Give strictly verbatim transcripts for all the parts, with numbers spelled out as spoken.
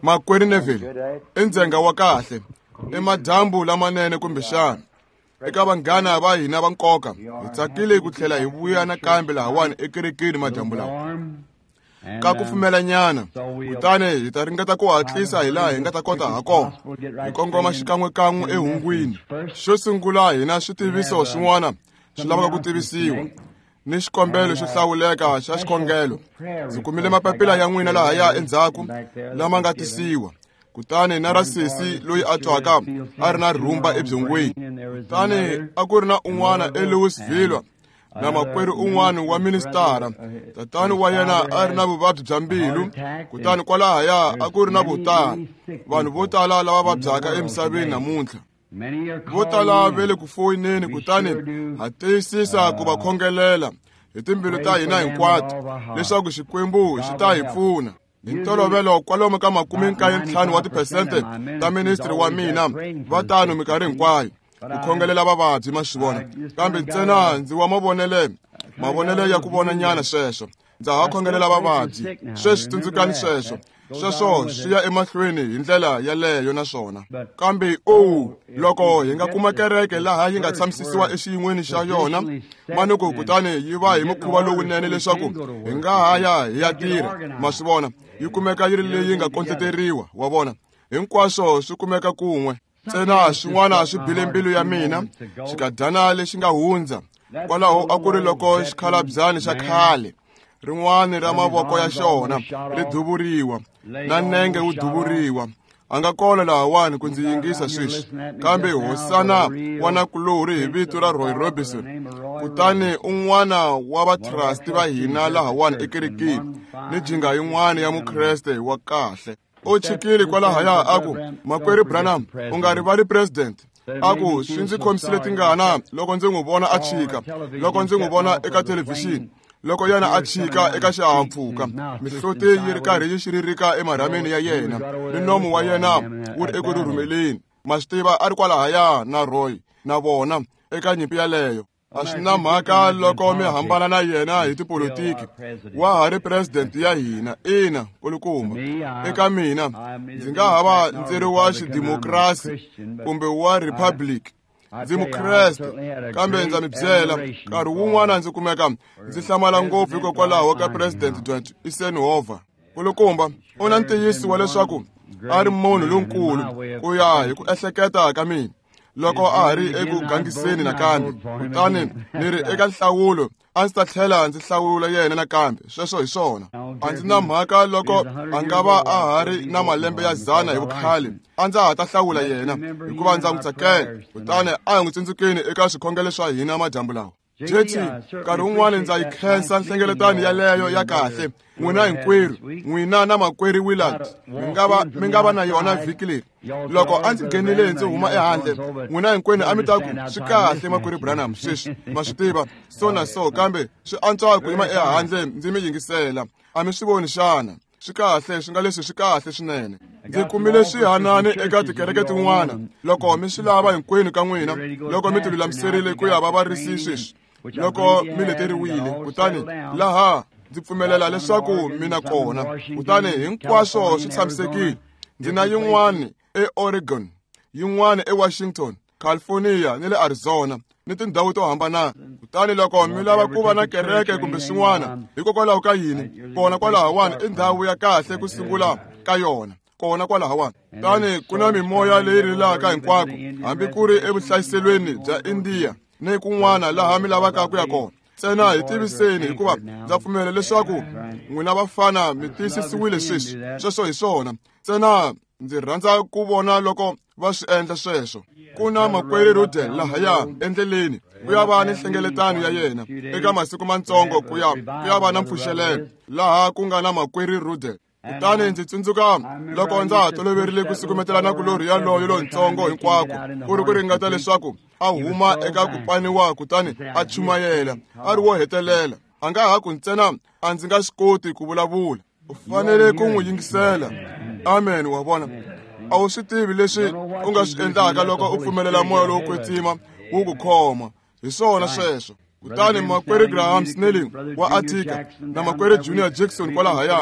Makwerhu Neville, i ndzhenga wa kahle, i madyambu lamanene kumbexana. Eka vanghana va hina va nkoka, hi tsakile ku tlhela hi vuya nakambe lahawani ekerekeni madyambu lawa. Ka kufumelanyana, kutani hi ta ringeta ku hatlisa hi laha hi nga ta kota ha kona, hi kongoma xikan'wekan'we ehungwini. Xo sungula hi na switiviso swin'wana swi lavaka ku tivisiwa, ni xikombelo xo hlawuleka xa xikhongelo. Ndzi kumile mapapila ya n'wina lahaya endzhaku lama nga tisiwa. Kutani na ra sesi loyi a twaka a ri na rhumba ebyongweni. Kutani a ku ri na un'wana eLouisville na makwerhu un'wana wa ministara. Tatani wa yena a ri na vuvabyi bya mbilu, kutani kwalahaya a ku ri na vo tala, vanhu vo tala lava vabyaka emisaveni namuntlha. Vo tala va le ku foyineni, kutani ha tiyisisa ku va khongelela hi timbilu ta hina hinkwato leswaku Xikwembu xi ta hi pfuna. Hi ntolovelo kwalomu ka makume nkaye ntlhanu wa tiphesente ta ministri wa mina va tano minkarhi hinkwayo ku khongelela vavabyi, ma swi vona. Kambe ntsena ndzi wa mavonele mavonele ya ku vona nyana sweswo. Ndza ha khongelela vavabyi sweswi, tsundzukani sweswo. Sweswo swi ya emahlweni hi ndlela yaleyo naswona. Kambe o loko hi nga kuma kereke laha yi nga tshamisisiwa exiyin'weni xa yona manuku, kutani yi va hi mukhuva lowunene leswaku hi nga ha ya hi ya tirha, ma swi vona, yi kumeka yi ri leyi nga kondleteriwa, wa vona. Hinkwaswo swi kumeka kun'we. Ntsena swin'wana swi bile mbilu ya mina xikadyana lexi nga hundza. Kwalaho a ku ri loko xikhalabyani xa khale, rin'wana ra mavoko ya xona ri duvuriwa, na nenge wu duvuriwa. A nga kona lahawani ku ndzi yingisa sweswi, kambe hosana wa nakulorhi hi vito ra Roy Robinson, kutani un'wana wa vatrasti va hina lahawani ekerekeni, ni jinga yin'wana ya Mukreste wa kahle. U chikile kwalahaya a ku, Makwerhu Branham, u nga rivali president. A ku, swi ndzi khomisile tingana loko ndzi n'wi vona a chika, loko ndzi n'wi vona eka thelevhixini, loko yena a chika eka xihahampfhuka, mihloti yi ri karhi yi xiririka emarhameni ya yena, ni nomu wa yena wu ri eku rhurhumeleni. Ma swi tiva, a ri kwalahaya na Roy na vona eka nyimpi yaleyo. A swi na mhaka loko mi hambana na yena hi tipolotiki, wa ha ri president ya hina. Ina, kulukumba. Eka mina, ndzi nga ha va ndzi ri wa xidemokirasi kumbe wa republic, ndzi Mukreste, kambe ndza mi byela, nkarhi wun'wana ndzi kumeka ndzi hlamala ngopfu hikokwalaho ka President Dwight Eisenhower. Kulukumba, u na ntiyiso wa leswaku a ri munhu lonkulu ku ya hi ku ehleketa ka mina loko a ha ri eku gangiseni nakambe. Kutani ni ri eka nhlawulo, a ndzi ta tlhela ndzi hlawula yena nakambe. Sweswo hi swona. A ndzi na mhaka loko a nga va a ha ri na malembe ya dzana hi vukhale, a ndza ha ta hlawula yena hikuva ndza n'wi tsakela. Kutani a hi n'wi tsundzukeni eka swikhongelo swa hina madyambu lawa. J T, nkarhi wun'wana ndza yi khensa nhlengeletano yaleyo ya kahle. N'wina hinkwerhu, n'wina na makwerhu Willard, mi nga va mi nga va na yona vhiki leri. Loko a ndzi nghenile ndzi huma ehandle, n'wina hinkwenu a mi ta ku, swi kahle makwerhu Branham, sweswi ma swi tiva so na so, kambe swi antswa ku yima ehandle ndzi mi yingisela. A mi swi voni xana? Swi kahle, swi nga leswi swi kahle swinene. Ndzi kumile swihanani eka tikereke tin'wana. Loko mi swi lava hinkwenu ka n'wina, loko mi tilulamiserile ku ya va varisi sweswi, loko mi leteriwile, kutani laha ndzi pfumelela leswaku mina kona, kutani hinkwaswo swi tshamisekile. Ndzi na yin'wana eOregon, yin'wana eWashington, California ni le Arizona, ni tindhawu to hambana. Kutani loko mi lava ku va na kereke kumbe swin'wana, hikokwalaho ka yini, kona kwalahawani i ndhawu ya kahle ku sungula ka yona, kona kwalahawani. Kutani ku na mimoya leyi rilaka hinkwako, hambi ku ri evuhlayiselweni bya India ni kun'wana laha mi lavaka ku ya kona. Ntsena hi tiviseni, hikuva ndza pfumela leswaku n'wina vafana mi tiyisisiwile sweswi. Sweswo hi swona. Ntsena ndzi rhandza ku vona loko va swi endla sweswo. Ku na makwerhu Rudel lahaya endleleni ku ya va ni nhlengeletano ya yena eka masiku matsongo, ku ya ku ya va na mpfuxelelo laha ku nga na makwerhu Rudel. Kutani ndzi tsundzuka loko ndza ha toloverile ku sukumetela nakulorhi yaloyo lontsongo hinkwako, ku ri ku ringeta leswaku a huma eka ku paniwa kutani a chumayela, a ri wo hetelela. A nga ha ku ntsena a ndzi nga swi koti ku vulavula. U fanele ku n'wi yingisela. Amen, wa vona. A wu swi tivi leswi u nga swi endlaka loko u pfumelela moya lowo kwetsima wu ku khoma. Hi swona sweswo. Kutani makwerhu Graham Snelling wa Attica na makwerhu Junior Jackson kwalahaya,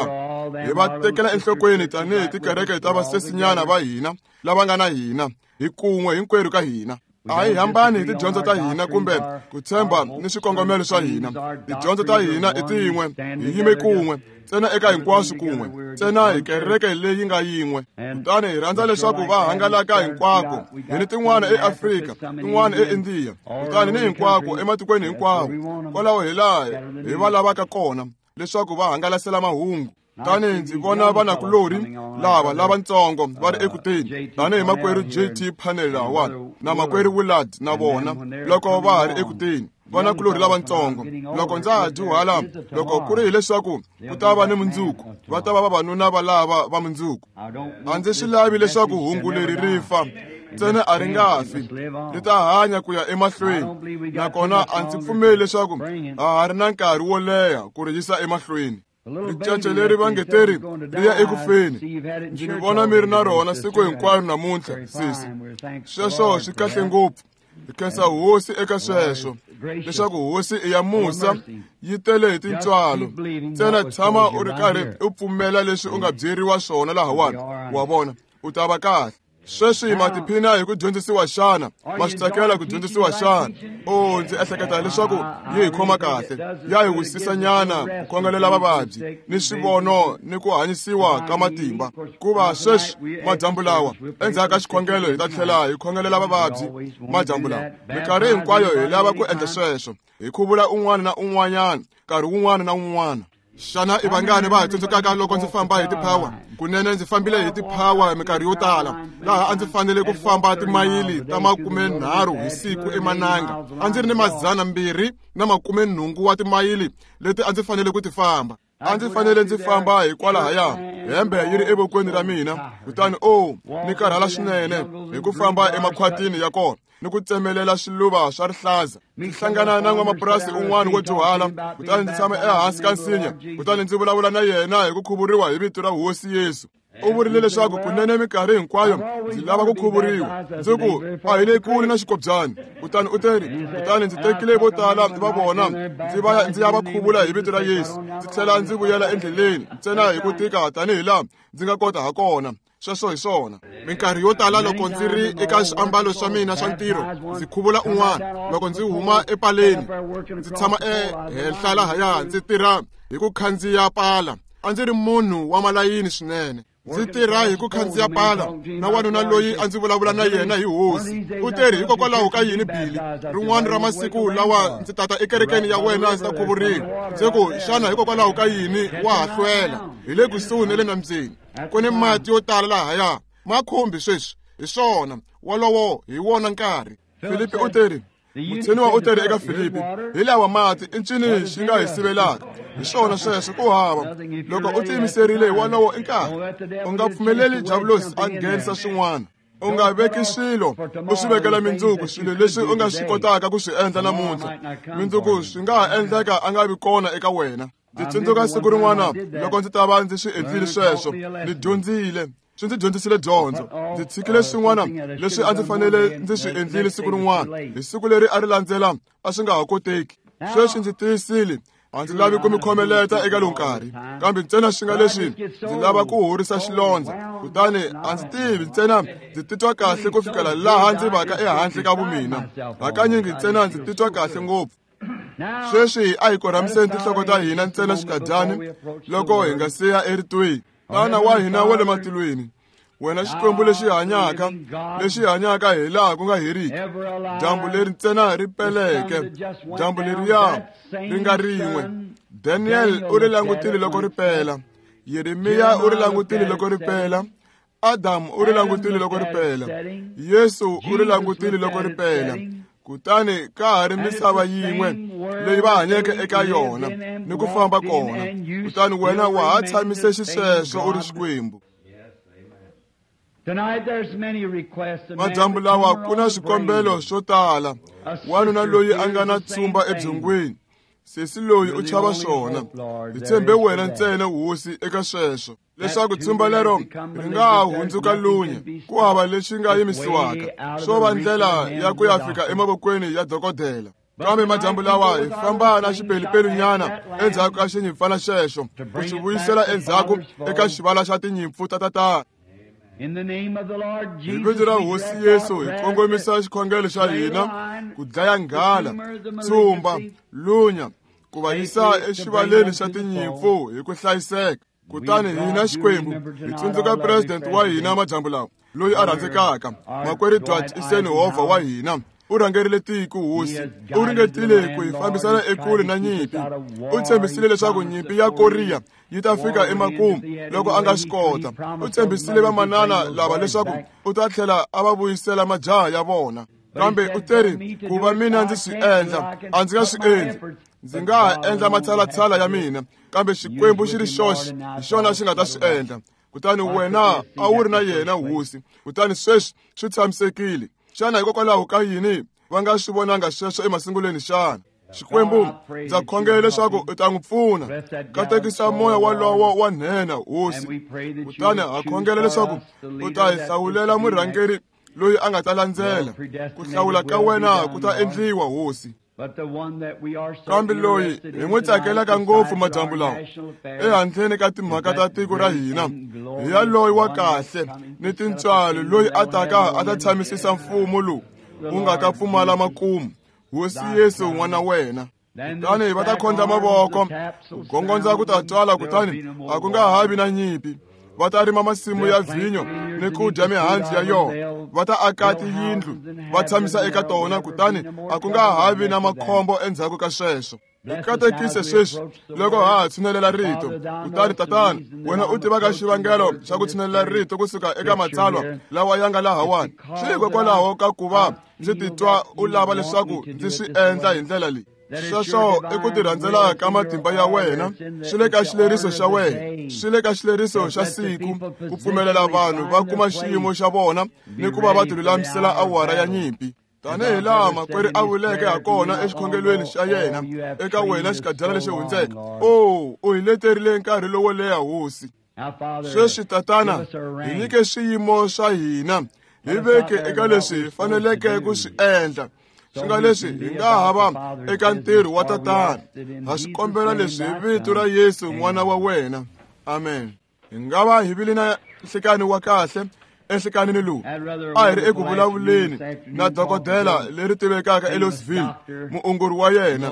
Hi va tekela enhlokweni tanihi tikereke ta vasesinyana va hina lava nga na hina, hi kun'we hinkwerhu ka hina. A hi hambani hi tidyondzo ta hina kumbe ku tshemba ni swikongomelo swa hina. Tidyondzo ta hina i tin'we, hi yime kun'we, ntsena eka hinkwaswo kun'we, ntsena hi kereke leyi nga yin'we. Kutani hi rhandza leswaku va hangalaka hinkwako. Hi ni tin'wana eAfrika, tin'wana eIndiya, kutani ni hinkwako ematikweni hinkwawo. Kwalaho hi laha hi va lavaka kona leswaku va hangalasela mahungu. Tani ndzi vona vanakulorhi lava lavatsongo va ri ekuteni, tanihi makwerhu J T Panel lahawani na makwerhu Willard na vona loko va ha ri ekuteni. Vanakulorhi lavatsongo, loko ndza ha dyuhala, loko ku ri hileswaku ku ta va ni mundzuku, va ta va vavanuna va lava va mundzuku. A ndzi swi lavi leswaku hungu leri ri fa, ntsena a ri nga fi, ri ta hanya ku ya emahlweni. Nakona a ndzi pfumeli leswaku ha ha ri na nkarhi wo leha ku ri yisa emahlweni. Ricece leri va nge teri ri ya ekufeni. Ndzi mi vona mi ri na rona siku hinkwaro namuntlha, sisi. Sweswo swi kahle ngopfu. Hi khensa hosi eka sweswo, leswaku hosi i ya musa, yi tele hi tintswalo. Ntsena tshama u ri karhi u pfumela leswi u nga byeriwa swona lahawani, wa vona, u ta va kahle. Sweswi ma tiphina hi ku dyondzisiwa xana? Ma swi tsakela ku dyondzisiwa xana? O, ndzi ehleketa leswaku yi hi khoma kahle, ya hi wisisanyana ku khongelela vavabyi ni swivono ni ku hanyisiwa ka matimba. Kuva sweswi madyambu lawa, endzhaku ka xikhongelo hi ta tlhela hi khongelela vavabyi madyambu lawa. Minkarhi hinkwayo hi lava ku endla sweswo, hi khuvula un'wana na un'wanyana nkarhi wun'wana na wun'wana. Xana i vangani va ha tsundzukaka loko ndzi famba hi tiphawa? Kunene ndzi fambile hi tiphawa minkarhi yo tala, laha a ndzi fanele ku famba timayili ta makumenharhu hi siku emananga. A ndzi ri ni madzana mbirhi na makumenhungu wa timayili leti a ndzi fanele ku ti famba. A ndzi fanele ndzi famba hikwalahaya, hembe yi ri evokweni ra mina, kutani o ni karhala swinene hi ku famba emakhwatini ya kona ni ku tsemelela swiluva swa rihlaza. Ndzi hlangana na n'wamapurasi un'wana wo dyuhala, kutani ndzi tshama ehansi ka nsinya, kutani ndzi vulavula na yena hi ku khuvuriwa hi vito ra Hosi Yesu. U vurile leswaku kunene minkarhi hinkwayo ndzi lava ku khuvuriwa. Ndzi ku a hi le kule na xikobyani. Kutani u teri, kutani ndzi tekile vo tala va vona ndzi va ndzi ya va khuvula hi vito ra Yesu, ndzi tlhela ndzi vuyela endleleni ntsena hi ku tika tanihi laha ndzi nga kota ha kona. Sweswo hi swona. Minkarhi yo tala loko ndzi ri eka swiambalo swa mina swa ntirho, ndzi khuvula un'wana. Loko ndzi huma epaleni, ndzi tshama ehenhla lahaya ndzi tirha hi ku khandziya pala. A ndzi ri munhu wa malayini swinene. Ndzi tirha hi ku khandziya pala na wanuna loyi a ndzi vulavula na yena hi hosi. U teri, hikokwalaho ka yini Billy, rin'wana ra masiku lawa ndzi tata ekerekeni ya wena ndzi ta khuvuriwa. Ndzi ku, xana hikokwalaho ka yini wa ha hlwela? Hi le kusuhi na le nambyeni. Ku ni mati yo tala lahaya, ma khumbi sweswi. Hi swona, wolowo hi wona nkarhi. Filipi u teri, mutsheniwa u teri eka Filipi, hi lawa mati i ncini xi nga hi sivelaka? Hi swona sweswo, ku hava. Loko u tiyimiserile, wolowo i nkarhi. U nga pfumeleli diabulosi a nghenisa swin'wana. U nga veki swilo u swi vekela mindzuku, swilo leswi u nga swi kotaka ku swi endla namuntlha. Mindzuku swi nga ha endleka a nga vi kona eka wena. Ndzi tsundzuka siku rin'wana loko ndzi ta va ndzi swi endlile sweswo, ndzi dyondzile. Swi ndzi dyondzisile dyondzo. Ndzi tshikile swin'wana leswi a ndzi fanele ndzi swi endlile siku rin'wana. Hi siku leri a ri landzela a swi nga ha koteki. Sweswi ndzi tiyisile, a ndzi lavi ku mi khomeleta eka lowu nkarhi, kambe ntsena swi nga leswi ndzi lava ku horisa xilondza. Kutani a ndzi tivi, ntsena ndzi titwa kahle ku fikela laha ndzi vaka ehandle ka vumina. Hakanyingi ntsena ndzi titwa kahle ngopfu. Sweswi a hi korhamiseni tinhloko ta hina ntsena xikadyani loko hi nga siya eritweni. Tana wa hina wa le matilweni, wena Xikwembu lexi hanyaka, lexi hanyaka hi laha ku nga heriki, dyambu leri ntsena ri peleke, dyambu leriya ri nga rin'we. Daniel u ri langutile loko ri pela, Yeremiya u ri langutile loko ri pela, Adamu u ri langutile loko ri pela, Yesu u ri langutile loko ri pela. Kutani ka ha ri misava yin'we leyi va hanyeke eka yona ni ku famba kona. Kutani wena wa ha tshamise xisweswo u ri Xikwembu. Madyambu lawa ku na swikombelo swo tala. Wanuna loyi a nga na tshumba ebyongweni, sesi loyi u chava swona. Hi tshembe wena ntsena hosi eka sweswo, leswaku tshumba lero ri nga ha hundzuka lunya, ku hava lexi nga yimisiwaka, swo va ndlela ya ku ya fika emavokweni ya dokodela. Kambe madyambu lawa hi famba na xipelupelu-nyana endzhaku ka xinyimpfana xexo ku xi vuyisela endzhaku eka xivala xa tinyimpfu ta tatana. Hi vito ra Hosi Yesu hi kongomisa xikhongelo xa hina ku dlaya nghala, tsumba, lunya, ku va yisa exivaleni xa tinyimpfu hi ku hlayiseka. Kutani hina Xikwembu hi tsundzuka president wa hina madyambu lawa loyi a rhandzekaka, makwerhu Dwight Eisenhower wa hina. U rhangerile tiko Hosi, u ringetile ku hi fambisana ekule na nyimpi. U tshembisile leswaku nyimpi ya Korea yi ta fika emakumu loko a nga swi kota. U tshembisile vamanana lava leswaku u ta tlhela a va vuyisela majaha ya vona. Kambe u teri ku va mina ndzi swi endla, a ndzi nga swi endli. Ndzi nga ha endla matshalatshala ya mina, kambe Xikwembu xi ri xoxe hi xona xi nga ta swi endla. Kutani wena a wu ri na yena Hosi, kutani sweswi swi tshamisekile. Xana hikokwalaho ka yini va nga swi vonanga sweswo emasungulweni xana? Xikwembu, ndza khongela leswaku u ta n'wi pfuna. Katekisa moya walowo wa nhenha Hosi. Kutani ha khongela leswaku u ta hi hlawulela murhangeri loyi a nga ta landzela. Ku hlawula ka wena ku ta endliwa Hosi. Kambe loyi hi n'wi tsakelaka ngopfu madyambu lawa ehandleni ka timhaka ta tiko ra hina hi ya loyi wa kahle ni tintswalo loyi a taka a ta tshamisisa mfumo lowu wu nga ta pfumala makumu, Hosi Yesu n'wana wena. Kutani va ta khondla mavoko, ku gongondza ku ta twala, kutani a ku nga ha vi na nyimpi. Va ta rima masimu ya vhinyo ni ku dya mihandzu ya yona. Va ta aka tiyindlu va tshamisa eka tona, kutani a ku nga ha vi na makhombo endzhaku ka sweswo. Hi katekise sweswi loko ha ha tshinelela rito. Kutani Tatana, wena u tivaka xivangelo xa ku tshinelela rito kusuka eka matsalwa lawa ya nga lahawani. Swi hikokwalaho ka ku va ndzi titwa u lava leswaku ndzi swi endla hi ndlela leyi. Sweswo i ku tirhandzela ka matimba ya wena, swi le ka xileriso xa wena, swi le ka xileriso xa siku ku pfumelela vanhu va kuma xiyimo xa vona ni ku va va tilulamisela awara ya nyimpi. Tanihi laha makwerhu a vuleke hakona exikhongelweni xa yena eka wena xikadyana lexi hundzeke, o u hi leterile nkarhi lowo leha Hosi. Sweswi Tatana, hi nyike swiyimo swa hina, hi veke eka leswi hi faneleke ku swi endla. Swi nga leswi hi nga ha va eka ntirho wa Tatana. Ha swi kombela leswi hi vito ra Yesu n'wana wa wena. Amen. Hi nga va hi vile na nhlekani wa kahle enhlekanini lowu. A hi ri eku vulavuleni na dokodela leri tivekaka eLouisville, muongori wa yena.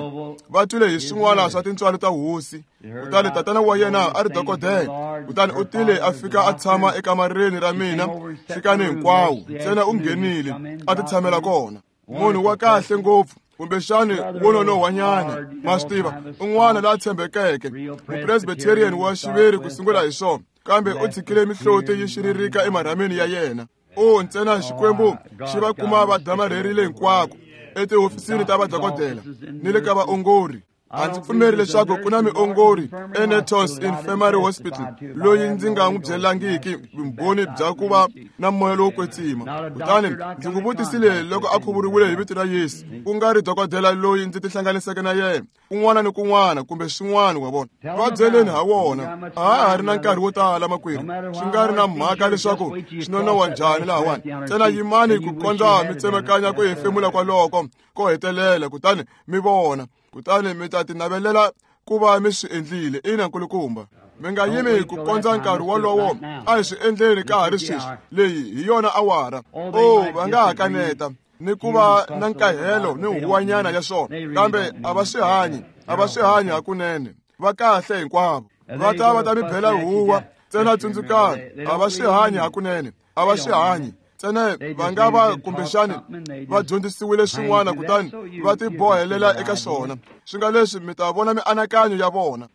Va twile hi swin'wana swa tintswalo ta Hosi. Kutani tatana wa yena a ri dokodela. Kutani u tile a fika a tshama ekamareni ra mina nhlekani hinkwawo. Ntsena u nghenile a ti tshamela kona. Munhu wa kahle ngopfu, kumbexani wo nonohwanyana, ma swi tiva, un'wana la tshembekeke, mupresbyterian wa xiviri ku sungula hi swona, kambe u tshikile mihloti yi xiririka emarhameni ya yena. O ntsena Xikwembu xi va kuma va damarherile hinkwako etihofisini ta vadokodela ni le ka vaongori. A ndzi pfumeri leswaku ku na miongori eNetos Infirmary Hospital loyi ndzi nga n'wi byelangiki vumbhoni bya ku va na moya lowo kwetsima. Kutani ndzi n'wi vutisile loko a khuvuriwile hi vito ra Yesu, ku nga ri dokodela loyi ndzi tihlanganiseke na yena kun'wana ni kun'wana kumbe swin'wana wa vona. Va byeleni ha wona, a ha ha ri na nkarhi wo tala makwerhu, swi nga ri na mhaka leswaku swi nonoha njhani lahawani. Ntsena yimani ku kondza mi tsemekanya ku hefemula kwaloko ko hetelela, kutani mi vona. Kutani mi ta tinavelela ku va mi swi endlile. Ina nkulukumba, mi nga yimi ku kondza nkarhi wolowo. A hi swi endleni ka ha ri sweswi. Leyi hi yona awara. O va nga ha kaneta ni ku va na nkahelo ni huwanyana ya swona, kambe a va swi hanyi, a va swi hanyi hakunene. Va kahle hinkwavo, va ta va ta mi bela huwa. Ntsena tsundzukani, a va swi hanyi hakunene, a va swi hanyi. Ntsena va nga va kumbexani va dyondzisiwile swin'wana, kutani va tibohelela eka swona. Swi nga leswi mi ta vona mianakanyo ya vona.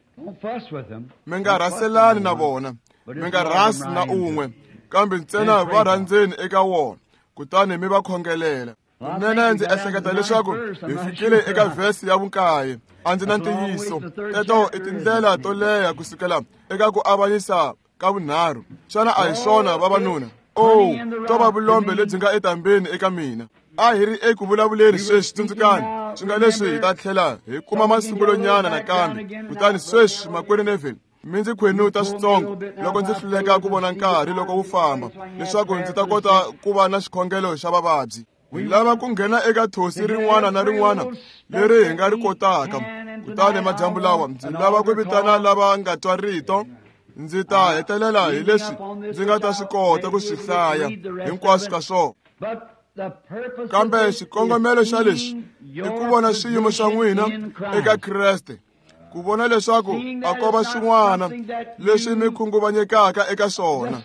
Mi nga rhaselani na vona, mi nga rhasi na un'we, kambe ntsena va rhandzeni eka wona, kutani mi va khongelela. Kunene ndzi ehleketa leswaku hi fikile eka vhesi ya vunkaye. A ndzi na ntiyiso. Teto i tindlela to leha kusukela eka ku avanyisa ka vunharhu. Xana a hi swona vavanuna? O to va vulombe lebyi nga etambeni eka mina. A hi ri eku vulavuleni sweswi, tsundzukani. Swi nga leswi hi ta tlhela hi kuma masungulonyana nakambe. Kutani sweswi makwerhu Neville, mi ndzi khwenuta switsongo loko ndzi hluleka ku vona nkarhi loko wu famba, leswaku ndzi ta kota ku va na xikhongelo xa vavabyi. Hi lava ku nghena eka thosi rin'wana na rin'wana leri hi nga ri kotaka. Kutani madyambu lawa ndzi lava ku vitana lava nga twa rito. Ndzi ta hetelela hi leswi ndzi nga ta swi kota ku swi hlaya hinkwaswo ka swona. Kambe xikongomelo xa leswi i ku vona xiyimo xa n'wina eka Kreste, ku vona leswaku a ko va swin'wana leswi mi khunguvanyekaka eka swona,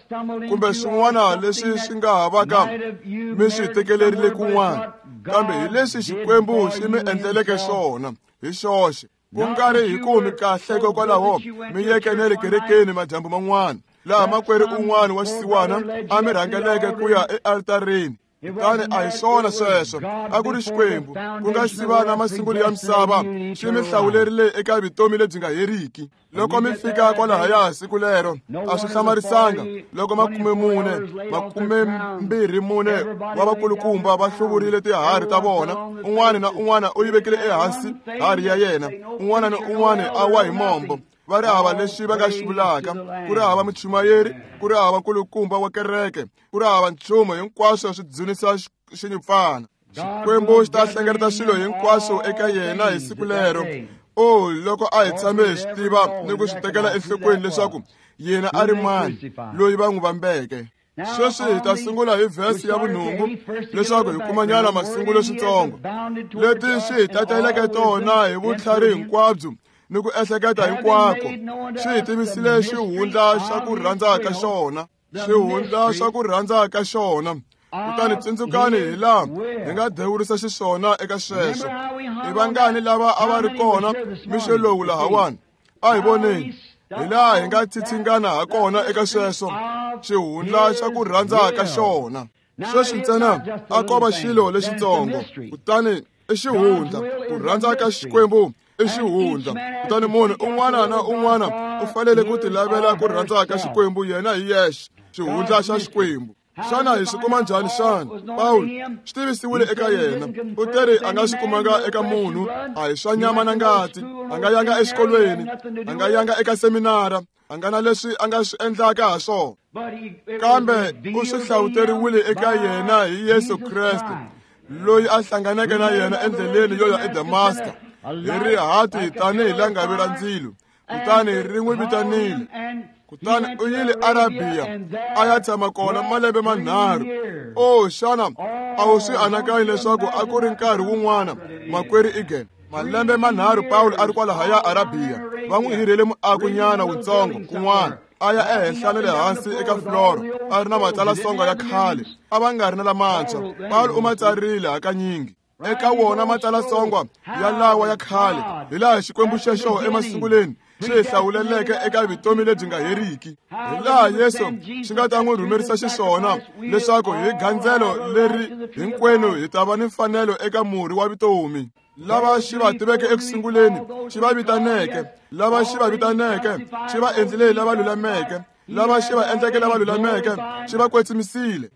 kumbe swin'wana leswi swi nga ha vaka mi swi tekelerile kun'wana, kambe hi leswi Xikwembu xi mi endleleke swona hi xoxe, ku nga ri hi ku mi kahle hikokwalaho mi yeke na le kerekeni madyambu man'wana, laha makwerhu un'wana wa xisiwana a mi rhangeleke ku ya ealtarini. Kutani a hi swona sweswo, a ku ri Xikwembu ku nga siva na masungulo ya misava xi mi hlawulerile eka vutomi lebyi nga heriki. Loko mi fika kwalahaya siku lero, a swi hlamarisanga loko makume mune makumembirhi mune wa vakulukumba va hluvurile tiharhi ta vona, un'wana na un'wana u yi vekile ehansi harhi ya yena, un'wana na un'wana a wa hi mombo. Va ri hava lexi va nga xi vulaka, ku ri hava muchumayeri, ku ri hava nkulukumba wa kereke, ku ri hava nchumu, hinkwaswo swi dzunisa xinyimpfana. Xikwembu xi ta hlengeleta swilo hinkwaswo eka yena hi siku lero. O loko a hi tshame hi swi tiva ni ku swi tekela enhlokweni leswaku yena a ri mani loyi va n'wi vambeke. Sweswi hi ta sungula hi vhesi ya vunhungu leswaku hi kumanyana masungulo switsongo leti swi hi tateleke tona hi vutlhari hinkwabyo ni ku ehleketa hinkwako. Swi hi tivisile xihundla xa ku rhandza ka xona, xihundla xa ku rhandza ka xona. Kutani tsundzukani hi laha hi nga dewurisa xiswona eka sweswo. I vangani lava a va ri kona mixo lowu lahawani? A hi voneni hi laha hi nga tsitshingana ha kona eka sweswo, xihundla xa ku rhandza ka xona. Sweswi ntsena a ko va xilo lexitsongo, kutani i xihundla. Ku rhandza ka Xikwembu i xihundla. Kutani munhu un'wana na un'wana u fanele ku tilavela ku rhandza ka Xikwembu yena hi yexe, xihundla xa Xikwembu. Xana hi swi kuma njhani xana? Pawulo swi tivisiwile eka yena. U teri a nga swi kumanga eka munhu, a hi swa nyama na ngati, a nga yanga exikolweni, a nga yanga eka seminara, a nga na leswi a nga swi endlaka ha swona, kambe u swi hlawuteriwile eka yena hi Yesu Kreste, loyi a hlanganeke na yena endleleni yo ya eDamaska hi rihati tanihi langavi ra ndzilo. Kutani ri n'wi vitanile. Kutani u yile Arabiya a ya tshama kona malembe manharhu. O xana a wu swi anakanyi leswaku a ku ri nkarhi wun'wana, makwerhu Egan? Malembe manharhu Pawulo a ri kwalahaya Arabiya, va n'wi hirhele muakonyana wutsongo kun'wana, a ya ehenhla na le hansi eka floro, a ri na matsalasongo ya khale, a va nga ri na lamantshwa. Pawulo u ma tsarile hakanyingi eka wona matsalasongwa ya lawa ya khale, hi laha Xikwembu xexo emasunguleni xi hi hlawuleleke eka vutomi lebyi nga heriki, hi laha Yesu xi nga ta n'wi rhumerisa xiswona leswaku hi gandzelo leri hinkwenu hi ta va ni mfanelo eka murhi wa vutomi. Lava xi va tiveke ekusunguleni xi va vitaneke, lava xi va vitaneke xi va endlile lava lulameke, lava xi va endleke lava lulameke xi va kwetsimisile.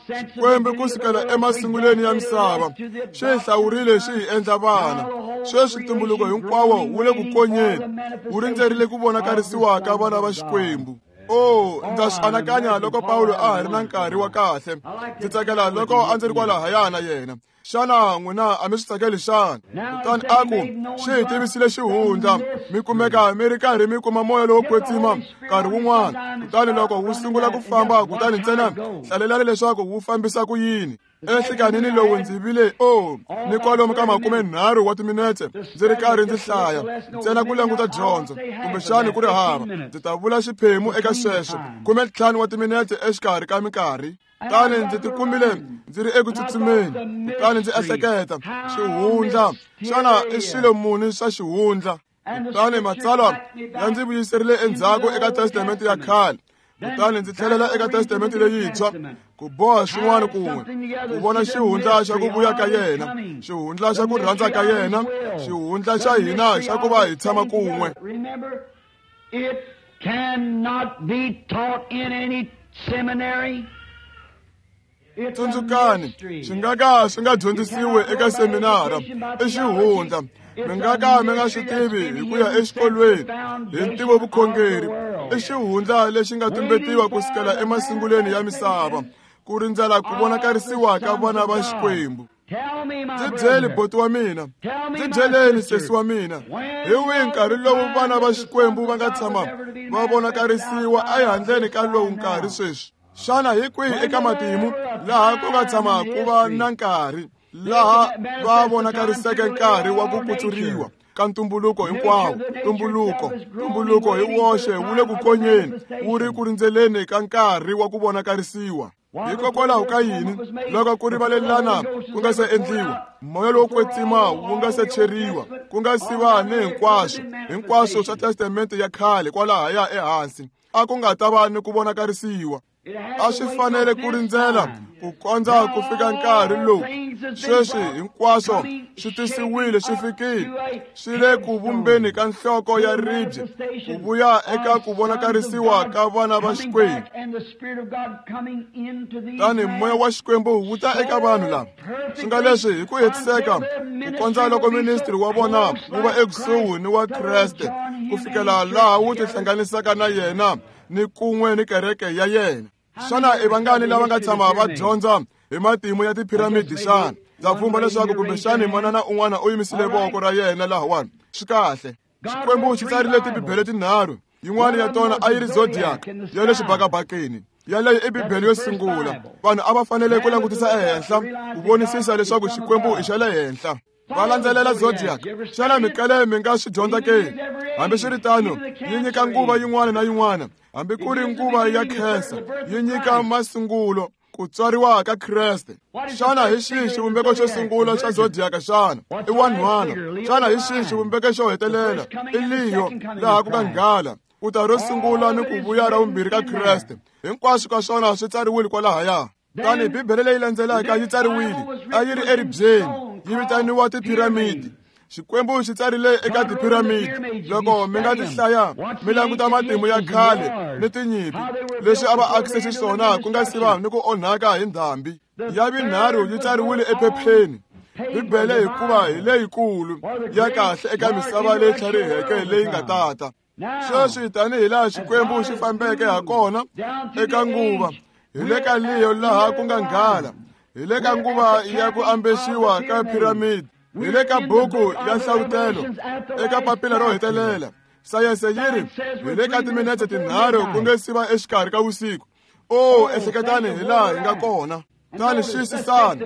Xikwembu ku sukela emasungulweni ya misava xi hi hlawurile xi hi endla vana. Sweswi ntumbuluko hinkwawo wu le ku konyeni, wu rindzerile ku vonakarisiwa ka vana va Xikwembu. O ndza swi anakanya loko Pawulo a ha ri na nkarhi wa kahle. Ndzi tsakela loko a ndzi ri kwalahaya na yena. Xana n'wina a mi swi tsakeli xana? Kutani a ku xi hi tivisile xihundla, mi kumeka mi ri karhi mi kuma moya lowo kwetsima nkarhi wun'wana. Kutani loko wu sungula ku famba, kutani ntsena hlalelani leswaku wu fambisa ku yini. Enhlikanini lowu ndzi vile o ni kwalomu ka makumenharhu wa timinetse ndzi ri karhi ndzi hlaya ntsena ku languta dyondzo, kumbexani ku ri hava. Ndzi ta vula xiphemu eka sweswo, khume ntlhanu wa timinetse exikarhi ka minkarhi. Kutani ndzi tikumile ndzi ri eku tsutsumeni, kutani ndzi ehleketa xihundla, xana i swilo muni swa xihundla? Kutani matsalwa ya ndzi vuyiserile endzhaku eka Testamente ya khale, kutani ndzi tlhelela eka Testamente leyintshwa ku boha swin'wana kun'we, ku vona xihundla xa ku vuya ka yena, xihundla xa ku rhandza ka yena, xihundla xa hina xa ku va hi tshama kun'we. It cannot be taught in any seminary. Tsundzukani, swi nga ka swi nga dyondzisiwi eka seminara, i xihundla. Mi nga ka mi nga swi tivi hi ku ya exikolweni hi ntivo vukhongeri. I xihundla lexi nga tumbetiwa ku sukela emasungulweni ya misava, ku rindzela ku vonakarisiwa ka vana va Xikwembu. Ndzi byeli boti wa mina, ndzi byeleni sesi wa mina, hi wihi nkarhi lowu vana va Xikwembu va nga tshama va vonakarisiwa ehandleni ka lowu nkarhi sweswi? Xana hi kwihi eka matimu laha ku nga tshama ku va na nkarhi laha va vonakariseke nkarhi wa ku kutsuriwa ka ntumbuluko hinkwawo? Ntumbuluko ntumbuluko hi woxe wu le ku konyeni, wu ri ku rindzeleni ka nkarhi wa ku vonakarisiwa. Hikokwalaho ka yini loko ku rivalelana ku nga se endliwa, moya lowo kwetsima wu nga se cheriwa, ku nga si va ni hinkwaswo hinkwaswo swa testamente ya khale kwalahaya ehansi, a ku nga ta va ni ku vonakarisiwa. A swi fanele ku rindzela ku kondza ku fika nkarhi lowu sweswi hinkwaswo swi tisiwile, swi fikile, swi le ku vumbeni ka nhloko ya ribye, ku vuya eka ku vonakarisiwa ka vana va Xikwembu. Tani moya wa Xikwembu wu ta eka vanhu lava, swi nga leswi hi ku hetiseka ku kondza loko ministri wa vona wu va ekusuhi ni wa Kreste, ku fikela laha wu tihlanganisaka na yena ni kun'we ni kereke ya yena. Xana i vangani lava nga tshama va dyondza hi matimu ya tiphiramidi xana? Ndza pfumba leswaku kumbexani manana un'wana u yimisile voko ra yena lahawani. Swi kahle. Xikwembu xi tsarile tibibele tinharhu. Yin'wana ya tona a yi ri zodiac ya le xibakabakeni, yaleyo i bibele yo sungula. Vanhu a va fanele ku langutisa ehenhla ku vonisisa leswaku Xikwembu i xa le henhla. Va landzelela zodiac. Xana mikale mi nga swi dyondza ke? Hambiswiritano, yi nyika nguva yin'wana na yin'wana, hambi ku ri nguva ya khensa, yi nyika masungulo ku tswariwa ka Kreste. Xana hi xihi xivumbeko xo sungula xa zodiac xana? I wanhwana. Xana hi xihi xivumbeko xo hetelela? I Leo, laha ku nga nghala, ku ta ro sungula ni ku vuya ra vumbirhi ka Kreste. Hinkwaswo ka swona swi tsariwile kwalahaya. Tani bibele leyi landzelaka yi tsariwile, a yi ri eribyeni, yi vitaniwa tiphiramidi. Xikwembu xi tsarile eka tiphiramidi. Loko mi nga ti hlaya, mi languta matimu ya khale ni tinyimpi leswi a va akise xiswona ku nga si va ni ku onhaka hi ndhambi. Ya vinharhu yi tsariwile ephepheni. Bibele hikuva hi leyikulu ya kahle eka misava leyi tlhariheke leyi nga tata. Sweswi tanihi laha Xikwembu xi fambeke ha kona eka nguva, hi le ka Leo laha ku nga nghala, hi le ka nguva ya ku ambexiwa ka piramidi, hi le ka buku ya Nhlavutelo eka papila ro hetelela. Sayense yi ri hi le ka timinetse tinharhu ku nge si va exikarhi ka vusiku. O ehleketani hi laha hi nga kona. Tani xiyisisani,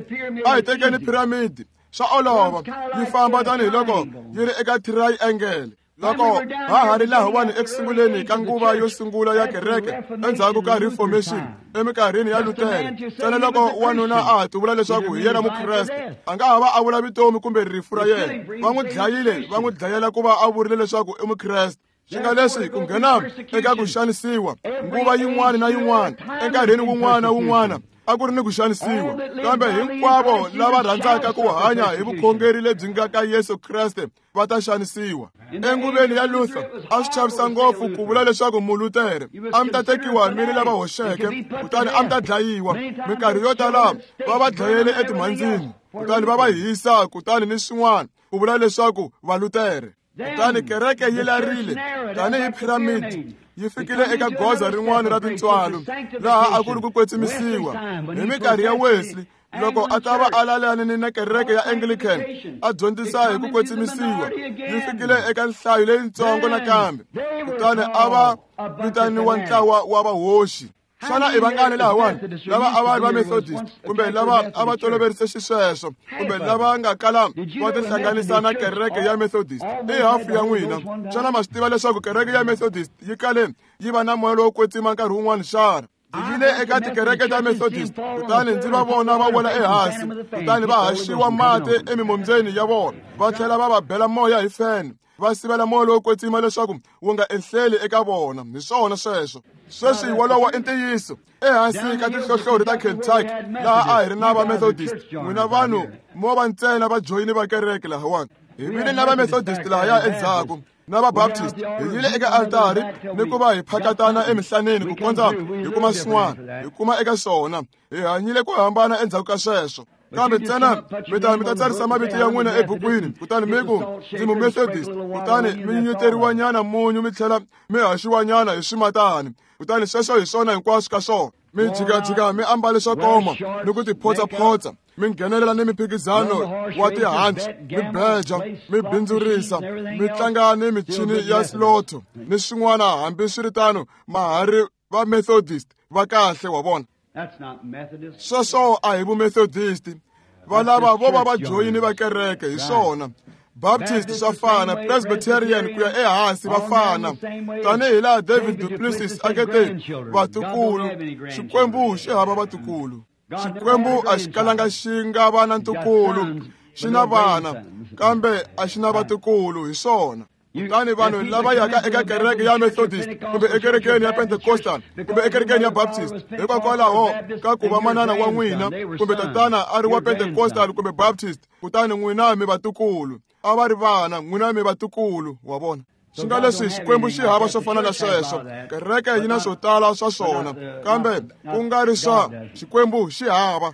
a hi tekeni piramidi. Swa olova, yi famba tanihiloko yi ri eka triangle. Loko ha ha ri lahawani ekusunguleni ka nguva yo sungula ya kereke endzhaku ka Reformation eminkarhini ya Luther, ntsena loko wanuna a ha tivula leswaku hi yena Mukreste, a nga ha va a vula vutomi kumbe rifu ra yena. Va n'wi dlayile, va n'wi dlayela ku va a vurile leswaku i Mukreste. Swi nga leswi ku nghena eka ku xanisiwa nguva yin'wana na yin'wana, enkarhini wun'wana na wun'wana a ku ri ni ku xanisiwa. Kambe hinkwavo lava rhandzaka ku hanya hi vukhongeri lebyi nga ka Yesu Kreste va ta xanisiwa. Enguveni ya Luther a swi chavisa ngopfu ku vula leswaku Mulutere a mi ta tekiwa mi ri lava hoxeke, kutani a mi ta dlayiwa. Minkarhi yo tala va va dlayele etimhandzini, kutani va va hisa, kutani ni swin'wana ku vula leswaku Valutere. Kutani kereke yi larile tanihi piramidi, yi fikile eka goza rin'wana ra tintswalo laha a ku ri ku kwetsimisiwa. Hi minkarhi ya Wesley, loko a ta va a lalane ni kereke ya Anglican, a dyondzisa hi ku kwetsimisiwa, yi fikile eka nhlayo leyitsongo nakambe, kutani a va vitaniwa ntlawa wa vahoxi. Xana i vangani lahawani lava a va ri va Methodist, kumbe lava a va toloverise xisweswo, kumbe lava nga kala va tihlanganisa na kereke ya Methodist? I hafu ya n'wina. Xana ma swi tiva leswaku kereke ya Methodist yi kale yi va na moya lowo kwetsima nkarhi wun'wana xana? Ndzi yile eka tikereke ta Methodist, kutani ndzi va vona va wela ehansi, kutani va haxiwa mati emimombyeni ya vona, va tlhela va va bela moya hi fene, va sivela moya lowo kwetsima leswaku wu nga ehleli eka vona. Hi swona sweswo. Sweswi wolowo i ntiyiso. Ehansi ka tinhlohlorhi ta Kentucky laha a hi ri na va Methodist, n'wina vanhu mo va ntsena va joyini va kereke lahawani. Hi vile na va Methodist lahaya endzhaku, na va Baptist. Hi yile eka altari ni ku va hi phakatana emihlaneni ku kondza hi kuma swin'wana, hi kuma eka swona. Hi hanyile ku hambana endzhaku ka sweswo. Kambe ntsena mi ta mi ta tsarisa mavito ya n'wina ebukwini, kutani mi ku ndzi Mumethodist, kutani mi nyunyuteriwanyana munyu mi tlhela mi haxiwanyana hi swimatani, kutani sweswo hi swona hinkwaswo ka swona. Mi jikajika mi ambale swo koma ni ku tiphotsaphotsa, mi nghenelela ni miphikizano wa tihanci, mi beja, mi bindzurisa, mi tlanga ni michini ya slotho ni swin'wana. Hambiswiritano ma ha ri va Methodist va kahle, wa vona. Sweswo a hi vumethodist, va lava vo va va joyini va kereke hi swona. Baptist swa fana, Presbyterian ku ya ehansi va fana. Tanihi laha David du Plessis a nge te vatukulu, Xikwembu xi hava vatukulu. Xikwembu a xi kalanga xi nga va na ntukulu, xi na vana kambe a xi na vatukulu, hi swona. Kutani vanhu lava yaka eka kereke ya Methodist kumbe ekerekeni ya Pentecostal kumbe ekerekeni ya Baptist, hikokwalaho ka ku va manana wa n'wina kumbe tatana a ri wa Pentecostal kumbe Baptist, kutani n'wina mi vatukulu. A va ri vana, n'wina mi vatukulu, wa vona. Swi nga leswi Xikwembu xi hava swo fana na sweswo. Kereke yi na swo tala swa swona, kambe ku nga ri swa Xikwembu xi hava.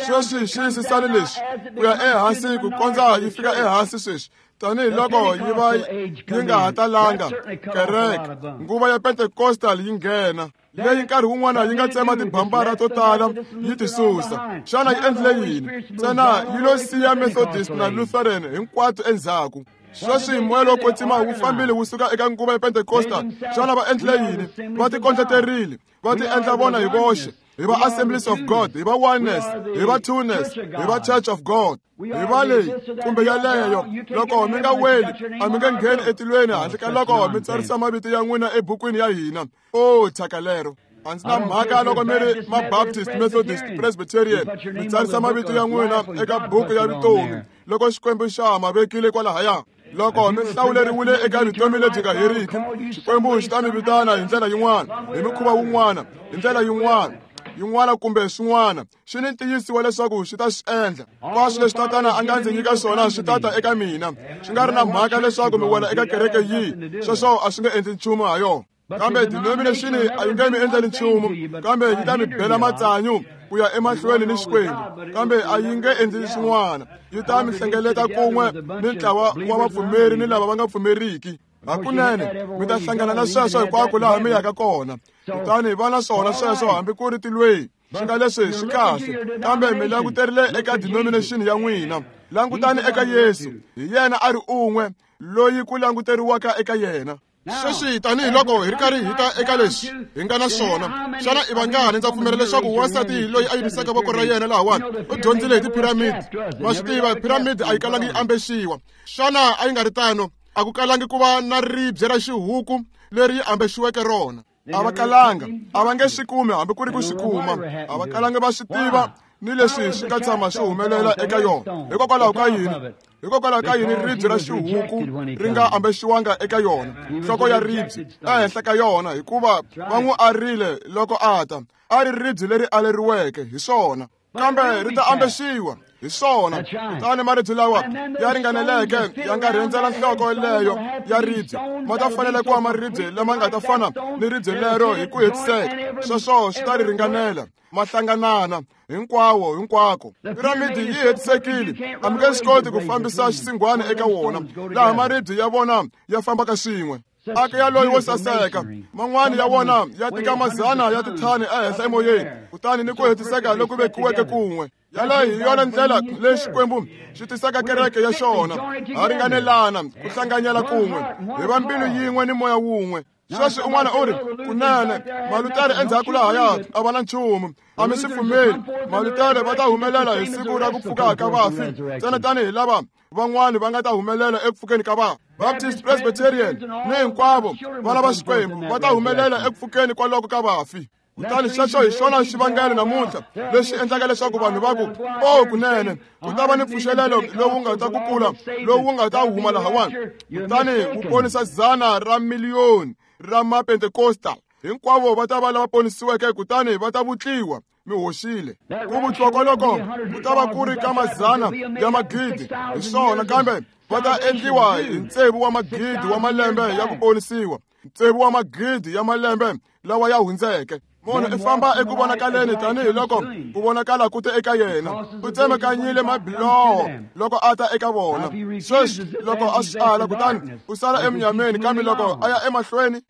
Sweswi xiyisisani leswi ku ya ehansi ku kondza yi fika ehansi sweswi, tanihiloko yi va yi nga ha talanga kereke. Nguva ya Pentecostal yi nghena, leyi nkarhi wun'wana yi nga tsema tibambara to tala yi ti susa. Xana yi endlile yini? Ntsena yi lo siya Methodist na Lutheran hinkwato endzhaku. Sweswi moya lowo kwetsima wu fambile wu suka eka nguva ya Pentecostal. Xana va endlile yini? Va tikondleterile, va ti endla vona hi voxe. Hi va Assemblies of God, hi va Oneness, hi va Twoness, hi va Church of God, hi va leyi kumbe yaleyo. Loko mi nga weli, a mi nge ngheni etilweni handle ka loko mi tsarisa mavito ya n'wina ebukwini ya hina. O thyaka lero! A ndzi na mhaka loko mi ri ma-Baptist, Methodist, Presbyterian, mi tsarisa mavito ya n'wina eka buku ya vutomi loko Xikwembu xa ma vekile kwalahaya. Loko mi hlawuleriwile eka vutomi lebyi nga heriki, Xikwembu xi ta mi vitana hi ndlela yin'wana, hi mikhuva wun'wana, hi ndlela yin'wana yin'wana kumbe swin'wana. Xi ni ntiyiso wa leswaku xi ta swi endla. Hinkwaswo leswi tatana a nga ndzi nyika swona swi ta ta eka mina. Swi nga ri na mhaka leswaku mi wela eka kereke yihi, sweswo a swi nge endli nchumu ha yona. Kambe denomination a yi nge mi endleli nchumu, kambe yi ta mi bela matsanyu ku ya emahlweni ni Xikwembu, kambe a yi nge endli swin'wana. Yi ta mi hlengeleta kun'we ni ntlawa wa vapfumeri ni lava va nga pfumeriki. Hakunene mi ta hlangana na sweswo hinkwako laha mi yaka kona. Kutani va na swona sweswo hambi ku ri tilweni. Swi nga leswi swi kahle, kambe mi languterile eka denomination ya n'wina. Langutani eka Yesu, hi yena a ri un'we loyi ku languteriwaka eka yena. Sweswi tanihiloko hi ri karhi hi ta eka leswi hi nga na swona, xana i vangani ndza pfumela leswaku wansati loyi a yimisaka voko ra yena lahawani u dyondzile hi tiphiramidi? Ma swi tiva, phiramidi a yi kalangi yi ambexiwa. Xana a yi nga ri tano? A ku kalangi ku va na ribye ra xihuku leri yi ambexiweke rona. A va kalanga, a va nge swi kumi hambi ku ri ku swi kuma. A va kalangi va swi tiva ni leswi swi nga tshama swi humelela eka yona. Hikokwalaho ka yini? Hikokwalaho ka yini ribye ra xihuku ri nga ambexiwanga eka yona, nhloko ya ribye ehenhla ka yona? Hikuva va n'wi arile loko a ta. A ri ribye leri aleriweke, hi swona, kambe ri ta ambexiwa, hi swona. Kutani maribye lawa ya ringaneleke ya nga rhendzela nhloko leyo ya ribye ma ta fanele ku va maribye lama nga ta fana ni ribye lero hi ku hetiseka. Sweswo swi ta ri ringanela, ma hlanganana hinkwawo hinkwako. Piramidi yi hetisekile, a mi nge swi koti ku fambisa xisingwani eka wona, laha maribye ya vona ya fambaka swin'we. Aka yaloyi wo saseka, man'wani ya wona ya tika mazana ya tithani ehenhla emoyeni, kutani ni ku hetiseka loku vekiweke kun'we. Yaleyo hi yona ndlela leyi Xikwembu xi tisaka kereke ya xona. Ha ringanelana ku hlanganyela kun'we, hi va mbilu yin'we ni moya wun'we. Sweswi un'wana u ri, kunene Malutere endzhaku lahaya a va na nchumu. A mi swi pfumeli. Malutere va ta humelela hi siku ra ku pfuka ka vafi, ntsena tanihi lava van'wani va nga ta humelela eku pfukeni ka vafi. Baptist, Presbyterian ni hinkwavo vana va Xikwembu va ta humelela eku pfukeni kwaloko ka vafi. Kutani xexo hi xona xivangelo namuntlha lexi endlaka leswaku vanhu va ku, o kunene ku ta va ni mpfuxelelo lowu nga ta kukula, lowu nga ta huma lahawani, kutani wu ponisa dzana ra miliyoni ra mapentekostal. Hinkwavo va ta va lava ponisiweke, kutani va ta vutliwa. Mi hoxile. Ku vutliwa kwaloko ku ta va ku ri ka mazana ya magidi, hi swona, kambe va ta endliwa hi ntsevu wa magidi wa malembe ya ku ponisiwa, ntsevu wa magidi ya malembe lawa ya hundzeke. Munhu i famba eku vonakaleni tanihiloko ku vonakala ku te eka yena. U tsemekanyile mabiloho loko a ta eka vona. Sweswi loko a swi ala, kutani u sala emunyameni, kambe loko a ya emahlweni.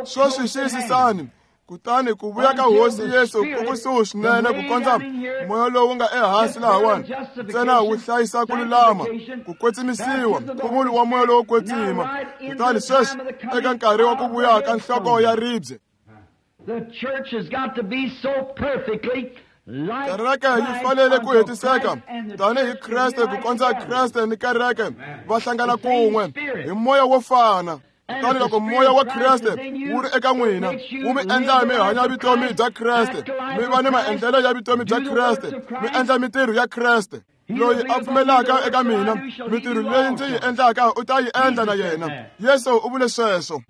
Sweswi xiyisisani, kutani ku vuya ka Hosi Yesu ku kusuhi swinene ku kondza moya lowu nga ehansi lahawani ntsena wu hlayisa ku lulama, ku kwetsimisiwa, nkhuvulo wa moya lowo kwetsima. Kutani sweswi eka nkarhi wa ku vuya ka nhloko ya ribye, kereke yi fanele ku hetiseka tanihi Kreste ku kondza Kreste ni kereke va hlangana kun'we hi moya wo fana. Kutani loko moya wa Kreste wu ri eka n'wina, wu mi endla mi hanya vutomi bya Kreste, mi va ni maendlelo ya vutomi bya Kreste, mi endla mintirho ya Kreste. Loyi a pfumelaka eka mina, mintirho leyi ndzi yi endlaka u ta yi endla na yena. Yesu u vule sweswo.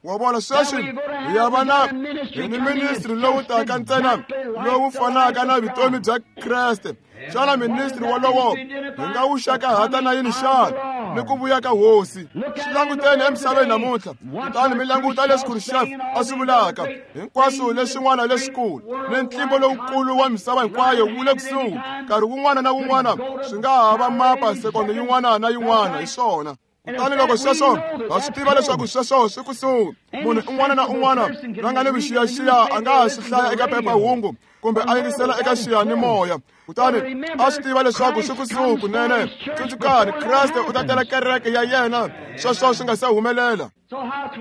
Wa vona, sweswi hi ya va na hi ni ministri lowu taka ntsena lowu fanaka na vutomi bya Kreste. Xana ministri wolowo hi nga wu xakahata na yini xana? Ni ku vuya ka Hosi. Swi languteni emisaveni namuntlha, kutani mi languta leswi Khrushchev a swi vulaka, hinkwaswo leswin'wana leswikulu ni ntlimbo lowukulu wa misava hinkwayo wu le kusuhi. Nkarhi wun'wana na wun'wana swi nga ha va mapa sekondo yin'wana na yin'wana, hi swona. Kutani loko sweswo ha swi tiva leswaku sweswo swi kusuhi, munhu un'wana na un'wana la nga ni vuxiyaxiya a nga ha swi hlaya eka phephahungu kumbe a yingisela eka xiyanimoya, kutani a swi tiva leswaku swi kusuhi kunene. Tsundzukani, Kreste u ta tela kereke ya yena sweswo swi nga se humelela.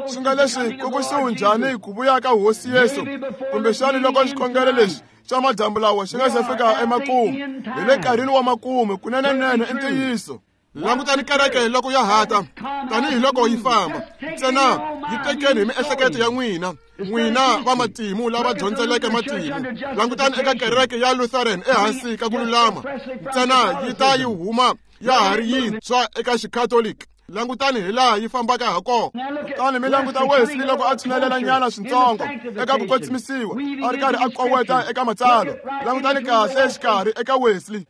Swi nga leswi ku kusuhi njhani ku vuya ka Hosi Yesu? Kumbexani loko xikhongelo lexi xa madyambu lawa xi nga se fika emakumu, hi le nkarhini wa makumu kunenenene i ntiyiso. Langutani kereke loko ya hata tanihiloko yi famba, ntsena yi tekeni hi miehleketo ya n'wina, n'wina va matimu lava dyondzeleke matimu. Langutani eka kereke ya Lutheran ehansi ka ku lulama, ntsena yi ta yi huma ya ha ri yintshwa eka Xikatholiki. Langutani hi laha yi fambaka ha kona. Kutani mi languta Wesley loko a tshunelela nyana swintsongo eka ku kwetsimisiwa, a ri karhi a koweta eka matsalwa. Langutani kahle exikarhi eka Wesley.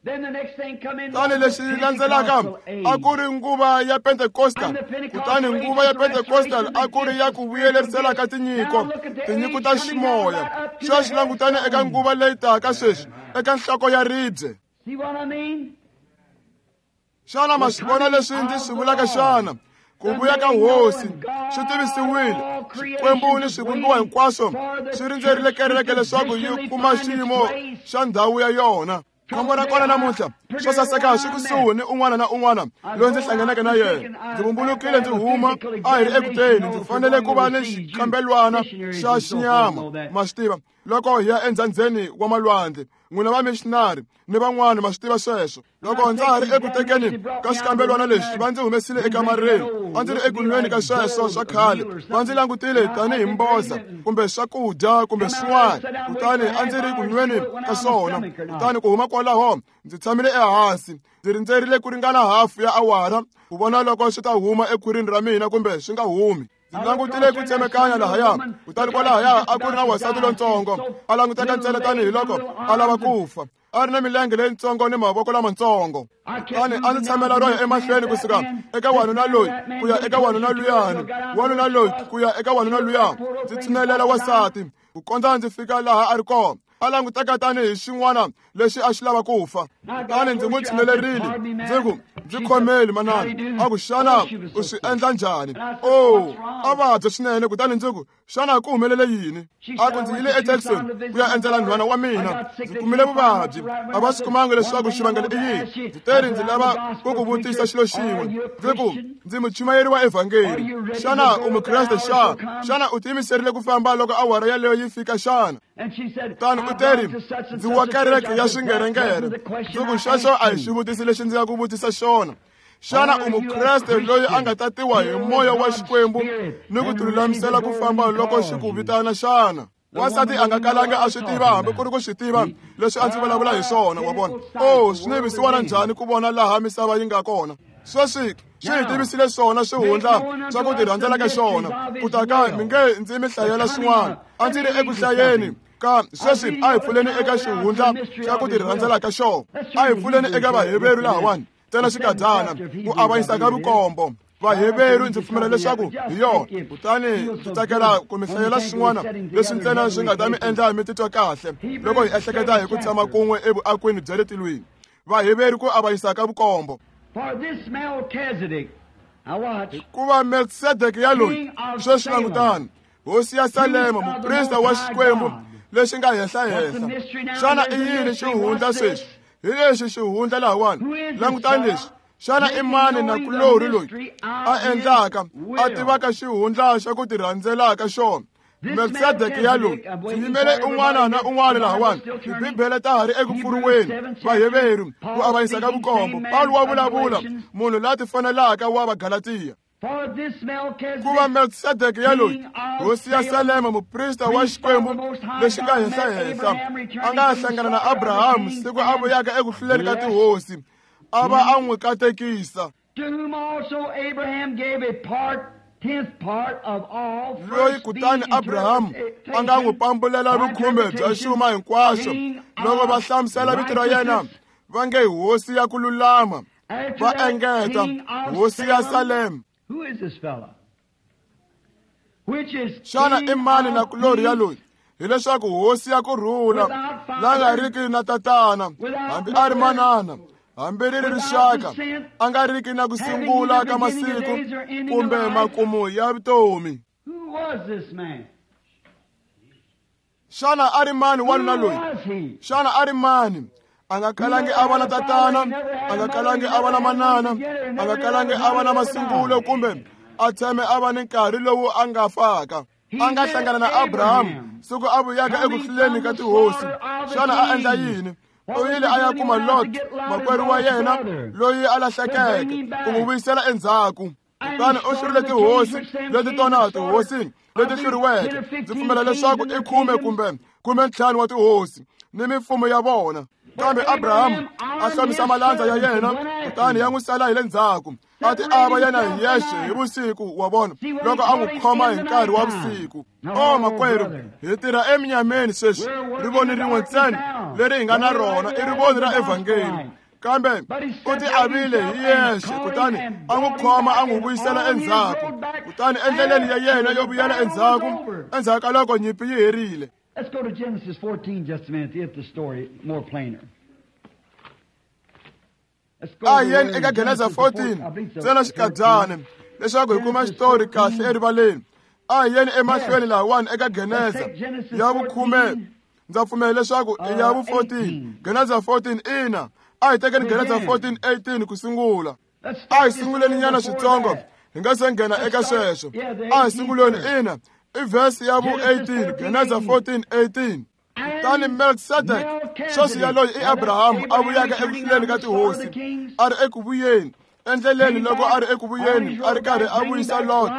Kutani lexi landzelaka a ku ri nguva ya Pentecostal. Kutani nguva ya Pentecostal a ku ri ya ku vuyelerisela ka tinyiko, tinyiko ta ximoya. Sweswi langutani eka nguva leyi taka sweswi, eka nhloko ya ribye. Xana ma swi vona leswi ndzi swi vulaka xana? Ku vuya ka Hosi swi tivisiwile. Xikwembu ni swivumbiwa hinkwaswo swi rindzerile kereke leswaku yi kuma xiyimo xa ndhawu ya yona. Khombo ra kona namuntlha swo saseka swi kusuhi ni un'wana na un'wana loyi ndzi hlanganeke na yena. Ndzi vumbulukile ndzi huma, a hi ri ekuteni, ndzi fanele ku va ni xikambelwana xa xinyama, ma swi tiva, loko hi ya endzhandzeni wa malwandle. N'wina va missionary ni van'wana ma swi tiva sweswo. Loko ndza ha ri eku tekeni ka xikambelwana lexi, va ndzi humesile ekamareni. A ndzi ri eku nweni ka sweswo swa khale, va ndzi langutile tanihi mboza kumbe swakudya kumbe swin'wana. Kutani a ndzi ri ku nweni ka swona. Kutani ku huma kwalaho ndzi tshamile ehansi, ndzi rindzerile ku ringana hafu ya awara ku vona loko swi ta huma ekhwirini ra mina kumbe swi nga humi. Ndzi langutile ku tsemekanya lahaya, kutani kwalahaya a ku ri na wansati lontsongo, a languteka ntsena tanihiloko a lava ku fa, a ri na milenge leyintsongo ni mavoko lamatsongo. Kutani a ndzi tshamela ro ya emahlweni kusuka eka wanuna loyi ku ya eka wanuna luyani, wanuna loyi ku ya eka wanuna luya. Ndzi tshinelela wansati ku kondza ndzi fika laha a ri kona, a languteka tanihi xin'wana lexi a xi lava ku fa. Kutani ndzi n'wi tshinelerile, ndzi ku, ndzi khomeli manana. A ku, xana u swi endla njhani? O, a vabya swinene. Kutani ndzi ku, xana ku humelele yini? A ku, ndzi yile eJackson ku ya endzela nhwana wa mina, ndzi kumile vuvabyi, a va swi kumanga leswaku xivangelo i yini. Ndzi teri ndzi lava ku ku vutisa xilo xin'we. Ndzi ku, ndzi muchumayeri wa evhangeli, xana u mukreste xana? Xana u tiyimiserile ku famba loko awara yaleyo yi fika xana? Kutani u teri, ndzi wa kereke ya swingerengere. Ndzi ku, xexo a hi xivutiso lexi ndzi nga ku vutisa xona. Xana u mukreste loyi a nga tatiwa hi moya wa Xikwembu ni ku tilulamisela ku famba loko xi ku vitana xana? Wansati a nga kalanga a swi tiva hambi ku ri ku swi tiva leswi a ndzi vulavula hi swona, wa vona. O, swi ni visiwana njhani ku vona laha misava yi nga kona. Sweswi swi hi tivisile swona swihundla swa ku tirhandzela ka xona. Ku ta ka mi nge ndzi mi hlayela swin'wana, a ndzi ri eku hlayeni ka sweswi. A hi pfuleni eka xihundla xa ku tirhandzela ka xona. A hi pfuleni eka Vaheveru lahawani, ntsena xikadyana ku avanyisa ka vukombo. Vaheveru ndzi pfumela leswaku hi yona. Kutani ndzi tsakela ku mi hlayela swin'wana leswi ntsena swi nga ta mi endla mi titwa kahle loko hi ehleketa hi ku tshama kun'we evuakweni bya le tilweni. Vaheveru ku avanyisa ka vukombo. For this Melchizedek Hikuva Melkisedeke yaloyi, sweswi langutani, hosi ya Salema, muprista wa Xikwembu lexi nga henhla-henhla. Xana i yini xihundla sweswi? Hi lexi xihundla lahawani. Langutani lexi. Xana i mani nakulorhi loyi a endlaka a tivaka xihundla xa ku tirhandzelaka xona? Melkisedeke yaloyi, ndzi yimele un'wana na un'wana lahawani. Tibibele ta ha ri eku pfuriweni. Vaheveru, ku avanyisa ka vukombo. Pawulo wa vulavula, munhu la tifanelaka wa Vagalatiya. Kuva Melkisedeke yaloyi, hosi ya Salema, muprista wa Xikwembu lexi nga henhla-henhla, a nga hlangana na Abrahamu siku a vuyaka eku hluleni ka tihosi, a va a n'wi katekisa. Loyi kutani Abrahamu a nga n'wi pambulela vukhume bya xuma hinkwaxo, loko va hlamusela vito ra yena va nge hosi ya ku lulama, va engeta hosi ya Salema. Xana i mani nakulorhi yaloyi? Hileswaku hosi ya ku rhula, la nga riki na tatana, hambi a ri manana, hambi ri ri rixaka, a nga riki na ku sungula ka masiku kumbe makumu ya vutomi. Xana a ri mani wanuna loyi? Xana a ri mani? A nga kalangi a va na tatana, a nga kalangi a va na manana, a nga kalangi a va na masungulo kumbe a tshame a va ni nkarhi lowu a nga faka. A nga hlangana na Abrahamu siku a vuyaka eku hluleni ka tihosi. Xana a endla yini? U yile a ya kuma Lot, makwerhu wa yena loyi a lahlekeke, ku n'wi vuyisela endzhaku. Kutani u hlurile tihosi leti tona tihosi leti hluriweke. Ndzi pfumela leswaku i khume kumbe khume ntlhanu wa tihosi ni mimfumo ya vona. Kambe Abrahamu a hlomisa malandza ya yena, kutani ya n'wi sala hi le ndzhaku. A ti ava yena hi yexe hi vusiku wa vona, loko a n'wi khoma hi nkarhi wa vusiku. O makwerhu, hi tirha eminyameni sweswi. Rivoni rin'we ntsena leri hi nga na rona i rivoni ra evhangeli. Kambe u ti avile hi yexe, kutani a n'wi khoma a n'wi vuyisela endzhaku. Kutani endleleni ya yena yo vuyela endzhaku, endzhaku ka loko nyimpi yi herile. Let's go to Genesis fourteen just a minute to get the story more plainer. A yeni eka Genesis fourteen, ntsena xikadyana, leswaku hi kuma xitori kahle erivaleni. A hi yeni emahlweni lahawani eka Genesis ya vukhume. Ndza pfumela leswaku i ya vu fourteen. Genesis fourteen, ina. A hi tekeni Genesis fourteen eighteen ku sungula. A hi sunguleni nyana switsongo, hi nga se nghena eka sweswo. A hi sunguleni, ina. I verse ya vu eighteen, Genesis fourteen eighteen. Kutani Melkisedeke, sweswi yaloyi i Abrahamu a vuyaka eku hluleni ka tihosi, a ri eku vuyeni, endleleni loko a ri eku vuyeni, a ri karhi a vuyisa Lot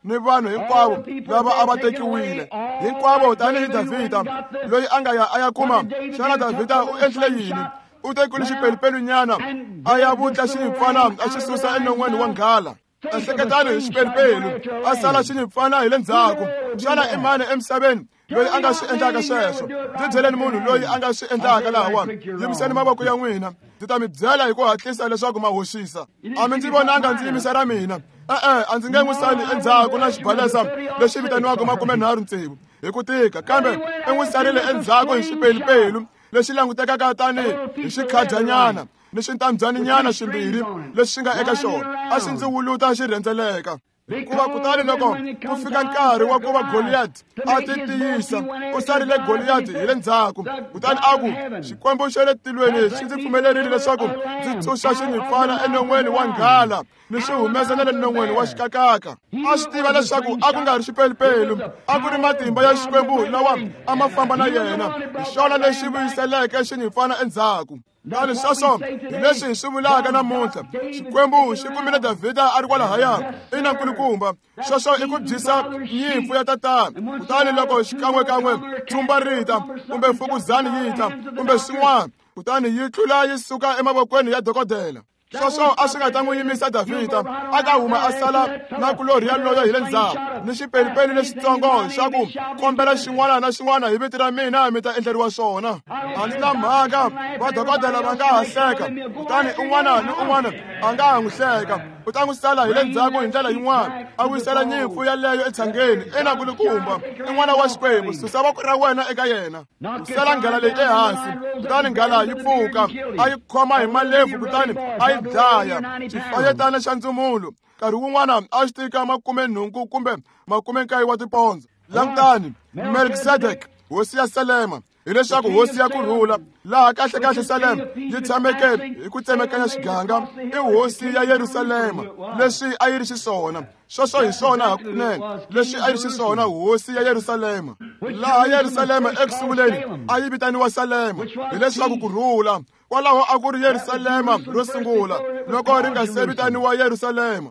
ni vanhu hinkwavo lava a va tekiwile hinkwavo, tanihi Davhida loyi a nga ya a ya kuma. Xana Davhida u endlile yini? U tekile xipelupelu-nyana a ya vutla xinyimpfana a xi susa enon'weni wa nghala. Ehleketani hi xipelupelu, a sala xinyimpfana hi le ndzhaku. Xana i mani emisaveni loyi a nga swi endlaka sweswo? Ndzi byeleni munhu loyi a nga swi endlaka lahawani. Yimiseni mavoko ya n'wina, ndzi ta mi byela hi ku hatlisa leswaku ma hoxisa. A mi ndzi vonanga ndzi yimisa ra mina. E-e, a ndzi nge n'wi sali endzhaku na xibalesa lexi vitaniwaka makume nharhu tsevu hi ku tika, kambe i n'wi sarile endzhaku hi xipelupelu lexi langutekaka tanihi hi xikhadyanyana ni xintambyaninyana swimbirhi leswi nga eka xona. A xi ndzi wuluta xi rhendzeleka. Hikuva kutani loko ku fika nkarhi wa ku va Goliath a ti tiyisa, u sarile Goliath hi le ndzhaku. Kutani a ku, Xikwembu xa le tilweni xi ndzi pfumelerile leswaku ndzi tshunxa xinyimpfana enon'weni wa nghala ni xi humesa na le non'weni wa xikakaka. A swi tiva leswaku a ku nga ri xipelupelu, a ku ri matimba ya Xikwembu lawa a ma famba na yena. Hi xona lexi vuyiseleke xinyimpfana endzhaku. Kutani sweswo hi leswi hi swi vulaka namuntlha. Xikwembu xi kumile Davhida a ri kwalahaya, i na nkulukumba. Sweswo i ku byisa nyimpfu ya tatana. Kutani loko xikan'wekan'we tshumba ri ta, kumbe fukuzani yi ta, kumbe swin'wana, kutani yi tlula yi suka emavokweni ya dokodela. Sweswo a swi nga ta n'wi yimisa Davhida, a ta huma a sala nakulorhi yaloyo hi le ndzhaku ni xipelupelu lexitsongo xa ku kombela xin'wana na xin'wana hi vito ra mina mi ta endleriwa swona. A ndzi na mhaka, vadokodela va nga ha hleka, kutani un'wana ni un'wana a nga ha n'wi hleka. U ta n'wi sala hi le ndzhaku hi ndlela yin'wana, a vuyisela nyimpfu yaleyo etshangeni. Ina nkulukumba, i n'wana wa Xikwembu, susa voko ra wena eka yena. U sala nghala leyi ehansi, kutani nghala yi pfuka, a yi khoma hi malebvu, kutani a yi dlaya. Xifanyetana xa ndzumulo Nkarhi wun'wana a xi tika makume nhungu kumbe makume nkaye wa tipondza. Langutani, Melkisedek, hosi ya Salema, hileswaku hosi ya kurhula, laha kahlekahle Salema yi tshameke hi ku tsemekanya xiganga, i hosi ya Yerusalema, leswi a yi ri xiswona. Sweswo hi swona hakunene, leswi a yi ri xiswona hosi ya Yerusalema. Laha Yerusalema eku sunguleni a yi vitaniwa Salema, hileswaku kurhula. Kwalaho a ku ri Yerusalema ro sungula, loko ri nga se vitaniwa Yerusalema.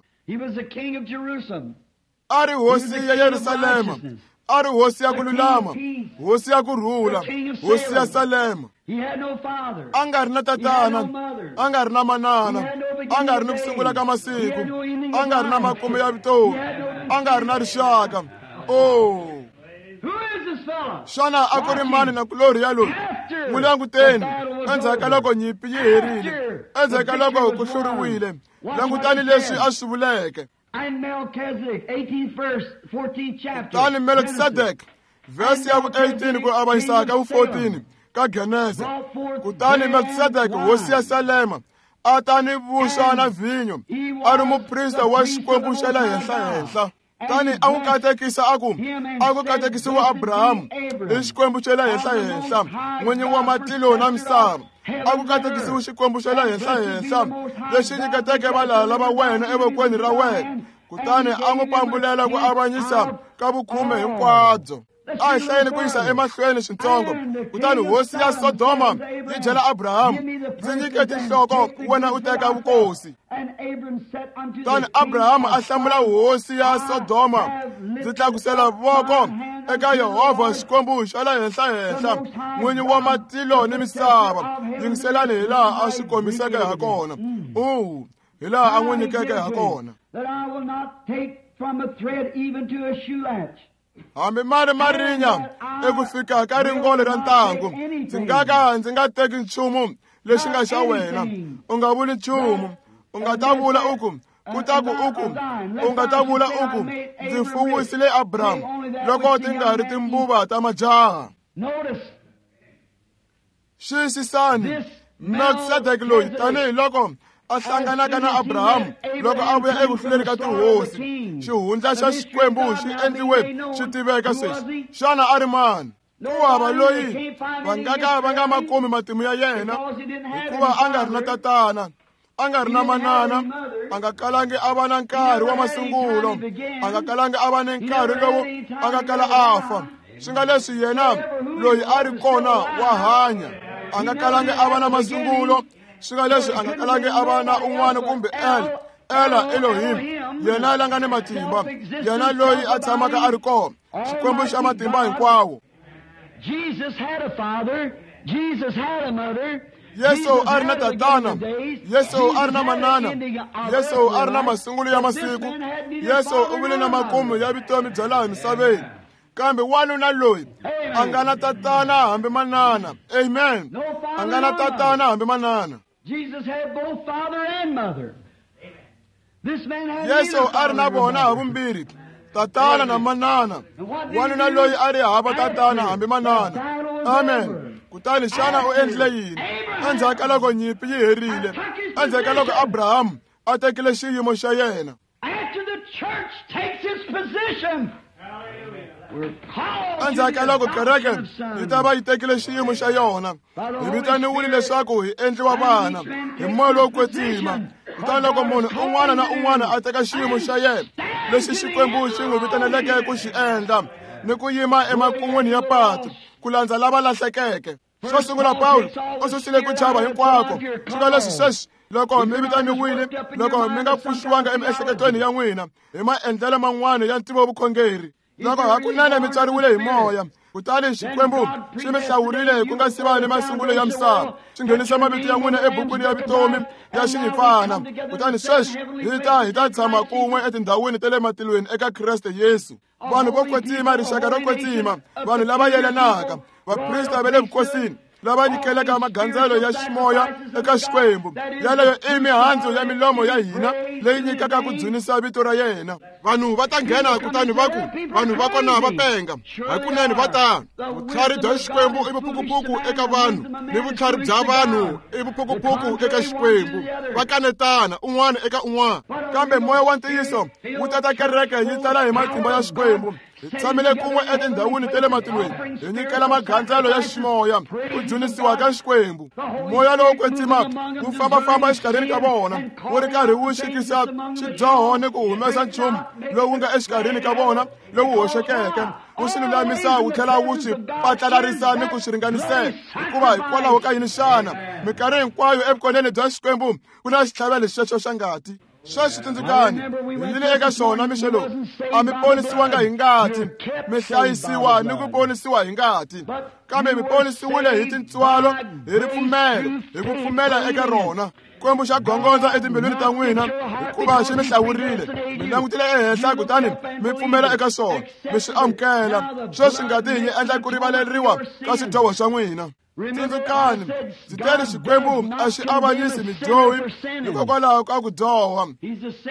A ri hosi ya Yerusalema, a ri hosi ya ku lulama, hosi ya ku rhula, hosi ya Salema. A nga ri na tatana, a nga ri na manana, a nga ri ni ku sungula ka masiku, a nga ri na makumu ya vutomi, a nga ri na rixaka. Oh, xana a ku ri mani na kulorhi ya loyi? N'wi languteni endzhaku ka loko nyimpi yi herile, endzhaku ka loko ku hluriwile. Langutani leswi a swi vuleke. Kutani Melkisedek, verse ya vu eighteen ku avanyisa ka vu fourteen ka Genese. Kutani Melkisedek, hosi ya Salema, a ta ni vuswa na vhinyo, a ri muprista wa Xikwembu xa le henhla-henhla. Tani a n'wi katekisa a ku, a ku katekisiwa Abrahamu i Xikwembu xa le henhla-henhla, n'winyi wa matilo na misava. A ku katekisiwe Xikwembu xa le henhla-henhla, lexi nyiketeke valala va wena evokweni ra wena. Kutani a n'wi pambulela ku avanyisa ka vukhume hinkwabyo. A hi hlayeni ku yisa emahlweni swintsongo. Kutani hosi ya Sodoma yi byela Abrahamu, ndzi nyike tinhloko, wena u teka vukosi. Kutani Abrahamu a hlamula hosi ya Sodoma, ndzi tlakusela voko eka Yehovha Xikwembu xa le henhla-henhla, n'winyi wa matilo ni misava. Yingiselani hi laha a swi kombiseke ha kona. U hi laha a n'wi nyikeke ha kona. Hambi ma ri marinya eku fika ka ringole ra ntangu, ndzi nga ka ndzi nga teki nchumu lexi nga xa wena. U nga vuli nchumu, u nga ta vula u ku, ku ta ku u ku, u nga ta vula u ku, ndzi fuwisile Abrahamu loko ti nga ri timbuva ta majaha. Xiyisisani Melkisedek loyi tanihiloko a hlanganaka na Abrahamu loko a vuya eku hluleni ka tihosi. Xihundla xa Xikwembu xi endliwe xi tiveka sweswi. Xana a ri mani? Ku hava loyi va nga ka va nga ma kumi matimu ya yena, hikuva a nga ri na tatana, a nga ri na manana, a nga kalangi a va na nkarhi wa masungulo, a nga kalangi a va ni nkarhi lowu a nga kala a fa. Swi nga leswi yena loyi a ri kona wa hanya, a nga kalangi a va na masungulo. Swi nga leswi a nga kalangi a va na un'wana kumbe El, Ela Elohim, yena la nga ni matimba, yena loyi a tshamaka a ri kona, Xikwembu xa matimba hinkwawo. Yesu a ri na tatana, Yesu a ri na manana, Yesu a ri na masungulo ya masiku, Yesu u vile na makumu ya vutomi bya laha misaveni. Kambe wanuna loyi a nga na tatana hambi manana. Amen. A nga na tatana hambi manana. Yesu a ri na vona ha vumbirhi, tatana na manana. Wanuna loyi a ri hava tatana hambi manana. Amen. Kutani xana u endlile yini? Endzhaku ka loko nyimpi yi herile, endzhaku ka loko Abrahamu a tekile xiyimo xa yena. Endzhaku ka loko kereke yi ta va yi tekile xiyimo xa yona, hi vitaniwile leswaku hi endliwa vana hi moya lowo kwetsima. Kutani loko munhu un'wana na un'wana a teka xiyimo xa yena lexi Xikwembu xi n'wi vitaneleke ku xi endla, ni ku yima emakun'wini ya patu ku landza lava lahlekeke. Xo sungula Pawulo u susile ku chava hinkwako. Swi nga leswi sweswi loko mi vitaniwile, loko mi nga pfuxiwanga emiehleketweni ya n'wina hi maendlelo man'wana ya ntivovukhongeri, loko hakunene mi tswariwile hi moya, kutani Xikwembu xi mi hlawurile ku nga si va ni masungulo ya misava, xi nghenisa mavito ya n'wina ebukwini ya vutomi ya Xinyimpfana. Kutani sweswi hi ta hi ta tshama kun'we etindhawini ta le matilweni eka Kreste Yesu. Vanhu vo kwetsima, rixaka ro kwetsima, vanhu lava yelanaka, vaprista va le vukosini, lava nyikelaka magandzelo ya ximoya eka Xikwembu. Yaleyo i mihandzu ya milomo ya hina leyi nyikaka ku dzunisa vito ra yena. Vanhu va ta nghena kutani va ku vanhu va kona va penga. Hakunene va tano. Vutlhari bya Xikwembu i vuphukuphuku eka vanhu, ni vutlhari bya vanhu i vuphukuphuku eka Xikwembu. Va kanetana un'wana eka un'wana. Kambe moya wa ntiyiso wu tata kereke yi tala hi matimba ya Xikwembu. Hi tshamile kun'we etindhawini ta le matilweni, hi nyikela magandzelo ya ximoya ku dzunisiwa ka Xikwembu. Moya lowo kwetsima wu fambafamba exikarhini ka vona, wu ri karhi wu xikisa xidyoho ni ku humesa nchumu lowu nga exikarhini ka vona lowu hoxekeke, wu swi lulamisa wu tlhela wu swi patlalarisa ni ku swi ringanisela. Hikuva hikwalaho ka yini xana minkarhi hinkwayo evukoneni bya Xikwembu ku na xitlhavelo xexo xa ngati? Sweswi tsundzukani, hi yile eka xona mixo lowu. A mi ponisiwanga hi ngati, mi hlayisiwa ni ku ponisiwa hi ngati, kambe mi ponisiwile hi tintswalo, hi ripfumelo, hi ku pfumela eka rona. Xikwembu xa gongondza etimbilwini ta n'wina hikuva xi mi hlawurile. Mi langutile ehenhla kutani mi pfumela eka swona, mi swi amukela. Sweswi ngati yi endla ku rivaleriwa ka swidyoho swa n'wina. Tsundzukani, ndzi teri Xikwembu a xi avanyisi midyohi hikokwalaho ka ku dyoha.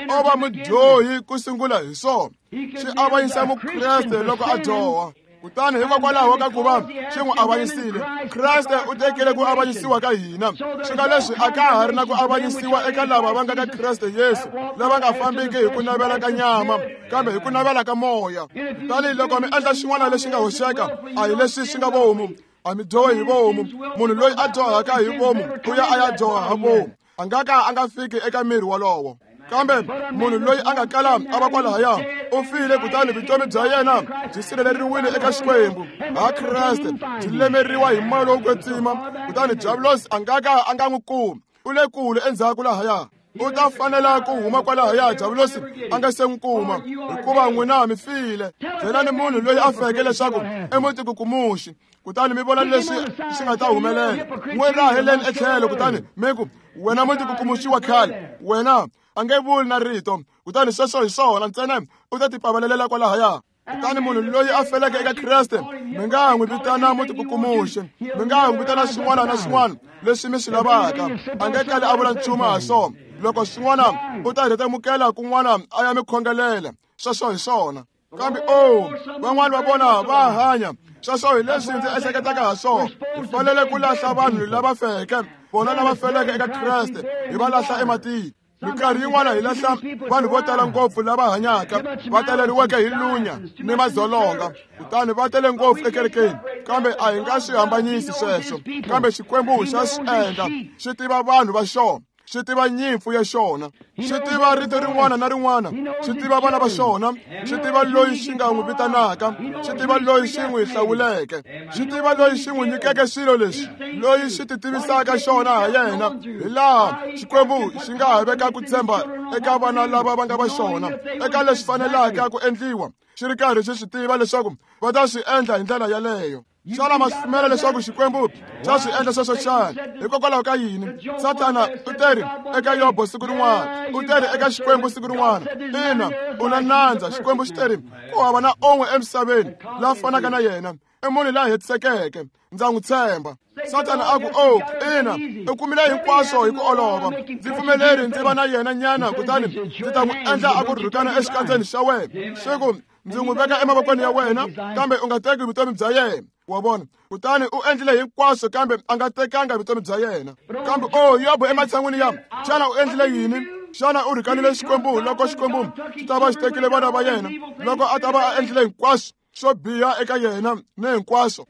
O va mudyohi ku sungula hi swona. Xi avanyisa Mukreste loko a dyoha. Kutani hikokwalaho ka ku va xi n'wi avanyisile, Kreste u tekile ku avanyisiwa ka hina. Swi nga leswi a ka ha ri na ku avanyisiwa eka lava va nga ka Kreste Yesu, lava nga fambiki hi ku navela ka nyama, kambe hi ku navela ka moya. Kutani loko mi endla xin'wana lexi nga hoxeka, a hi leswi swi nga vomu. A mi dyohi hi vomu. Munhu loyi a dyohaka hi vomu u ya a ya dyoha ha vomu, a nga ka a nga fiki eka miri wolowo. Kambe munhu loyi a nga kala a va kwalahaya u file, kutani vutomi bya yena byi sirheleriwile eka Xikwembu ha Kreste, byi lemeriwa hi moya lowo kwetsima. Kutani diabulosi a nga ka a nga n'wi kumi, u le kule endzhaku lahaya. U ta fanela ku huma kwalahaya diabulosi a nga se n'wi kuma, hikuva n'wina mi file. Byelani munhu loyi a feke leswaku i mutikukumuxi, kutani mi vona leswi swi nga ta humelela. N'wi raheleni etlhelo kutani mi ku, wena mutikukumuxi wa khale, wena a nge vuli na rito. Kutani sweswo hi swona ntsena u ta tipavalelela kwalahaya. Kutani munhu loyi a feleke eka Kreste, mi nga n'wi vitana mutikukumuxi, mi nga n'wi vitana xin'wana na xin'wana leswi mi swi lavaka, a nge kali a vula nchumu ha swona. Loko xin'wana u ta rhetemukela kun'wana a ya mi khongelela, sweswo hi swona. Kambe o van'wana va vona va hanya, sweswo hi leswi ndzi ehleketaka ha swona. Hi fanele ku lahla vanhu lava feke, vona lava feleke eka Kreste, hi va lahla ematini. Minkarhi yin'wana hi lahla vanhu vo tala ngopfu lava hanyaka, va taleriweke hi lunya ni madzolonga, kutani va tele ngopfu ekerekeni. Kambe a hi nga swi hambanyisi sweswo. Kambe Xikwembu xa swi endla, xi tiva vanhu va xona, xi tiva nyimpfu ya xona, xi tiva rito rin'wana na rin'wana, xi tiva vana va xona, xi tiva loyi xi nga n'wi vitanaka, xi tiva loyi xi n'wi hlawuleke, xi tiva loyi xi n'wi nyikeke swilo leswi, loyi xi ti tivisaka xona ha yena. Hi laha Xikwembu xi nga ha veka ku tshemba eka vana lava va nga va xona, eka leswi fanelaka ku endliwa, xi ri karhi xi swi tiva leswaku va ta swi endla hi ndlela yaleyo. Xana ma swi pfumela leswaku Xikwembu xa swi endla sweswo xana? Hikokwalaho ka yini Sathana u teri eka Yobo siku rin'wana, u teri eka Xikwembu siku rin'wana, ina u na nandza. Xikwembu xi teri ku hava na un'we emisaveni la fanaka na yena, i munhu la hetisekeke, ndza n'wi tshemba. Sathana a ku, o ina u kumile hinkwaswo hi ku olova, ndzi pfumeleri ndzi va na yena nyana, kutani ndzi ta n'wi endla a ku rhukana exikandzeni xa wena. Xi ku, ndzi n'wi veka emavokweni ya wena, kambe u nga teki vutomi bya yena. Wa vona? Kutani u endlile hinkwaswo, kambe a nga tekanga vutomi bya yena. Kambe o Yobo ematshan'wini ya, xana u endlile yini? Xana u rhukanile Xikwembu loko Xikwembu xi ta va xi tekile vana va yena, loko a ta va a endlile hinkwaswo swo biha eka yena ni hinkwaswo?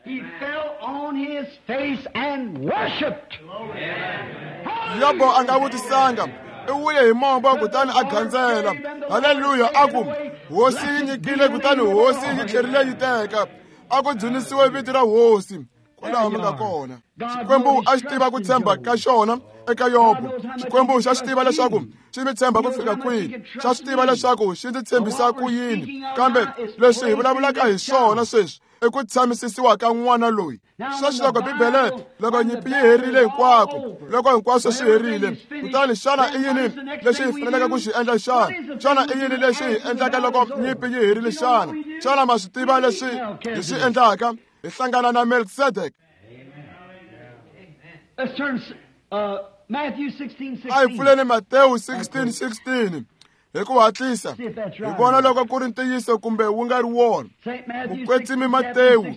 He fell on his face and worshipped. Yobo a nga vutisanga, u wuye hi mombo kutani a gandzela. Haleluya! A ku, Hosi yi nyikile, kutani Hosi yi tlherile yi teka. A ku dzunisiwe vito ra Hosi. Kwalaho mi nga kona. Xikwembu a xi tiva ku tshemba ka xona eka Yobo. Xikwembu xa xi tiva leswaku xi mi tshemba ku fika kwihi, xa swi tiva leswaku xi ndzi tshembisa ku yini. Kambe leswi hi vulavulaka hi swona sweswi i ku tshamisisiwa ka n'wana loyi. Sweswi loko Bibele, loko nyimpi yi herile hinkwako, loko hinkwaswo swi herile, kutani xana i yini lexi hi faneleke ku xi endla xana? Xana i yini lexi hi endlaka loko nyimpi yi herile xana? Xana ma swi tiva leswi hi swi endlaka? Hi hlangana na Melkisedek. Let's turn uh, Matthew sixteen sixteen. A hi pfuleni Matewu sixteen sixteen. Hi ku hatlisa hi vona loko ku ri ntiyiso kumbe wu nga ri wona. Mukwetsimi Matewu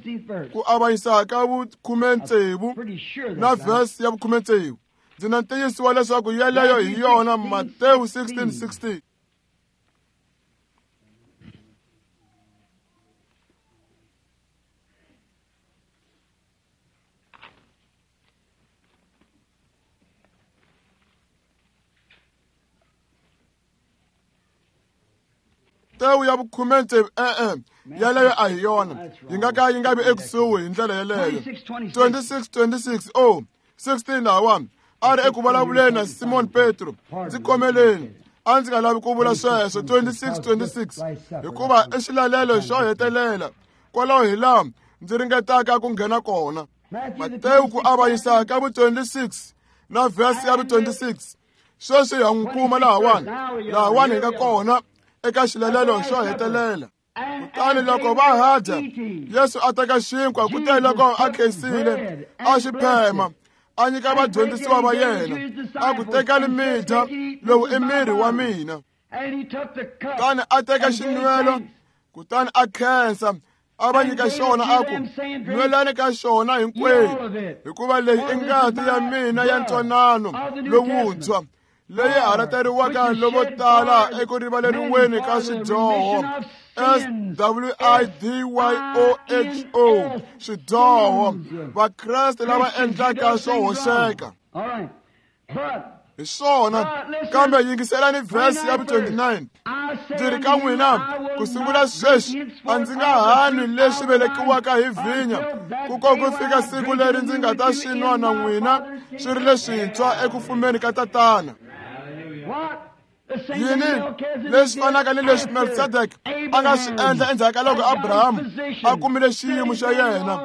ku avanyisa ka vukhume tsevu na vhesi ya vukhume tsevu. Ndzi na ntiyiso wa leswaku yeleyo hi yona Matewu sixteen sixteen. Matewu ya vukhume tsevu e-e yeleyo a hi yona, yi nga ka yi nga vi ekusuhi hi ndlela yeleyo. twenty-six twenty-six oh sixteen lahawani a ri eku vulavuleni na Simon Petro. Ndzi khomeleni, a ndzi nga lavi ku vula sweswo. twenty-six twenty-six hikuva i xilalelo xo hetelela kwalaho hi laha ndzi ringetaka ku nghena kona. Matewu ku avanyisa ka vu twenty-six na vhesi ya vu twenty-six. Sweswi ha n'wi kuma lahawani, lahawani hi nga kona eka xilalelo xo hetelela. Kutani loko va ha dya, Yesu a teka xinkwa, kute loko a khensile a xi phema, a nyika vadyondzisiwa va yena, a ku tekani mi dya, lowu i miri wa mina. Kutani a teka xinwelo, kutani a khensa, a va nyika xona, a ku nwelani ka xona hinkwenu, hikuva leyi i ngati ya mina ya ntwanano lowuntshwa, leyi halateriwaka lovo tala eku rivaleriweni ka swidyoho. S W I D Y O H O, swidyoho. Vakreste lava endlaka swo hoxeka hi swona. Kambe yingiselani vhesi ya vu twenty-nine. Ndzi ri ka n'wina, ku sungula sweswi a ndzi nga ha nwi leswi velekiwaka hi vhinya, ku ko ku fika siku leri ndzi nga ta swi nwa na n'wina swi ri leswintshwa eku fumeni ka Tatana. Yini leswi fanaka ni leswi Melchizedek a nga swi endla endzhaku ka loko Abrahamu a kumile xiyimo xa yena,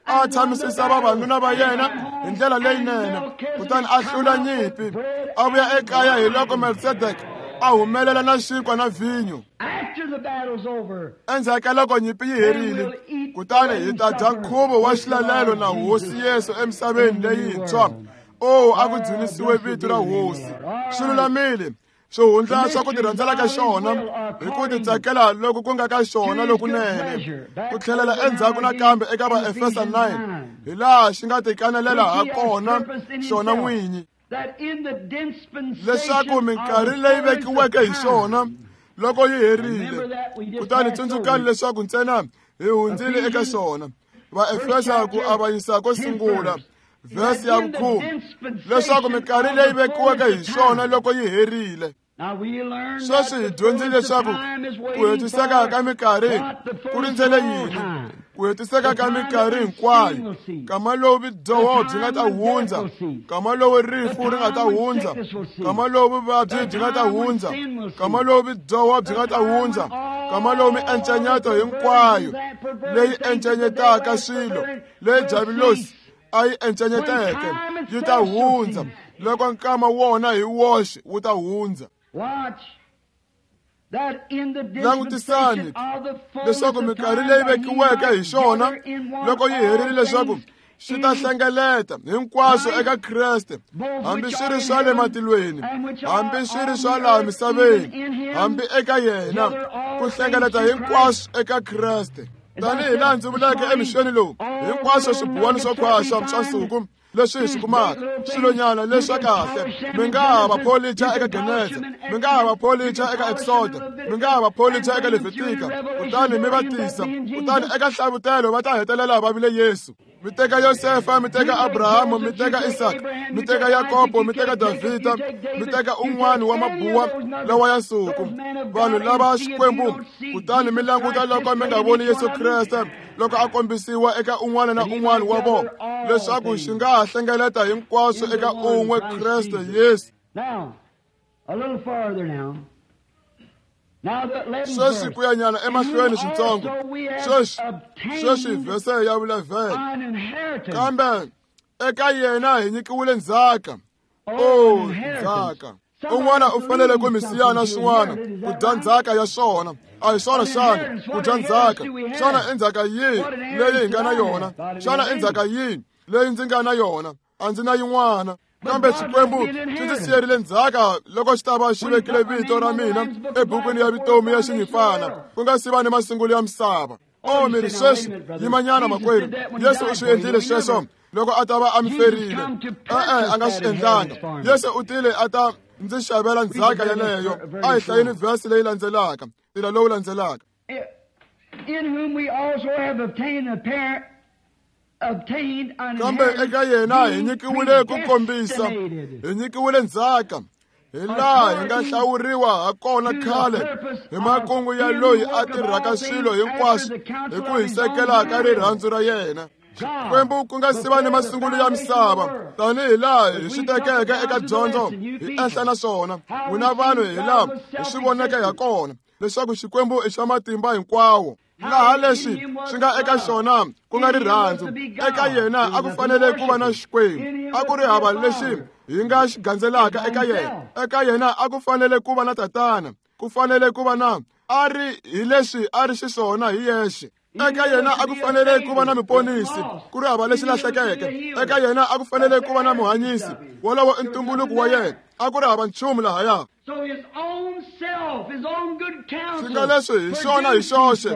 a tshamisisa vavanuna va yena hi ndlela leyinene, kutani a hlula nyimpi, a vuya ekaya. Hi loko Melchizedek a humelela na xinkwa na vhinyo endzhaku ka loko nyimpi yi herile, kutani hi ta dya nkhuvo wa xilalelo na Hosi Yesu emisaveni leyintshwa. O a ku dzunisiwe vito ra Hosi. Swi lulamile swihundla swa ku tirhandzela ka xona hi ku titsakela loku ku nga ka xona lokunene, ku tlhelela endzhaku nakambe eka Vaefesa nine, hi laha xi nga tikanelela ha kona xona n'winyi, leswaku minkarhi leyi vekiweke hi xona loko yi herile. Kutani tsundzukani leswaku ntsena hi hundzile eka xona. Vaefesa ku avanyisa ko sungula vhesi ya vukhume, leswaku minkarhi leyi vekiweke hi xona loko yi herile. Sweswi hi dyondzile leswaku ku hetiseka ka minkarhi ku rindzele yini, ku hetiseka ka minkarhi hinkwayo, nkama lowu vudyoho byi nga ta hundza, nkama lowu rifu ri nga ta hundza, nkama lowu vuvabyi byi nga ta hundza, nkama lowu vudyoho byi nga ta hundza, nkama lowu miencenyeto hinkwayo leyi encenyetaka swilo leyi Diabulosi a yi encenyeteke yi ta hundza, loko nkama wona hi woxe wu ta hundza. Langutisani leswaku minkarhi leyi vekiweke hi xona loko yi herile, leswaku xi ta hlengeleta hinkwaswo eka Kreste, hambi swi ri swa le matilweni, hambi swi ri swa laha misaveni, hambi eka yena, ku hlengeleta hinkwaswo eka Kreste. Tanihi laha ndzi vuleke emixweni lowu, hinkwaswo swibuwani swo khwaxa swa nsuku leswi hi swi kumaka, swilonyana leswa kahle, mi nga ha va pholicha eka Geneza, mi nga ha va pholicha eka Exoda, mi nga ha va pholicha eka Levitika, kutani mi va tisa, kutani eka Hlavutelo va ta hetelela va vile Yesu. Mi teka Yosefa, mi teka Abrahamu, mi teka Isaka, mi teka Yakobo, mi teka Davhida, mi teka un'wana wa mabuwa lawa ya nsuku, vanhu lava Xikwembu, kutani mi languta loko mi nga voni Yesu Kreste loko a kombisiwa eka un'wana na un'wana wa vona, leswaku xi nga ha hlengeleta hinkwaswo eka un'we Kreste Yesu. Sweswi ku ya nyana emahlweni switsongo, sweswi sweswi vhese ya vu-eleven. Kambe eka yena hi nyikiwile ndzhaka. O ndzhaka. Un'wana u fanele ku mi siya na swin'wana ku dya ndzhaka ya swona. A hi swona xana ku dya ndzhaka? Xana i ndzhaka yihi leyi hi nga na yona? Xana i ndzhaka yihi leyi ndzi nga na yona? A ndzi na yin'wana. Kambe Xikwembu xi ndzi siyerile ndzhaka loko xi ta va xi vekile vito ra mina ebukwini ya vutomi ya Xinyimpfana ku nga si va ni masungulo ya misava. O mi ri sweswi, yimanyana makwerhu, Yesu u swi endlile sweswo loko a ta va a mi ferile. E-e, a nga swi endlanga. Yesu u tile a ta ndzi xavela ndzhaka yeleyo. A hi hlayeni vhesi leyi landzelaka, ntila lowu landzelaka. In whom we also have obtained a parent, obtained an Kambe eka yena hi nyikiwile ku kombisa, hi nyikiwile ndzhaka, hi laha hi nga hlawuriwa ha kona khale hi makungu ya loyi a tirhaka swilo hinkwaswo hi ku hisekela ka rirhandzu ra yena. Xikwembu ku nga si va ni masungulo ya misava, tanihi laha hi swi tekeke eka dyondzo hi enhla na swona, n'wina vanhu hi laha hi swi voneke ha kona leswaku Xikwembu i xa matimba hinkwawo. Laha leswi swi nga eka xona ku nga rirhandzu, eka yena a ku fanele ku va na Xikwembu, a ku ri hava lexi hi nga xi gandzelaka eka yena. Eka yena a ku fanele ku va na tatana, ku fanele ku va na a ri hi leswi a ri xiswona hi yexe. Eka yena a ku fanele ku va na muponisi, ku ri hava lexi lahlekeke. Eka yena a ku fanele ku va na muhanyisi, wolowo i ntumbuluko wa yena, a ku ri hava nchumu lahaya. So his own self, his own good counsel, Swi nga leswi hi xona hi xoxe,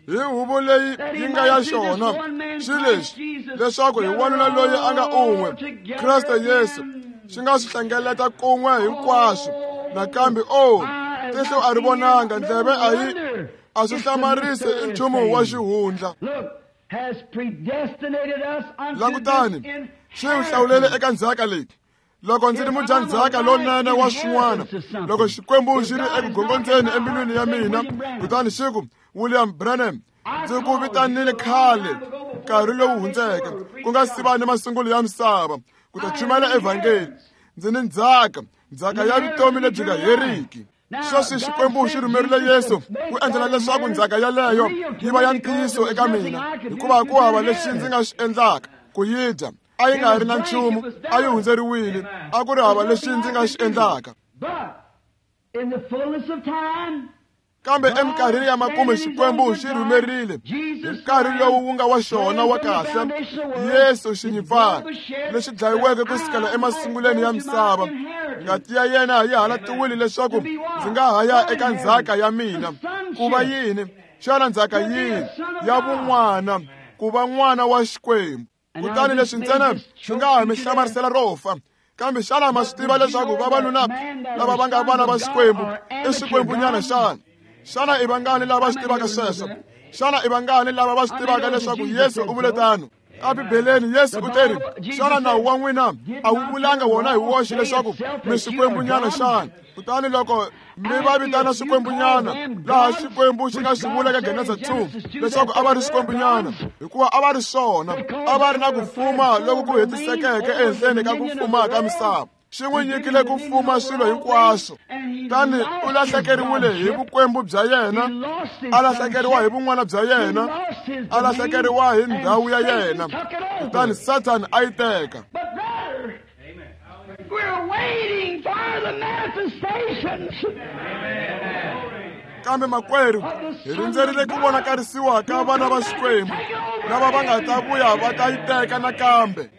hi huvo leyi yi nga ya xona, xi leswi leswaku hi wanuna loyi a nga un'we, Kreste Yesu, xi nga swi hlengeleta kun'we hinkwaswo. Nakambe o tihlo a ri vonanga, ndleve a yi a swi hlamarisi, i nchumu wa xihundla. Look, has predestinated us unto Langutani, this xi wu hlawulele eka ndzhaka leyi. Loko ndzi ri mudyandzhaka lonene wa swin'wana, loko Xikwembu xi ri eku gongondzeni embilwini ya mina, kutani xi ku, William Branham, ndzi ku vitanile khale nkarhi lowu hundzeke, ku nga si va ni masungulo ya misava, ku ta chumayela evhangeli. Ndzi ni ndzhaka, ndzhaka ya vutomi lebyi nga heriki. Sweswi Xikwembu xi rhumerile Yesu ku endlela leswaku ndzhaka yeleyo yi va ya ntiyiso eka mina, hikuva ku hava lexi ndzi nga xi endlaka ku yi dya. A yi nga ri na nchumu, a yi hundzeriwile, a ku ri hava lexi ndzi nga xi endlaka. But in the fullness of time, Kambe eminkarhini ya makumu Xikwembu xi rhumerile hi nkarhi lowu wu nga wa xona wa kahle, Yesu Xinyimpfana lexi dlayiweke ku sukela emasungulweni ya misava. Ngati ya yena yi halatiwile leswaku ndzi nga ha ya eka ndzhaka ya mina. Ku va yini? Xana ndzhaka yihi? Ya vun'wana, ku va n'wana wa Xikwembu. Kutani leswi ntsena swi nga ha mi hlamarisela ro fa. Kambe xana ma swi tiva leswaku vavanuna lava va nga vana va Xikwembu i swikwembunyana xana? Xana i vangani lava swi tivaka sweswo? Xana i vangani lava va swi tivaka leswaku Yesu u vule tano? Ebibeleni Yesu u teri, xana nawu wa n'wina a wu vulanga wona hi woxe leswaku mi swikwembunyana xana? Kutani loko mi va vitana swikwembunyana, laha Xikwembu xi nga swi vula ka Genesa two leswaku a va ri swikwembunyana, hikuva a va ri swona, a va ri na ku fuma loku ku hetisekeke ehenhleni ka ku fuma ka misava. Xi n'wi nyikile ku fuma swilo hinkwaswo. Kutani u lahlekeriwile hi vukwembu bya yena, a lahlekeriwa hi vun'wana bya yena, a lahlekeriwa hi ndhawu ya yena. Kutani Sathana a yi teka. But brother, we're waiting for the manifestations. Kambe makwerhu, hi rindzerile ku vonakarisiwa ka vana va Xikwembu lava va nga ta vuya va ta yi teka nakambe.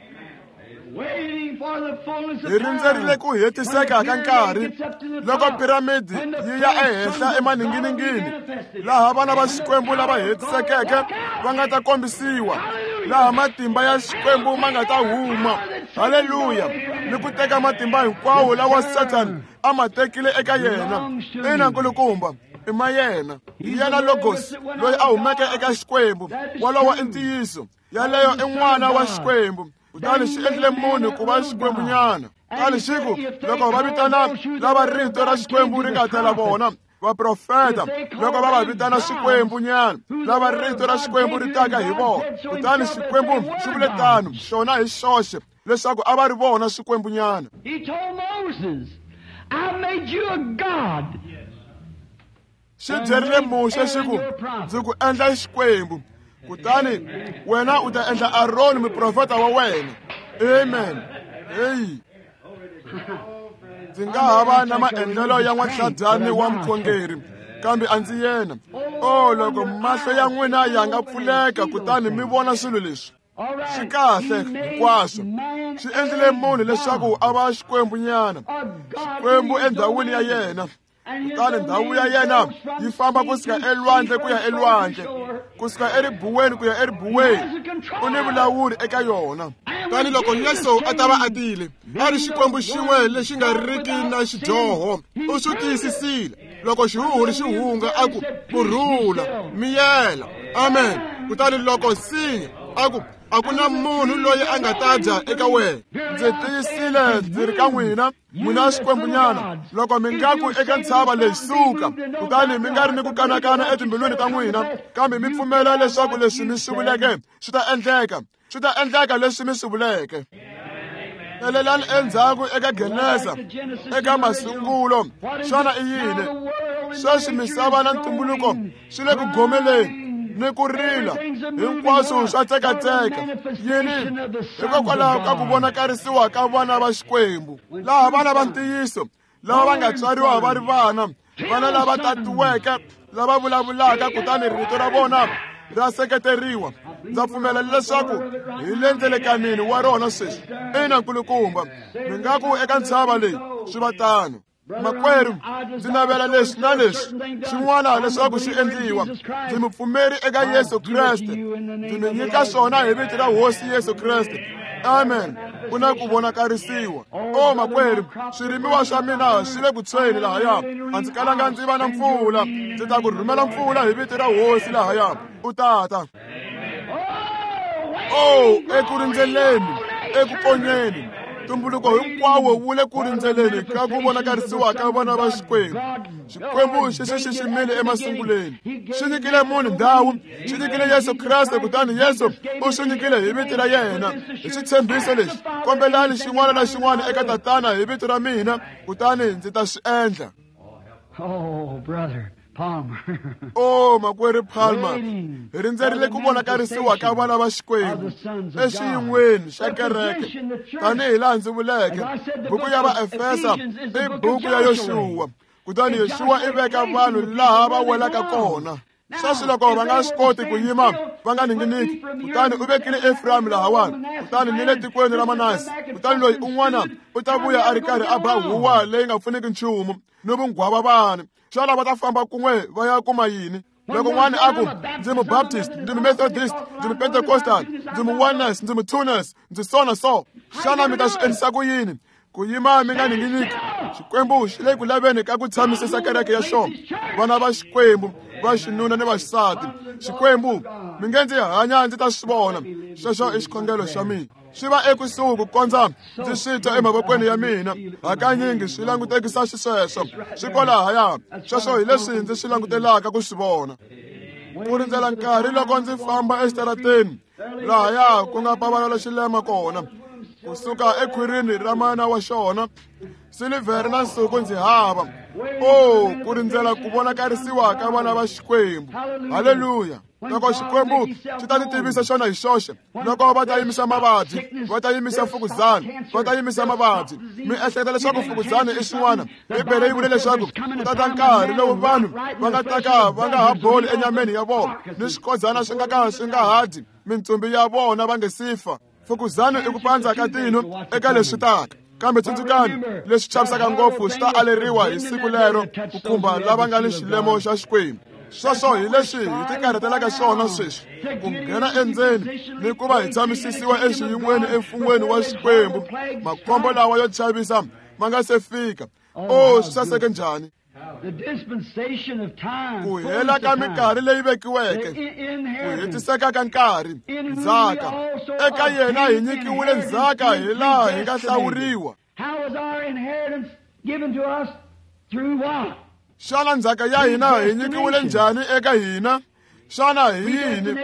Waiting for the fullness of Hi rindzerile ku hetiseka ka nkarhi loko piramidi yi ya ehenhla emaninginingini, laha vana va Xikwembu lava hetisekeke va nga ta kombisiwa, laha matimba ya Xikwembu ma nga ta huma. Haleluya! Ni ku teka matimba hinkwawo lawa Sathana a ma tekile eka yena. Ina nkulukumba, i ma yena. Hi yena Logos loyi a humeke eka Xikwembu. Wolowo i ntiyiso. Yaleyo i n'wana wa Xikwembu. Kutani xi endlile munhu ku va xikwembunyana. Kutani xi ku, loko va vitana lava rito ra Xikwembu ri nga tela vona, vaprofeta, loko va va vitana swikwembunyana, lava rito ra Xikwembu ri taka hi vona. Kutani Xikwembu xi vule tano, xona hi xoxe, leswaku a va ri vona swikwembunyana. He told Moses, I made you a god. Xi byerile Muxe xi ku, ndzi ku endla Xikwembu. Kutani wena u ta endla Aroni muprofeta wa wena. Amen. Hey. Ndzi nga ha va na maendlelo ya n'watlhadyani wa mukhongeri, kambe a ndzi yena. O loko mahlo ya n'wina ya nga pfuleka kutani mi vona swilo leswi. Swi kahle hinkwaswo. Swi endlile munhu leswaku a va xikwembunyana, xikwembu endhawini ya yena. Kutani ndhawu ya yena yi famba kusuka elwandle ku ya elwandle, kusuka eribuweni ku ya eribuweni. U ni vulawuri eka yona. Tani loko Yesu a ta va a tile, a ri xikwembu xin'we lexi nga riki na xidyoho, u swi tiyisisile. Loko xihuhuri xi hunga a ku, kurhula, miyela, amen. Kutani loko nsinya a ku, a ku na munhu loyi a nga ta dya eka wena. Ndzi tiyisile ndzi ri ka n'wina, n'wina xikwembunyana, loko mi nga ku eka ntshava leyi suka, kutani mi nga ri ni ku kanakana etimbilwini ta n'wina, kambe mi pfumela leswaku leswi mi swi vuleke swi ta endleka, swi ta endleka leswi mi swi vuleke. Tlhelelani endzhaku eka Genesa, eka masungulo. Xana i yini? Sweswi misava na ntumbuluko swi le ku gomeleni ni ku rila, hinkwaswo swa tsekatseka. Yini? Hikokwalaho ka ku vonakarisiwa ka vana va Xikwembu, laha vana va ntiyiso lava va nga tswariwa va ri vana, vana lava tatiweke, lava vulavulaka, kutani rito ra vona ra seketeriwa. Ndza pfumela leswaku hi le ndzelekanini wa rona sweswi. Ina nkulukumba, mi nga ku eka ntshava leyi swi va tano. Makwerhu, ndzi navela leswi na leswi xin'wana leswaku swi endliwa. Ndzi mupfumeri eka Yesu Kreste. Ndzi mi nyika swona hi vito ra Hosi Yesu Kreste. Amen. Ku na ku vonakarisiwa. O makwerhu, swirimiwa swa mina swi le ku tshweni lahaya. A ndzi kalanga ndzi va na mpfula. Ndzi ta ku rhumela mpfula hi vito ra Hosi lahaya. U tata. O, eku rindzeleni, eku konyeni. Ntumbuluko hinkwawo wu le ku rindzeleni ka ku vonakarisiwa ka vana va Xikwembu. Xikwembu xi xi xiximile emasunguleni. Xi nyikile munhu ndhawu, xi nyikile Yesu Kreste, kutani Yesu u swi nyikile hi vito ra yena. Hi xitshembiso lexi, kombelani xin'wana na xin'wana eka Tatana hi vito ra mina, kutani ndzi ta swi endla. Oh, brother Palmer. Oh, makwerhu Palmer, hi rindzerile ku vonakarisiwa ka vana va Xikwembu exiyin'weni xa kereke. Tanihi laha ndzi vuleke, buku ya Vaefesa i buku ya Yoxuwa, kutani Yoxuwa i veka vanhu laha va welaka kona. Sweswi loko va nga swi koti ku yima va nga ninginiki, kutani u vekile Efrayimi lahawani, kutani ni le tikweni ra Manase. Kutani loyi un'wana u ta vuya a ri karhi a ba huwa leyi nga pfuniki nchumu ni vunghwava vana. Xana va ta famba kun'we va ya kuma yini? Loko n'wana a ku, ndzi mu-Baptist, ndzi mu-Methodist, ndzi mu-Pentecostal, ndzi mu-Oneness, ndzi mu-Twoness, ndzi so na so. Xana mi ta swi endlisa ku yini? Ku yima mi nga ninginiki. Xikwembu xi le ku laveni ka ku tshamisisa kereke ya xona, vana va Xikwembu va xinuna ni va xisati. Xikwembu, mi nge ndzi hanya ndzi ta swi vona. Sweswo i xikhongelo xa mina. Swi va ekusuhi ku kondza ndzi swi twa emavokweni ya mina. Hakanyingi swi langutekisa xisweswo, swi kwalahaya. Sweswo hi leswi ndzi swi langutelaka ku swi vona. Ku rindzela nkarhi loko ndzi famba exitarateni lahaya ku nga pavalala xilema kona, kusuka ekhwirini ra mana wa xona, silivhere na nsuku ndzi hava. O, ku rindzela ku vonakarisiwa ka vana va Xikwembu. Haleluya. Loko Xikwembu xi ta ti tivisa xona hi xoxe, loko va ta yimisa mavabyi, va ta yimisa mfukuzana, va ta yimisa mavabyi. Mi ehleketa leswaku mfukuzana i xin'wana? Bibele yi vule leswaku ku ta ta nkarhi lowu vanhu va nga ta ka va nga ha boli enyameni ya vona, ni swikodzana swi nga ka swi nga ha dyi mintsumbi ya vona va nge si fa. Mfukuzana i ku pandza ka tino eka leswi taka. Kambe tsundzukani, leswi chavisaka ngopfu swi ta aleriwa hi siku lero ku khumba lava nga ni xilemo xa Xikwembu. Sweswo hi leswi hi tikarhatelaka swona sweswi, ku nghena endzeni ni ku va hi tshamisisiwa exiyin'weni emfun'weni wa Xikwembu, makhombo lawa yo chavisa ma nga se fika. O, swi saseke njhani! Ku hela ka minkarhi leyi vekiweke, ku hetiseka ka nkarhi, ndzhaka. Eka yena hi nyikiwile ndzhaka hi laha hi nga hlawuriwa. Xana ndzhaka ya hina hi nyikiwile njhani eka hina? Xana hi yini?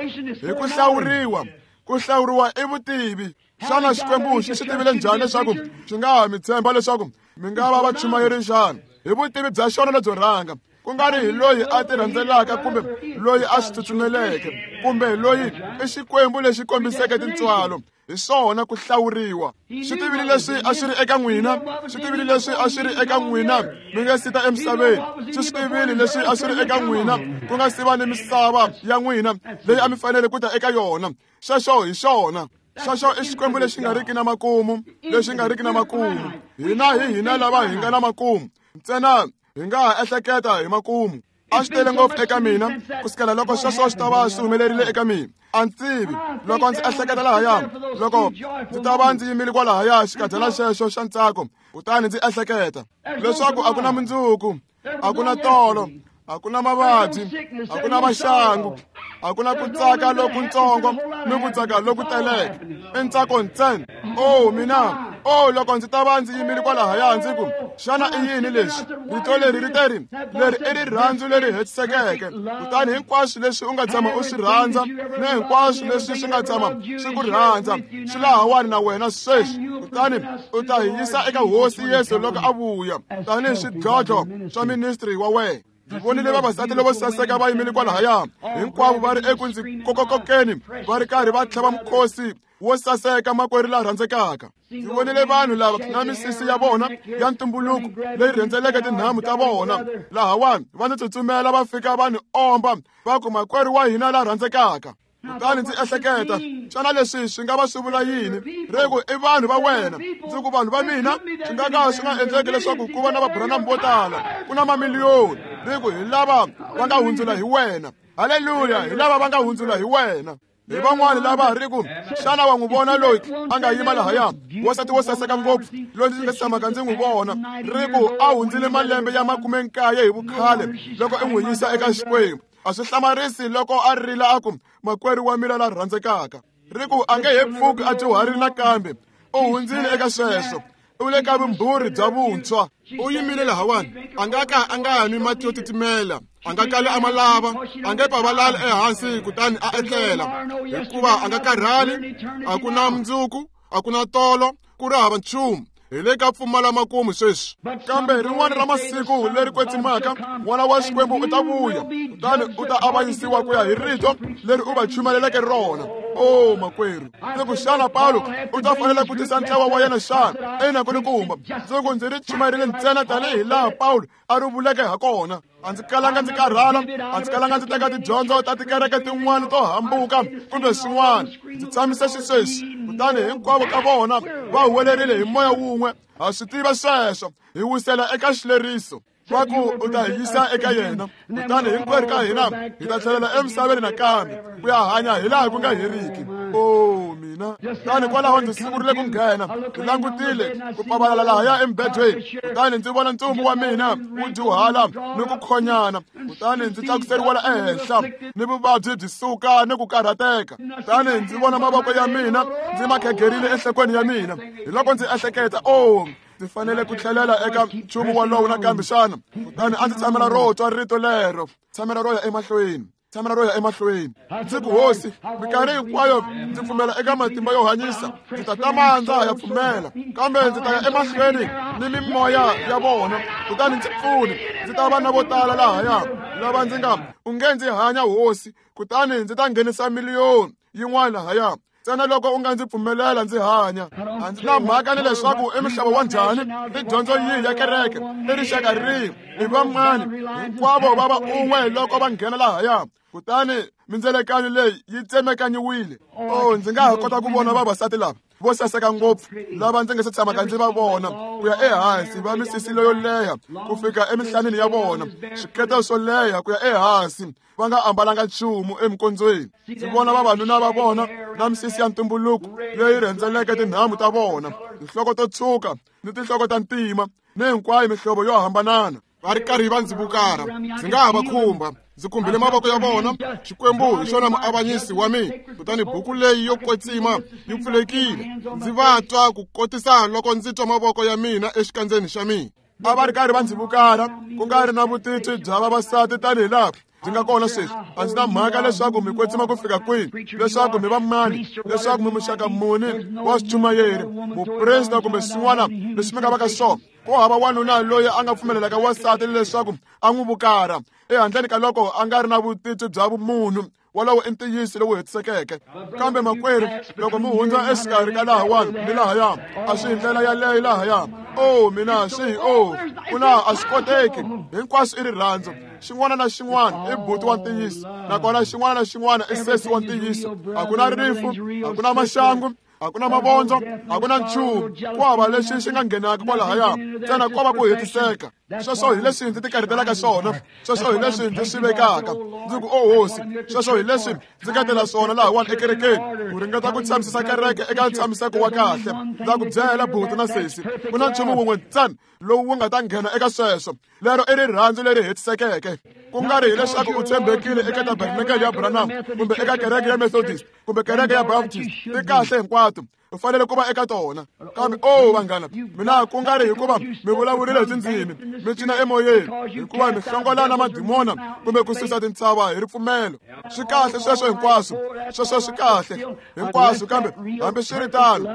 Hi ku hlawuriwa. Ku hlawuriwa i vutivi. Xana Xikwembu xi swi tivile njhani leswaku xi nga ha mi tshemba leswaku mi nga va vachumayeri xana? Hi vutivi bya xona lebyo rhanga. Ku nga ri hi loyi a ti rhandzelaka kumbe loyi a swi tsutsumeleke, kumbe loyi i Xikwembu lexi kombiseke tintswalo. Hi swona ku hlawuriwa. Swi tivile leswi a swi ri eka n'wina, swi tivile leswi a swi ri eka n'wina mi nga si ta emisaveni. Swi swi tivile leswi a swi ri eka n'wina ku nga si va ni misava ya n'wina leyi a mi fanele ku ta eka yona. Xexo hi xona. Xexo i Xikwembu lexi nga riki na makumu, lexi nga riki na makumu. Hina hi hina lava hi nga na makumu. Ntsena hi nga ha ehleketa hi makumu. A swi tele ngopfu eka mina kusukela loko sweswo swi ta va swi humelerile eka mina. A ndzi tivi loko ndzi ehleketa lahaya, loko ndzi ta va ndzi yimile kwalahaya xikadyana xexo xa ntsako, kutani ndzi ehleketa leswaku a ku na mundzuku, a ku na tolo, a ku na mavabyi, a ku na maxangu, a ku na ku tsaka lokuntsongo ni ku tsaka loku teleke. I ntsako ntsena. Oh mina, oh loko ndzi ta va ndzi yimile kwalahaya ndzi ku, xana i yini lexi? Rito leri ri te ri, leri i rirhandzu leri hetisekeke. Kutani hinkwaswo leswi u nga tshama u swi rhandza ni hinkwaswo leswi swi nga tshama swi ku rhandza swi lahawani na wena sweswi. Kutani u ta hi yisa eka Hosi Yesu loko a vuya tanihi swidlodlo swa ministry wa wena. Ndzi vonile vavasati lavo saseka va yimile kwalahaya, hinkwavo va ri eku ndzi kokokokeni, va ri karhi va tlhava mukhosi wo saseka makwerhu la rhandzekaka. Ndzi vonile vanhu lava na misisi ya vona ya ntumbuluko leyi rhendzeleke tinhamu ta vona lahawani, va ndzi tsutsumela va fika va ni omba va ku, makwerhu wa hina la rhandzekaka. Kutani ndzi ehleketa, xana leswi swi nga va swi vula yini? Ri ku i vanhu va wena. Ndzi ku vanhu va mina swi nga ka swi nga endleki leswaku ku va na vabranam vo tala, ku na mamiliyoni. Ri ku hi lava va nga hundzula hi wena. Haleluya, hi lava va nga hundzula hi wena. Hi van'wani lava ri ku, xana wa n'wi vona loyi a nga yima lahaya, wansati wo saseka ngopfu loyi ndzi nga tshamaka ndzi n'wi vona? Ri ku a hundzile malembe ya makume nkaye hi vukhale loko i n'wi yisa eka Xikwembu. A swi hlamarisi loko a rila a ku, makwerhu wa mina la rhandzekaka. Ri ku a nge he pfuki a dyuharile nakambe, u hundzile eka sweswo, u le ka vumbhurhi bya vuntshwa. U yimile lahawani, a nga ka a nga nwi mati yo titimela, a nga kali a ma lava, a nge pavalali ehansi kutani a etlela, hikuva a nga karhali. A ku na mundzuku, a ku na tolo, ku ri hava nchumu. Hi le ka pfumala makumu sweswi. Kambe rin'wana ra masiku leri kwetsimaka, N'wana wa Xikwembu u ta vuya, kutani u ta avanyisiwa ku ya hi rito leri u va chumayeleke rona. Oh makwerhu, ndzi ku xana Pawulo u ta fanela ku tisa ntlawa wa yena xana? Ina ku ni kumba. Ndzi ku ndzi ri chumayerile ntsena tanihi laha Pawulo a ri vuleke ha kona. A ndzi kalanga ndzi karhala, a ndzi kalanga ndzi teka tidyondzo ta tikereke tin'wana to hambuka kumbe swin'wana. Ndzi tshamise xisweswi, kutani hinkwavo ka vona va huwelerile hi moya wun'we. Ha swi tiva sweswo, hi wisela eka xileriso. Va ku u ta hi yisa eka yena, kutani hinkwerhu ka hina hi ta tlhelela emisaveni nakambe ku ya hanya hi laha ku nga heriki. Oh mina, kutani kwalaho ndzi sungurile ku nghena, ndzi langutile ku pavalala lahaya emubedweni, kutani ndzi vona ntsumbu wa mina wu dyuhala ni ku khonyana, kutani ndzi tlakuseriwa ehenhla ni vuvabyi byi suka ni ku karhateka. Kutani ndzi vona mavoko ya mina ndzi ma khegerile enhlokweni ya mina. Hi loko ndzi ehleketa, oh, ndzi fanele ku tlhelela eka nchumu wolowo nakambe xana? Kutani a ndzi tshamela ro twa rito lero, tshamela ro ya emahlweni, tshamela ro ya emahlweni. Ndzi ku, Hosi, minkarhi hinkwayo ndzi pfumela eka matimba yo hanyisa, ndzi ta tama ndza ha ya pfumela, kambe ndzi ta ya emahlweni ni mimoya ya vona, kutani ndzi pfuni. Ndzi ta va na vo tala lahaya lava ndzi nga u nge ndzi hanya, Hosi, kutani ndzi ta nghenisa miliyoni yin'wana lahaya. Ntsena loko u nga ndzi pfumelela ndzi hanya. A ndzi na mhaka ni leswaku i muhlovo wa njhani, i dyondzo yihi ya kereke, i rixaka rihi, i vamani, hinkwavo va va un'we loko va nghena lahaya. Kutani mindzelekanyo leyi yi tsemekanyiwile. Oh, ndzi nga ha kota ku vona vavasati lava vo saseka ngopfu lava ndzi nga se tshamaka ndzi va vona, ku ya ehansi va misisi leyo leha ku fika emihlaneni ya vona, swikete swo leha ku ya ehansi, va nga ambalanga nchumu emikondzweni. Ndzi vona vavanuna va vona na misisi ya ntumbuluko leyi rhendzeleke tinhamu ta vona, tinhloko to tshwuka ni tinhloko ta ntima ni hinkwayo mihlovo yo hambanana, va ri karhi va ndzi vukara. Ndzi nga ha va khumba, ndzi khumbile mavoko ya vona. Xikwembu hi xona muavanyisi wa mina. Kutani buku leyi yo kwetsima yi pfulekile, ndzi va twa ku kotisa loko ndzi twa mavoko ya mina exikandzeni xa mina. A va ri karhi va ndzi vukara, ku nga ri na vutitwi bya vavasati tanihi laha byi nga kona sweswi. A ndzi na mhaka leswaku mi kwetsima ku fika kwihi, leswaku mi va mani, leswaku mi muxaka muni wa swichumayeri, muprista kumbe swin'wana leswi mi nga va ka swona. Ku hava wanuna loyi a nga pfumelelaka wansati leswaku a n'wi vukara ehandleni ka loko a nga ri na vutitwi bya vumunhu. Wolowo i ntiyiso lowu hetisekeke. Kambe makwerhu, loko mi hundza exikarhi ka lahawani ni lahaya, a swi hi ndlela yaleyo lahaya. O mina swi o kuna a swi koteki. Hinkwaswo i rirhandzu. Xin'wana na xin'wana i buti wa ntiyiso, nakona xin'wana na xin'wana i sesi wa ntiyiso. A ku na rifu, a ku na maxangu, a ku na mavondzo, a ku na nchumu. Ku hava lexi xi nga nghenaka kwalahaya, ntsena ko va ku hetiseka. Sweswo hi leswi ndzi tikarhatelaka swona, sweswo hi leswi ndzi swi vekaka. Ndzi ku, o hosi, sweswo hi leswi ndzi nga tela swona lahawani ekerekeni, ku ringeta ku tshamisisa kereke eka ntshamiseko wa kahle. Ndza ku byela buti na sesi, ku na nchumu wun'we ntsena lowu wu nga ta nghena eka sweswo. Lero i rirhandzu leri hetisekeke. Ku nga ri hileswaku u tshembekile eka tabernakele ya Branham kumbe eka kereke ya Methodist kumbe kereke ya Baptist, ti kahle hinkwato, u fanele ku va eka tona. Kambe o vanghana, mina ku nga ri hikuva mi vulavurile hi tindzimi, mi cina emoyeni, hikuva mi hlongola na madimona kumbe ku susa tintshava hi ripfumelo. Swi kahle sweswo hinkwaswo, sweswo swi kahle hinkwaswo, kambe hambiswiritano,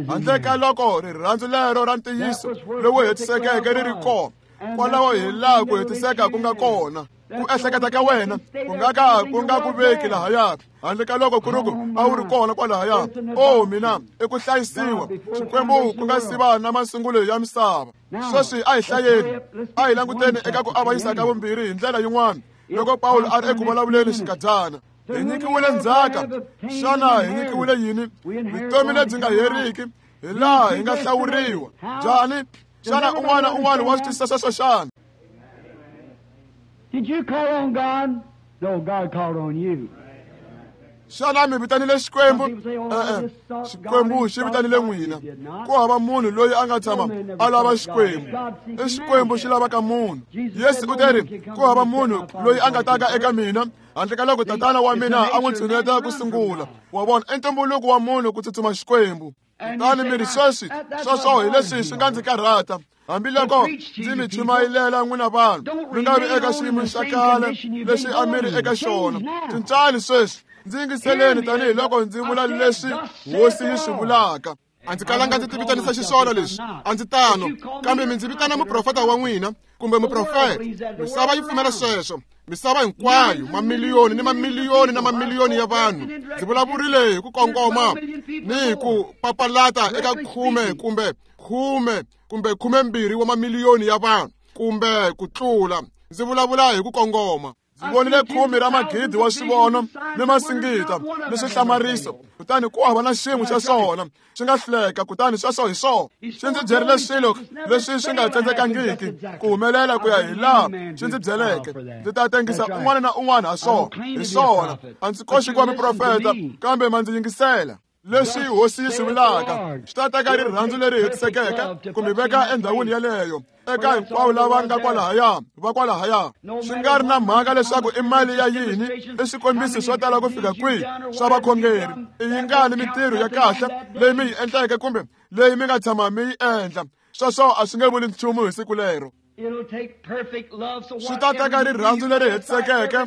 handle ka loko rirhandzu lero ra ntiyiso lowu hetisekeke ri ri kona, kwalaho hi laha ku hetiseka ku nga kona. Ku ehleketa ka wena ku nga ka ku nga ku veki lahaya, handle ka loko ku ri ku a wu ri kona kwalahaya. O mina, i ku hlayisiwa Xikwembu ku nga siva na masungulo ya misava. Sweswi a hi hlayeni, a hi languteni eka ku avanyisa ka vumbirhi hi ndlela yin'wana. Loko Pawulo a ri eku vulavuleni xinkadyana, hi nyikiwile ndzhaka. Xana hi nyikiwile yini? Vutomi lebyi nga heriki, hi laha hi nga hlawuriwa. Njhani? Xana un'wana un'wana wa swi twisisa sweswo xana? Did you call on God? No, God called on you. Xana mi vitanile Xikwembu? E-e, Xikwembu xi vitanile n'wina. Ku hava munhu loyi a nga tshama a lava Xikwembu. I Xikwembu xi lavaka munhu. Yesu u teri, ku hava munhu loyi a nga taka eka mina handle ka loko tatana wa mina a n'wi tshuneta ku sungula. Wa vona, i ntumbuluko wa munhu ku tsutsuma Xikwembu. Kutani mi ri sweswi, sweswo hi leswi swi nga ndzi karhata. Hambiloko ndzi mi chumayelela n'wina vanhu, mi nga vi eka xiyimo xa khale lexi a mi ri eka xona. Cincani sweswi, ndzi yingiseleni tanihiloko ndzi vula leswi hosi yi swi vulaka. A ndzi kalanga ndzi tivitanisa xiswona leswi, a ndzi tano, kambe mi ndzi vitana muprofeta wa n'wina kumbe muprofeta. Misava yi pfumela sweswo, misava hinkwayo, mamiliyoni ni mamiliyoni na mamiliyoni ya vanhu. Ndzi vulavurile hi ku kongoma ni hi ku papalata eka khume kumbe khume kumbe khumembirhi wa mamiliyoni ya vanhu kumbe ku tlula. Ndzi vulavula hi ku kongoma. Ndzi vonile khume ra magidi wa swivono ni masingita ni swihlamariso, kutani ku hava na xin'we xa swona xi nga hluleka. Kutani sweswo hi swona xi ndzi byerile swilo leswi swi nga tsandzekangiki ku humelela ku ya hi laha xi ndzi byeleke. Ndzi ta tengisa un'wana na un'wana ha swona, hi swona. A ndzi koxi ku va muprofeta, kambe ma ndzi yingisela. Leswi hosi yi swi vulaka swi ta teka rirhandzu leri hetisekeke ku mi veka endhawini yeleyo eka hinkwavo lava nga kwalahaya va kwalahaya. Swi nga ri na mhaka leswaku i mali ya yini, i swikombiso swo tala ku fika kwihi swa vakhongeri, i yingani mintirho ya kahle leyi mi yi endleke kumbe leyi mi nga tshama mi yi endla, sweswo a swi nge vuli nchumu hi siku lero. Swi ta teka rirhandzu leri hetisekeke,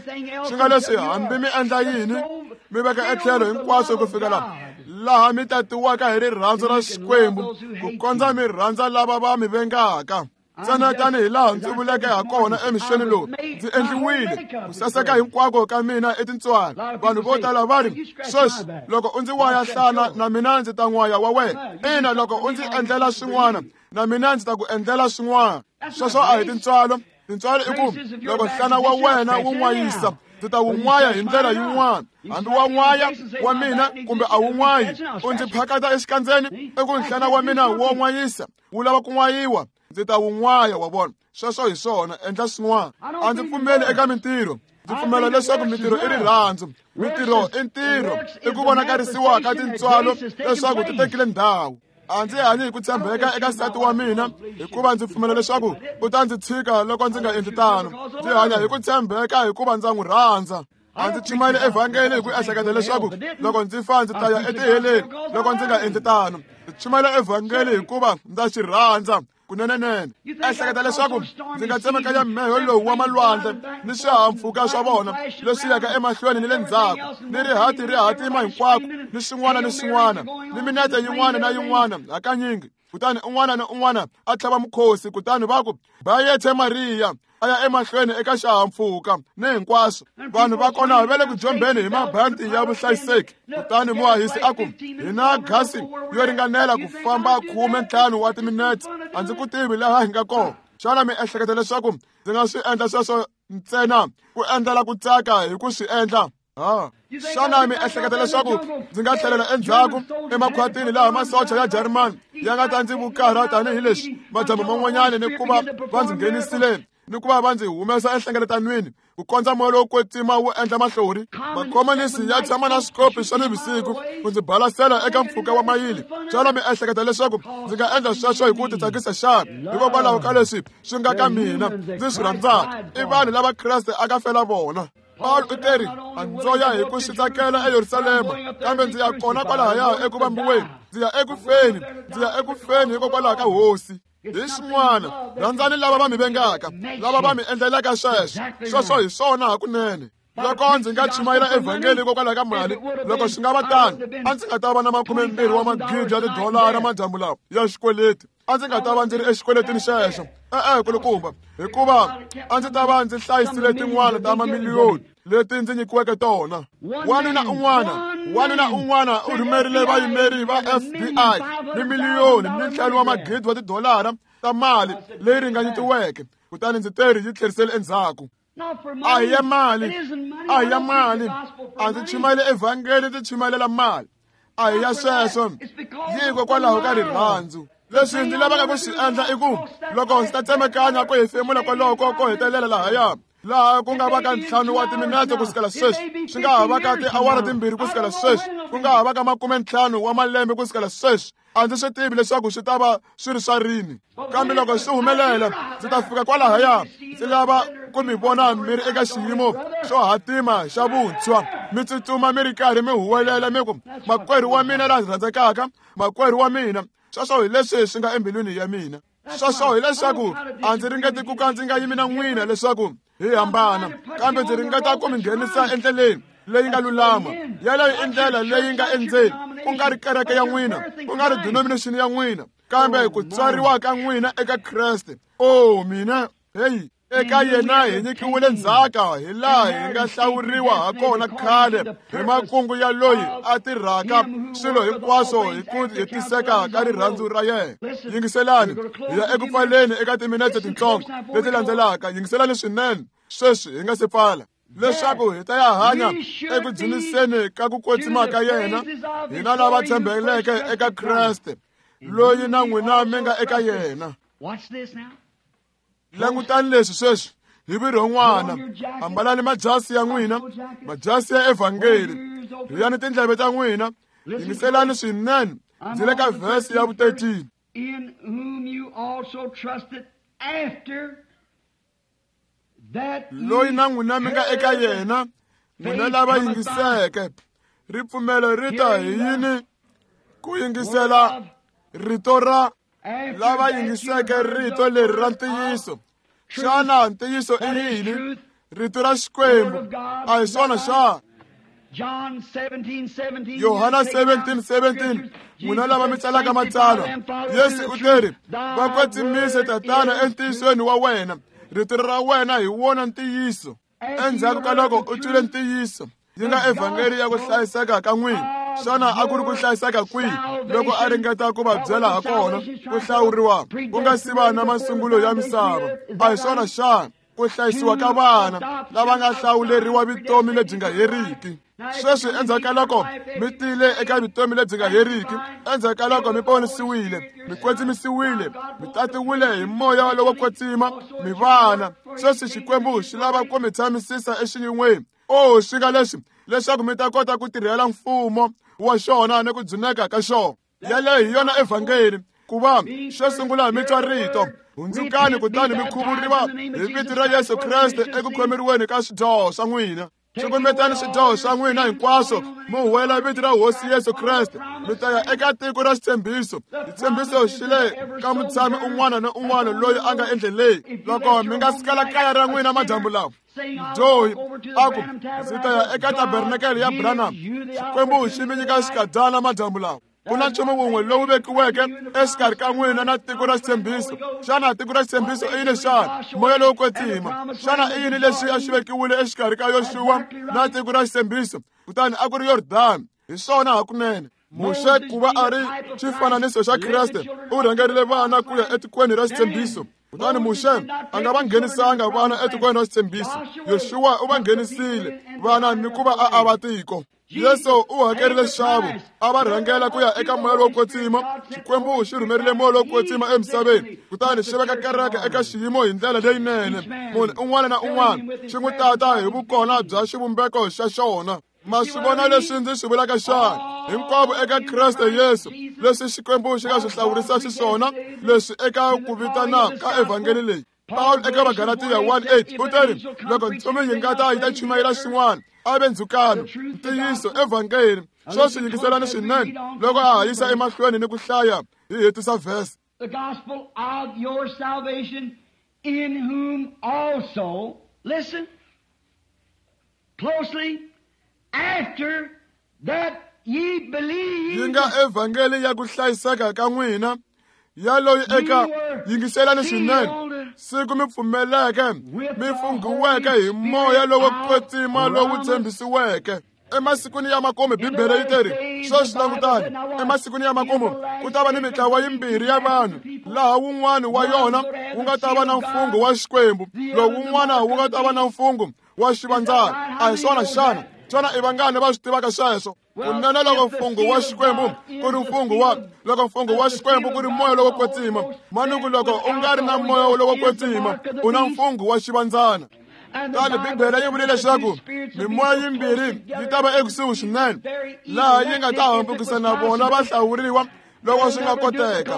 swi nga leswi hambi mi endla yini, mi veka etlhelo hinkwaswo ku fika laha laha mi tatiwaka hi rirhandzu ra Xikwembu, ku kondza mi rhandza lava va mi vengaka. Ntsena tanihi laha ndzi vuleke ha kona emixeni lowu, ndzi endliwile ku saseka hinkwako ka mina etintswalo. Vanhu vo tala va ri, sweswi loko u ndzi waya nhlana, na mina ndzi ta n'waya wa wena. Ina, loko u ndzi endlela swin'wana, na mina ndzi ta ku endlela swin'wana. Sweswo a hi tintswalo. Tintswalo i ku loko nhlana wa wena wu n'wayisa, ndzi ta wu n'waya hi ndlela yin'wana. Hambi wa n'waya wa mina kumbe a wu n'wayi, u ndzi phakata exikandzeni, i ku nhlana wa mina wo n'wayisa, wu lava ku n'wayiwa, ndzi ta wu n'waya. Wa vona, sweswo hi swona. Endla swin'wana. A ndzi pfumeli eka mintirho. Ndzi pfumela leswaku mintirho i rirhandzu. Mintirho i ntirho, i ku vonakarisiwa ka tintswalo leswaku ti tekile ndhawu. A ndzi hanyi hi ku tshembeka eka nsati wa mina hikuva ndzi pfumela leswaku u ta ndzi tshika loko ndzi nga endli tano. Ndzi hanya hi ku tshembeka hikuva ndza n'wi rhandza. A ndzi chumayeli evhangeli hi ku ehleketa leswaku loko ndzi fa ndzi ta ya etiheleni loko ndzi nga endli tano. Ndzi chumayela evhangeli hikuva ndza xi rhandza. Kunenenene ehleketa leswaku ndzi nga tsemakanya mheho lowu wa malwandle ni swihahampfhuka swa vona leswi yaka emahlweni ni le ndzhaku ni rihati ri hatima hinkwako ni swin'wana ni swin'wana ni minete yin'wana na yin'wana hakanyingi. Kutani un'wana na un'wana a tlhava mukhosi, kutani va ku bayethe Mariya a ya emahlweni eka xihahampfhuka ni hinkwaswo. Vanhu va kona va le ku jombeni hi mabanti ya vuhlayiseki. Kutani muhahisi a ku hi na gasi yo ringanela ku famba khume ntlhanu wa timinete, a ndzi ku tivi laha hi nga kona. Xana mi ehleketa leswaku ndzi nga swi endla sweswo ntsena ku endlela ku tsaka hi ku swi endla? Ha xana mi ehleketa leswaku ndzi nga tlhelela endzhaku emakhwatini laha masocha ya Jarimani ya nga ta ndzi vukarha tanihileswi madyambu man'wanyana ni ku va va ndzi nghenisile ni ku va va ndzi humesa enhlengeletanweni ku kondza moya lowo kwetsima wu endla mahlori? Makhomanisi ya tshama na swikopi swa nivusiku ku ndzi balasela eka mpfhuka wa mayili. Xana mi ehleketa leswaku ndzi nga endla sweswo hi ku titsakisa xana? Hikokwalaho ka leswi swi nga ka mina ndzi swi rhandzaka i vanhu lava Kreste a ka fela vona. Paul u teri a ndzo ya hi ku swi tsakela eYerusalema, kambe ndzi ya kona kwalahaya eku vambiweni, ndzi ya eku feni, ndzi ya eku feni hikokwalaho ka Hosi. Hi swin'wana, rhandzani lava va mi vengaka, lava va mi endlelaka sweswo. Sweswo hi swona hakunene. Loko ndzi nga chumayela evhangeli hikokwalaho ka mali, loko swi nga va tano, a ndzi nga ta va na makumembirhi wa magidi ya tidolara madyambu lawa ya xikweleti. A ndzi nga ta va ndzi ri exikweletini xexo. E-e, kulukumba, hikuva a ndzi ta va ndzi hlayisile tin'wana ta mamiliyoni leti ndzi nyikiweke tona. Wanuna un'wana, wanuna un'wana u rhumerile vayimeri va F B I ni miliyoni ni ntlhanu wa magidi wa tidolara ta mali leyi ringanyetiweke, kutani ndzi teri yi tlherisele endzhaku. A hi ya mali, a hi ya mali, a ndzi chumayele evhangeli, ndzi chumayelela mali. A hi ya sweswo, hikokwalaho ka rirhandzu. Leswi ndzi lavaka ku swi endla i ku loko ndzi ta tsemakanya ku hefemula kwaloko ko hetelela lahaya, laha ku nga va ka ntlhanu wa timinete ku sukela sweswi, swi nga ha va ka tiawara timbirhi ku sukela sweswi, ku nga ha va ka makume ntlhanu wa malembe ku sukela sweswi. A ndzi swi tivi leswaku swi ta va swi ri swa rini, kambe loko swi humelela ndzi ta fika kwalahaya. Ndzi lava ku mi vona mi ri eka xiyimo xo hatima xa vuntshwa, mi tsutsuma mi ri karhi mi huwelela mi ku, makwerhu wa mina la rhandzekaka, makwerhu wa mina. Sweswo hi leswi swi nga embilwini ya mina. Sweswo hileswaku a ndzi ringeti ku ka ndzi nga yimi na n'wina leswaku hi hambana, kambe ndzi ringeta ku mi nghenisa endleleni leyi nga lulama. Yeleyo i ndlela leyi nga endzeni, ku nga ri kereke ya n'wina, ku nga ri denomination ya n'wina, kambe ku tswariwa ka n'wina eka Kreste. O mina, heyi, eka yena hi nyikiwile ndzhaka hi laha hi nga hlawuriwa ha kona khale hi makungu ya loyi a tirhaka swilo hinkwaswo hi ku hetiseka ka rirhandzu ra yena. Yingiselani, hi ya eku pfaleni eka timinete tintsongo leti landzelaka. Yingiselani swinene sweswi hi nga se pfala, leswaku hi ta ya hanya eku dzuniseni ka ku kwetsima ka yena, hina lava tshembeleke eka Kreste, loyi na n'wina mi nga eka yena. Langutani leswi sweswi hi virhon'wana. Ambalani majasi ya n'wina, majasi ya evhangeli. Rhiyani tindleve ta n'wina, yingiselani swinene. Ndzi le ka vhesi ya vu thirteen. In whom you also trusted after that Loyi na n'wina mi nga eka yena, n'wina lava yingiseke. Ripfumelo ri ta hi yini? Ku yingisela rito ra lava yingiseke rito leri ra ntiyiso. Xana ntiyiso i yini? Rito ra Xikwembu. A hi swona xana? John seventeen seventeen. Yohana seventeen seventeen, n'wina lava mi tsalaka matsalwa, Yesu u teri, va kwetsimise Tatana entiyisweni wa wena, rito ra wena hi wona ntiyiso. Endzhaku ka loko u twile ntiyiso, yi nga evhangeli ya ku hlayiseka ka n'wina. Xana a ku ri ku hlayiseka kwihi loko a ringeta ku va byela ha kona ku hlawuriwa ku nga si va na masungulo ya misava? A hi swona xana? Ku hlayisiwa ka vana lava nga hlawuleriwa vutomi lebyi nga heriki. Sweswi endzhaku ka loko mi tile eka vutomi lebyi nga heriki, endzhaku ka loko mi ponisiwile, mi kwetsimisiwile, mi tatiwile hi moya lowo kwetsima, mi vana. Sweswi Xikwembu xi lava ku mi tshamisisa exiyin'weni. O swi nga leswi leswaku mi ta kota ku tirhela mfumo wa xona ni ku dzuneka ka xona. Yaleyo hi yona evhangeli. Ku va xo sungula mi twa rito, hundzukani kutani mi khuvuriwa hi vito ra Yesu Kreste eku khomeriweni ka swidyoho swa n'wina. Cukumetani swidyoho swa n'wina hinkwaswo mi huwela vito ra Hosi Yesu Kreste, mi ta ya eka tiko ra xitshembiso. Xitshembiso xi le ka mutshami un'wana na un'wana loyi a nga endleleni. Loko mi nga sukela kaya ra n'wina madyambu lawa, mudyohi a ku, ndzi ta ya eka tabernakele ya Branham, Xikwembu xi mi nyika xikadyana madyambu lawa. Ku na nchumu wun'we lowu vekiweke exikarhi ka n'wina na tiko ra xitshembiso. Xana tiko ra xitshembiso i yini xana? Moya lowo kwetsima. Xana i yini lexi a xi vekiwile exikarhi ka Yoxuwa na tiko ra xitshembiso? Kutani a ku ri Yordani. Hi swona hakunene. Muxe ku va a ri xifananiso xa Kreste, u rhangerile vana ku ya etikweni ra xitshembiso. Kutani Muxe a nga va nghenisanga vana etikweni ra xitshembiso. Yoxuwa u va nghenisile vana ni ku va a ava tiko. Yesu u hakerile nxavo, a va rhangela ku ya eka moya lowo kwetsima. Xikwembu xi rhumerile moya lowo kwetsima emisaveni, kutani xi veka kereke eka xiyimo hi ndlela leyinene. Munhu un'wana na un'wana xi n'wi tata hi vukona bya xivumbeko xa xona. Ma swi vona leswi ndzi swi vulaka xana? Hinkwavo eka Kreste Yesu, leswi Xikwembu xi nga swi hlawurisa xiswona, leswi eka ku vitana ka evhangeli leyi. Pawulo eka Vagalatiya one eight u teri, loko ntsumi yi nga ta yi ta chumayela xin'wana, a ve ndzhukano, ntiyiso evhangeli. Sweswi yingiselani swinene loko a ha yisa emahlweni ni ku hlaya hi hetisa verse. The gospel of your salvation, in whom also, listen closely, after that ye believed, yi nga evhangeli ya ku hlayiseka ka n'wina, ya loyi eka yingiselani swinene, siku mi pfumeleke, mi funghiweke hi moya lowo kwetsima lowu tshembisiweke. Emasikwini ya makumu, Bibele yi teri, sweswi langutani, emasikwini ya makumu ku ta va ni mitlawa yimbirhi ya vanhu, laha wun'wana wa yona wu nga ta va na mfungho wa Xikwembu, lowu wun'wana wu nga ta va na mfungho wa xivandzana. A hi swona xana? Xana i vangani va swi tivaka sweswo? Kunene loko mfungho wa Xikwembu ku ri mfungho wa loko mfungho wa Xikwembu ku ri moya lowo kwetsima, manuku loko u nga ri na moya lowo kwetsima, u na mfungho wa xivandzana. Kutani Bibele yi vule leswaku mimoya yimbirhi yi ta va ekusuhi swinene, laha yi nga ta hambukisa na vona va hlawuriwa loko swi nga koteka.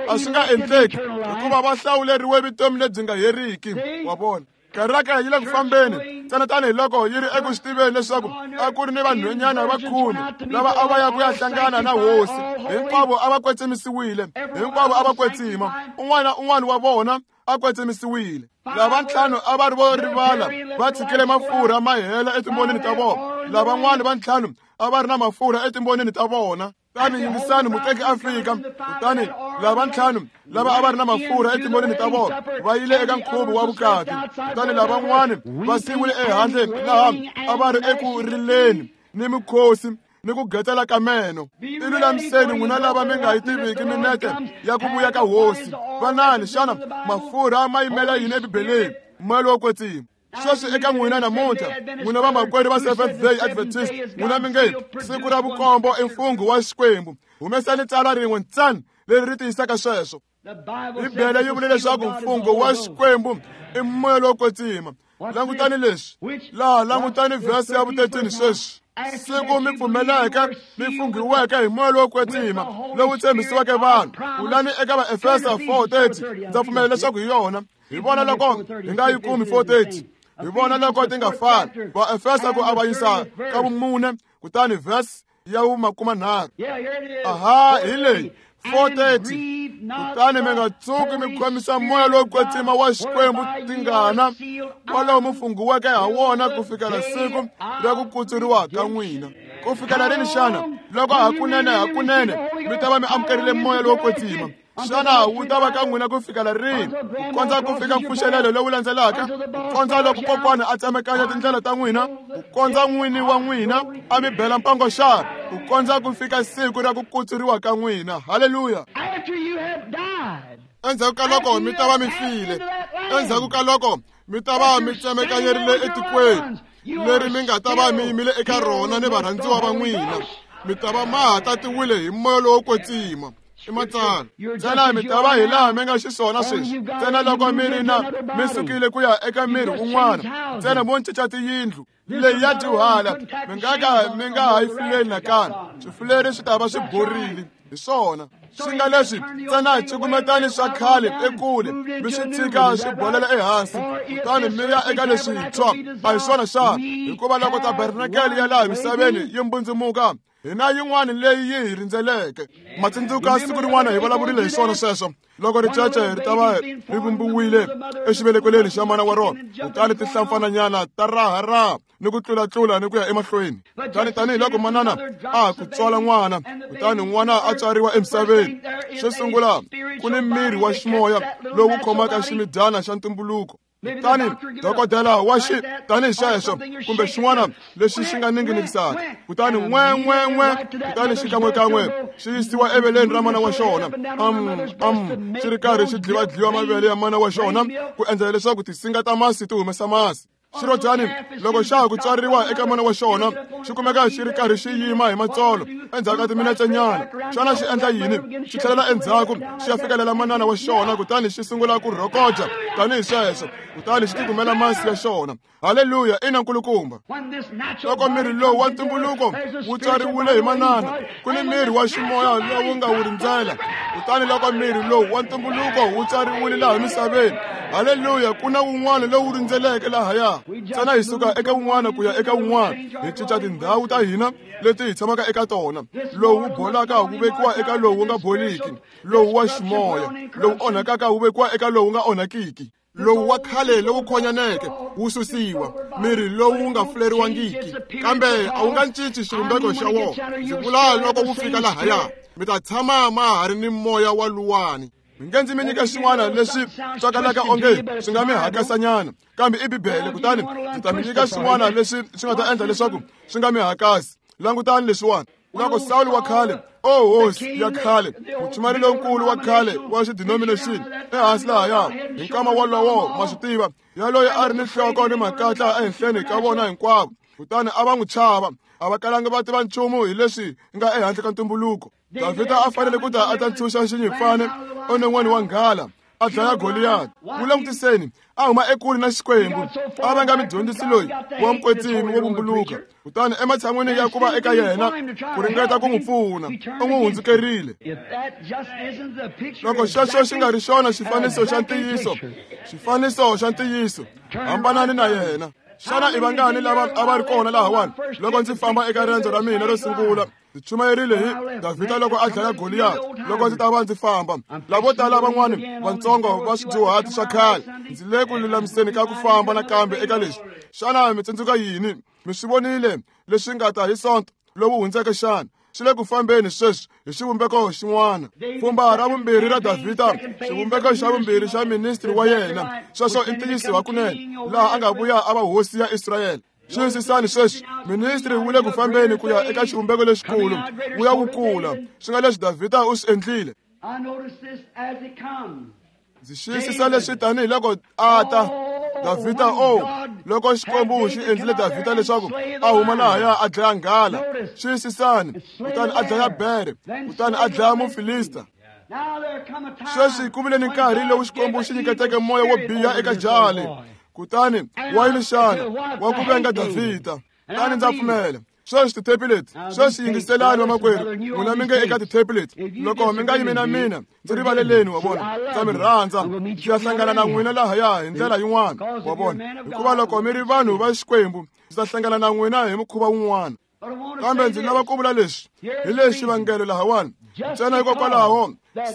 A swi nga endleki hikuva va hlawuleriwe vutomi lebyi nga heriki. Wa vona? Kereke yi le ku fambeni ntsena tanihiloko yi ri eku swi tiveni leswaku a ku ri ni vanhwanyana va khume lava a va ya ku ya hlangana na hosi. Hinkwavo a va kwetsimisiwile, hinkwavo a va kwetsima, un'wana na un'wana wa vona a kwetsimisiwile. Lava ntlhanu a va ri vo rivala, va tshikile mafurha ma hela etimbonini ta vona. Lavan'wana va ntlhanu a va ri na mafurha etimbonini ta vona. Kutani yingisani, muteki a fika. Kutani lava ntlhanu lava a va ri na mafurha etimbonini ta vona va yile eka nkhuvo wa vukati. Kutani lavan'wana va siyiwile ehandle laha a va ri eku rileni ni mikhosi ni ku getsela ka meno. I lulamiseni n'wina lava mi nga yi tiviki minete ya ku vuya ka hosi. Vanani, xana mafurha ma yimela yini eBibeleni? Moya lowo kwetsima. Sweswi eka n'wina namuntlha, n'wina vamakwerhu va Seventh Day Adventist, n'wina mi nge siku ra vukombo i mfungho wa Xikwembu. Humesani tsalwa rin'we ntsena leri ri tiyisaka sweswo. Bibele yi vule leswaku mfungho wa Xikwembu i moya lowo kwetsima. Langutani leswi laha, langutani vhesi ya vu thirteen sweswi. Siku mi pfumeleke, mi funghiweke hi moya lowo kwetsima lowu tshembisiweke vanhu. Kulani eka Vaefesa four thirty, ndza pfumela leswaku hi yona. Hi vona loko hi nga yi kumi four thirty, hi vona loko ti nga fani. Vaefesa ku avanyisa ka vumune, kutani verse ya vumakumanharhu. Aha, hi leyi four thirty. Kutani mi nga tshuki mi khomisa moya lowo kwetsima wa Xikwembu tingana, kwalaho mi funghiweke ha wona ku fikela siku ra ku kutsuriwa ka n'wina. Ku fikela rini xana? Loko hakunene hakunene mi ta va mi amukerile moya lowo kwetsima. Xana wu ta va ka n'wina ku fikela rini? Ku kondza ku fika mpfuxelelo lowu landzelaka, ku kondza loko kokwana a tsemekanya tindlela ta n'wina, ku kondza n'wini wa n'wina a mi bela mpango xana, ku kondza ku fika siku ra ku kutsuriwa ka n'wina. Haleluya! Endzhaku ka loko mi ta va mi file, endzhaku ka loko mi ta va mi tsemekanyerile etikweni leri mi nga ta va mi yimile eka rona ni varhandziwa va n'wina, mi ta va ma ha tatiwile hi moya lowo kwetsima. I matsalwa. Ntsena mi ta va hi laha mi nga xiswona sweswi. Ntsena loko mi ri na mi sukile ku ya eka miri wun'wana, ntsena mo cinca tiyindlu leyi ya dyuhala, mi nga ka mi nga ha yi fuleli nakambe. Swifuleri swi ta va swi borile. Hi swona. Swi nga leswi ntsena cukumetani swa khale ekule mi swi tshika swi bolela ehansi, kutani mi ya eka leswintshwa. A hi swona xana? Hikuva loko tabernakele ya laha misaveni yi mbundzumuka, hina yin'wana leyi yi hi rindzeleke. Ma tsundzuka siku rin'wana hi vulavurile hi swona sweswo, loko ricece ri ta va ri vumbiwile exivelekelweni xa mana wa rona, kutani tinhlampfananyana ta raharaha ni ku tlulatlula ni ku ya emahlweni. Kutani tanihiloko manana a ku tswala n'wana, kutani n'wana a tswariwa emisaveni, xo sungula ku ni miri wa ximoya lowu khomaka ximidyana xa ntumbuluko. Kutani dokodela wa xi tanihi xexo kumbe xin'wana lexi xi nga ninginikisaka, kutani n'we n'we n'we, kutani xikan'wekan'we xi yisiwa eveleni ra mana wa xona, am am xi ri karhi xi dliwadliwa mavele ya mana wa xona ku endlela leswaku tinsinga ta masi ti humesa masi. Xirhodyani loko xa ha ku tswariwa eka mana wa xona, xi kumeka xi ri karhi xi yima hi matsolo endzhaku ka timinetsenyana. Xana xi endla yini? Xi tlhelela endzhaku xi ya fikelela manana wa xona, kutani xi sungula ku rhokoja tanihi sweswo, kutani xi tikumela masi ya xona. Haleluya! Ina nkulukumba. Loko miri lowu wa ntumbuluko wu tswariwile hi manana, ku ni miri wa ximoya lowu nga wu rindzela. Kutani loko miri lowu wa ntumbuluko wu tswariwile laha misaveni, haleluya, ku na wun'wana lowu rindzeleke lahaya. Ntsena hi suka eka wun'wana ku ya eka wun'wana, hi cinca tindhawu ta hina leti hi tshamaka eka tona. Lowu wu bolaka wu vekiwa eka lowu wu nga boliki, lowu wa ximoya lowu onhakaka wu vekiwa eka lowu nga onhakiki. Lowu wa khale lowu khonyaneke wu susiwa, miri lowu nga fuleriwangiki, kambe a wu nga cinci xivumbeko xa wona. Ndzi vula loko wu fika lahaya, mi ta tshama ma ha ri ni moya wa luwani. Mi nge ndzi mi nyika xin'wana leswi twakalaka onge swi nga mi hakasanyana, kambe i Bibele. Kutani ndzi ta mi nyika xin'wana leswi swi nga ta endla leswaku swi nga mi hakasi. Langutani leswiwani. Loko Sawulo wa khale, o hosi ya khale, muchumari lonkulu wa khale wa xidenomination ehansi lahaya, hi nkama wolowo ma swi tiva, yaloye a ri ni nhloko ni makatla ehenhleni ka vona hinkwavo, kutani a va n'wi chava, a va kalanga va tiva nchumu hi leswi nga ehandle ka ntumbuluko. Davhida a fanele ku ta a ta ntshunxa xinyimpfana enon'weni wa nghala, a dlaya Goliyati. Wu langutiseni, a huma ekule na Xikwembu, a va nga mudyondzisi loyi wa mukwetsimi wo vumbuluka. Kutani ematshan'wini ya ku va eka yena ku ringeta ku n'wi pfuna, u n'wi hundzukerile. Loko xexo xi nga ri xona xifaniso xa ntiyiso, xifaniso xa ntiyiso, hambanani na yena. Xana i vangani lava a va ri kona lahawani loko ndzi famba eka riendzo ra mina ro sungula? Ndzi chumayerile hi Davhida loko a dlaya Goliyati. Loko ndzi ta va ndzi famba, lavo tala van'wani vatsongo va swidyuhati swa khale, ndzi le ku lulamiseni ka ku famba nakambe eka leswi. Xana mi tsundzuka yini? Mi swi vonile leswi nga ta hi Sonto lowu hundzeke xana? Swi le ku fambeni sweswi hi xivumbeko xin'wana. Pfhumba ra vumbirhi ra Davhida, xivumbeko xa vumbirhi xa ministri wa yena. Sweswo i ntiyiso hakunene, laha a nga vuya a va hosi ya Israyele. Xiyisisani sweswi, ministri wu le ku fambeni ku ya eka xivumbeko lexikulu, wu ya wu kula. Swi nga leswi Davhida u swi endlile. Ndzi xiyisisa leswi tanihiloko a ta Davhida, o loko Xikwembu xi endlile Davhida leswaku a huma lahaya a dlaya nghala. Xiyisisani, kutani a dlaya bere, kutani a dlaya Mufilista. Sweswi ku vile ni nkarhi lowu Xikwembu xi nyiketeke moya wo biha eka jali, kutani wa yini xana? Wa ku venga Davhida. Kutani ndza pfumela sweswi tithepi leti, sweswi yingiselani vamakwerhu, n'wina mi nge eka tithepi leti. Loko mi nga yimi na mina, ndzi rivaleleni, wa vona, ndza mi rhandza. Ndzi ya hlangana na n'wina lahaya hi ndlela yin'wana, wa vona, hikuva loko mi ri vanhu va Xikwembu, ndzi ta hlangana na n'wina hi mukhuva wun'wana. Kambe ndzi lava ku vula leswi hi lexi xivangelo lahawani. Ntsena hikokwalaho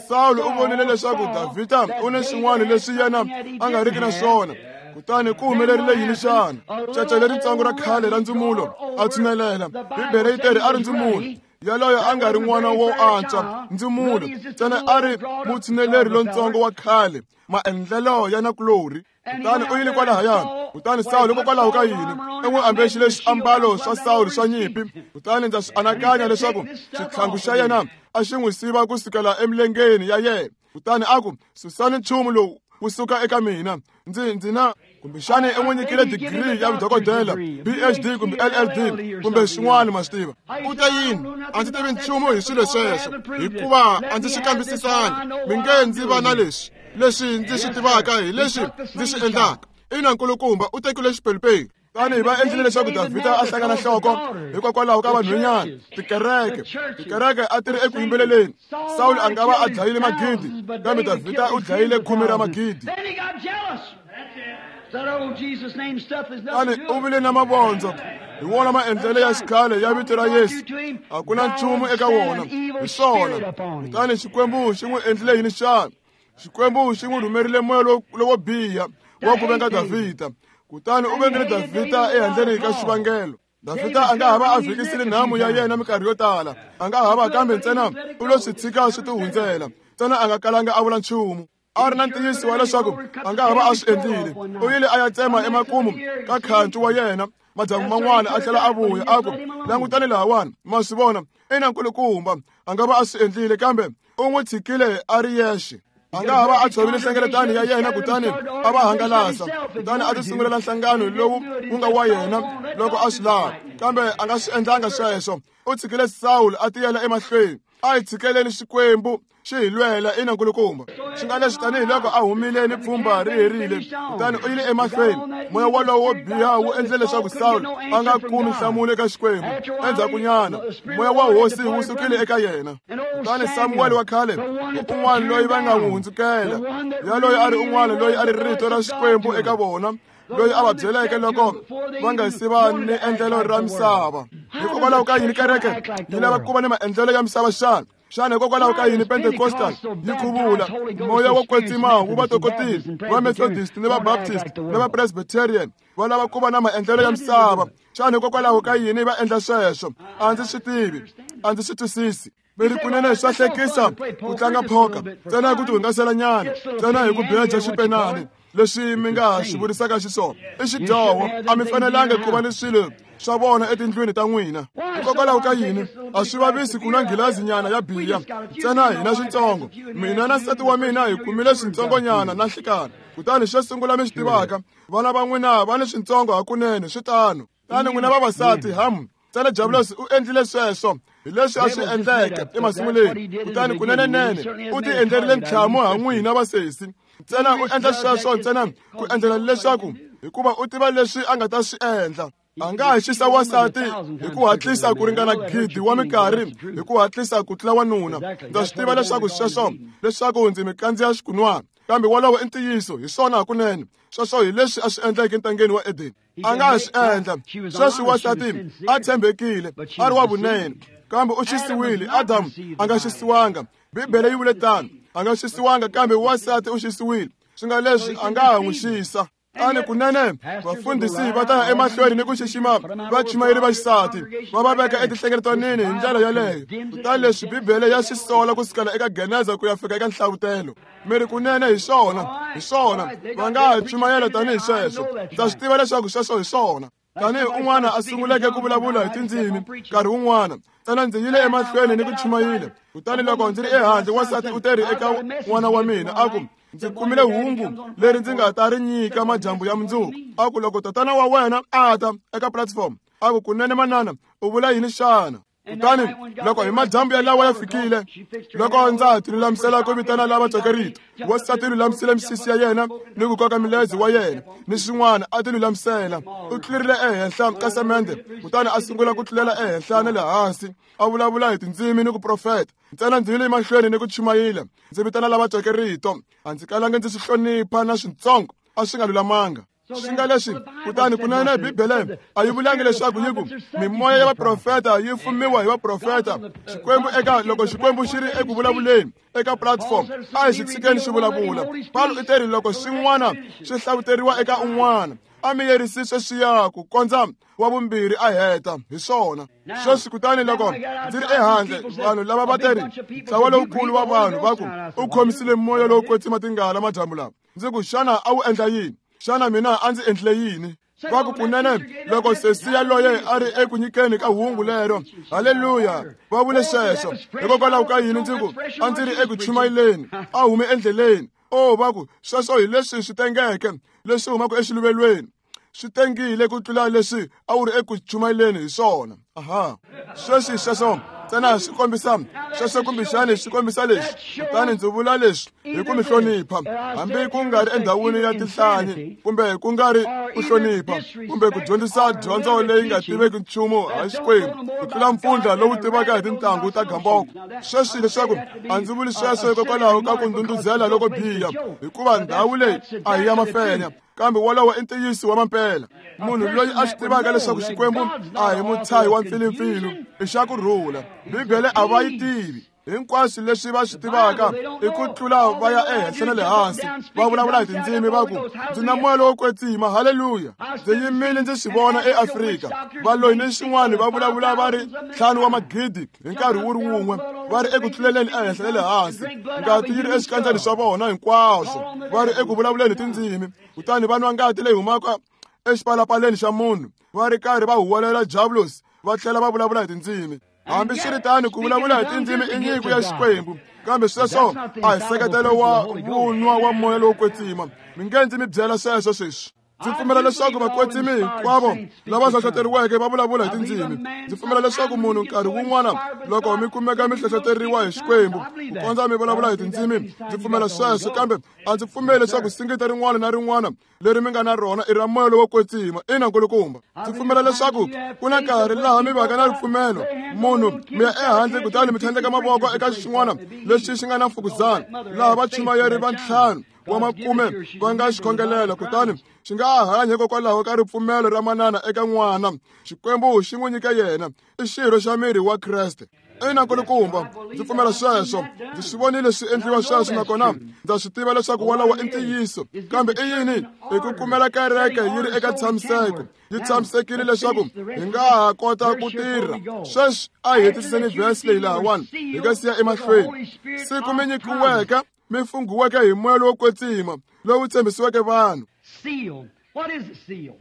Sawulo u vonile leswaku Davhida u ni swin'wana leswi yena a nga riki na swona. Kutani ku humelerile yini xana? Cece leritsongo ra khale ra ndzumulo a tshunelela. Bibele yi teri a ri ndzumulo, yaloye a nga ri n'wana wo antswa, ndzumulo ntsena a ri mutshuneleri lontsongo wa khale, maendlelo ya nakulorhi. Kutani u yile kwalahaya. Kutani Sawulo hikokwalaho ka yini? U n'wi ambexile swiambalo swa Sawulo swa nyimpi. Kutani ndza swi anakanya leswaku xitlhangu xa yena a xi n'wi siva ku sukela emilengeni ya yena. Kutani a ku, susani nchumu lowu wu suka eka mina. Ndzi ndzi na kumbexani i n'wi nyikile digiri ya vudokodela, P H D kumbe L L D kumbe swin'wana, ma swi tiva. U te yini? A ndzi tivi nchumu hi swilo sweswo, hikuva a ndzi swi kambisisanga. Mi nge ndzi va na leswi, leswi ndzi swi tivaka hi leswi ndzi swi endlaka. Ina nkulukumba, u tekile xipelupelu. Tani va endlile leswaku Davhida a hlangana nhloko hikokwalaho ka vanhwanyana, tikereke, tikereke a ti ri eku yimbeleleni. Sawulo a nga va a dlayile magidi, kambe Davhida u dlayile khume ra magidi. Tani u vile na mavondzo hi wona maendlelo ya xikhale ya vito ra Yesu. A ku na nchumu eka wona, hi swona. Kutani Xikwembu xi n'wi endlile yini xana? Xikwembu xi n'wi rhumerile moya lowo biha wa ku venga Davhida. Kutani u vengile Davhida ehandleni ka xivangelo. Davhida a nga hava a vhikisile nhamu ya yena minkarhi yo tala, a nga hava, kambe ntsena u lo swi tshika swi tihundzela. Ntsena a nga kalanga a vula nchumu. A ri na ntiyiso wa leswaku a nga hava a swi endlile. U yile a ya tsema emakumu ka khancu wa yena madyambu man'wana, a tlhela a vuya a ku, langutani lahawani, ma swi vona, ina nkulukumba, a nga va a swi endlile, kambe u n'wi tshikile a ri yexe. A nga hava a tshovile nhlengeletano ya yena kutani a va hangalasa, kutani a ti sungulela nhlangano lowu wu nga wa yena loko a swi lava, kambe a nga swi endlanga sweswo. U tshikile Sawulo a tiyela emahlweni. A hi tshikeleni Xikwembu xi hi lwela, ina nkulukumba. Swi nga leswi tanihiloko a humile ni pfhumba ri herile, kutani u yile emahlweni. Moya wolowo wo biha wu endle leswaku Sawulo a nga kumi nhlamulo eka Xikwembu. Endzhakunyana moya wa hosi wu sukile eka yena. Kutani Samuwele wa khale, un'wana loyi va nga n'wi hundzukela, yaloye a ri un'wana loyi a ri rito ra Xikwembu eka vona, loyi a va byeleke loko va nga si va ni endlelo ra misava. Hikokwalaho ka yini kereke yi lava ku va ni maendlelo ya misava xana? Xana hikokwalaho ka yini Pentecostal yi khuvula moya wo kwetsima wu va tokotile? Va Methodist ni va Baptist ni va Presbyterian va lava ku va na maendlelo ya misava. Xana hikokwalaho ka yini va endla sweswo? A ndzi swi tivi, a ndzi swi twisisi. Mi ri kunene swa hlekisa ku tlanga phoka ntsena hi ku tihungasela nyana, ntsena hi ku beja xipenani leswi mi nga swi vurisaka xiswona. I xidyoho, a mi fanelanga ku va ni swilo swa vona etindlwini ta n'wina. Hikokwalaho ka yini? A swi vavisi ku nwa nghilazi nyana ya biya ntsena hina switsongo. Mina na nsati wa mina hi kumile switsongonyana na nhlikani. Kutani xo sungula mi swi tivaka, vana va n'wina va ni switsongo hakunene, swi tano. Tani n'wina vavasati, hamu ntsena Diabulosi u endlile sweswo hi leswi a swi endleke emasunguleni. Kutani kunenenene u ti endlerile ntlhamu ha n'wina vasesi. Ntsena u endla sweswo ntsena ku endlela leswaku, hikuva u tiva leswi a nga ta swi endla. A nga ha xisa wansati hi ku hatlisa ku ringana gidi wa minkarhi hi ku hatlisa ku tlula wanuna. Ndza swi tiva leswaku sweswo leswaku ndzi mi kandziya xikunwana, kambe wolowo i ntiyiso, hi swona hakunene. Sweswo hi leswi a swi endleke entangeni wa Edeni. A nga ha swi endla sweswi. Wansati a tshembekile, a ri wa vunene, kambe u xisiwile. Adamu a nga xisiwanga, Bibele yi vule tano, a nga xisiwanga, kambe wansati u xisiwile. Swi nga leswi a nga ha n'wi xisa. Tani kunene vafundhisi va ta ya emahlweni ni ku xixima vachumayeri va xisati, va va veka etinhlengeletanini hi ndlela yaleyo. Kutani leswi Bibele ya swi sola ku sukela eka Geneza ku ya fika eka Nhlavutelo. Mi ri kunene hi swona, hi swona, va nga ha chumayela tanihi sweswo. Ndza swi tiva leswaku sweswo hi swona. Tanihi un'wana a sunguleke ku vulavula hi tindzimi nkarhi wun'wana, ntsena ndzi yile emahlweni ni ku chumayela. Kutani loko ndzi ri ehandle, wansati u teri eka n'wana wa mina a ku, ndzi kumile hungu leri ndzi nga ta ri nyika madyambu ya mundzuku. A ku, loko tatana wa wena a ta eka platform, a ku, kunene manana, u vula yini xana? Kutani loko hi madyambu yalawa ya fikile, loko ndza ha tilulamisela ku vitana lava tweke rito, wansati lulamisile misisi ya yena ni ku koka mileze wa yena ni swin'wana, a tilulamisela. U tlulerile ehenhla ka semende, kutani a sungula ku tlulela ehenhla na le hansi, a vulavula hi tindzimi ni ku profeta. Ntsena ndzi yile emahlweni ni ku chumayela, ndzi vitana lava tweke rito. A ndzi kalanga ndzi swi hlonipha na switsongo, a swi nga lulamanga. Swi nga leswi, kutani kunene Bibele a yi vulangi leswaku yi ku mimoya ya vaprofeta yi fumiwa hi vaprofeta. Xikwembu eka loko Xikwembu xi ri eku vulavuleni eka platform, a hi xi tshikeni xi vulavula. Paulo u teri loko swin'wana swi hlavuteriwa eka un'wana, a mi yerisi sweswiya ku kondza wa vumbirhi a heta. Hi swona sweswi. Kutani loko ndzi ri ehandle, vanhu lava va teri ntlawa lowukulu wa vanhu va ku, u khomisile moya lowo kwetsima tingana madyambu lawa. Ndzi ku, xana a wu endla yini? Xana mina a ndzi endlile yini? Va ku, kunene loko sesi yaloye a ri eku nyikeni ka hungu lero, haleluya, va vule sweswo. Hikokwalaho ka yini? Ndzi ku, a ndzi ri eku chumayeleni, a hume endleleni. O, va ku, sweswo hi leswi swi tengeke leswi humaka exiluvelweni, swi tengile ku tlula leswi a wu ri eku chumayeleni hi swona. Aha, sweswi sweswo Ntsena swi kombisa sweswo kumbexani swi kombisa leswi. Kutani ndzi vula leswi hi ku mi hlonipha, hambi ku nga ri endhawini ya tinhlanyi kumbe ku nga ri ku hlonipha kumbe ku dyondzisa dyondzo leyi nga tiveki nchumu ha Xikwembu ku tlula mpfundla lowu tivaka hi tintangu ta gamboko. Sweswi leswaku a ndzi vuli sweswo hikokwalaho ka ku ndhundhuzela loko biha, hikuva ndhawu leyi a hi ya mafenya, kambe wolowo i ntiyiso wa mampela. Munhu loyi a swi tivaka leswaku Xikwembu a hi mutshahi wa mpfilumpfilu i xa ku rhula. Bibele a va yi tivi. Hinkwaswo leswi va swi tivaka i ku tlula va ya ehenhla na le hansi, va vulavula hi tindzimi va ku ndzi na moya lowo kwetsima, haleluya. Ndzi yimile ndzi swi vona eAfrika, valoyi ni xin'wana va vulavula va ri ntlhanu wa magidi hi nkarhi wu ri wun'we, va ri eku tluleleni ehenhla na le hansi, ngati yi ri eswikandzeni swa vona hinkwaswo, va ri eku vulavuleni hi tindzimi, kutani va nwa ngati leyi humaka exipalapaleni xa munhu, va ri karhi va huwelela Diablos, va tlhela va vulavula hi tindzimi. Hambiswiritano ku vulavula hi tindzimi i nyiko ya Xikwembu, kambe sweswo a hi seketelo wa vunwa wa moya lowo kwetsima. Mi nge ndzi mi byela sweswo sweswi. Ndzi pfumela leswaku vakwetsimi hinkwavo lava hlohloteriweke va vulavula hi tindzimi. Ndzi pfumela leswaku munhu nkarhi wun'wana loko mi kumeka mi hlohloteriwa hi Xikwembu ku kondza mi vulavula hi tindzimi, ndzi pfumela sweswo, kambe a ndzi pfumeli leswaku singita rin'wana na rin'wana leri mi nga na rona i ra moya lowo kwetsima. Ina nkulukumba, ndzi pfumela leswaku ku na nkarhi laha mi vaka na ripfumelo, munhu mi ya ehandle kutani mi tlhandleka mavoko eka xin'wana lexi xi nga na mfukuzana, laha vachumayeri va ntlhanu wa makume va nga xi khongelela, kutani xi nga hanya hikokwalaho ka ripfumelo ra manana eka n'wana. Xikwembu xi n'wi nyika yena, i xirho xa miri wa Kreste. Ina nkulukumba, ndzi pfumela sweswo. Ndzi swi vonile swi endliwa sweswo, nakona ndza swi tiva leswaku wolowo i ntiyiso. Kambe i yini? I ku kumela kereke yi ri eka tshamiseko, yi tshamisekile leswaku hi nga ha kota ku tirha. Sweswi a hi hetisiseni vhesi leyi lahawani hi nga siya emahlweni. Siku mi nyikiweke, mi funghiweke hi moya lowo kwetsima lowu tshembisiweke vanhu. Seal. What is the seal?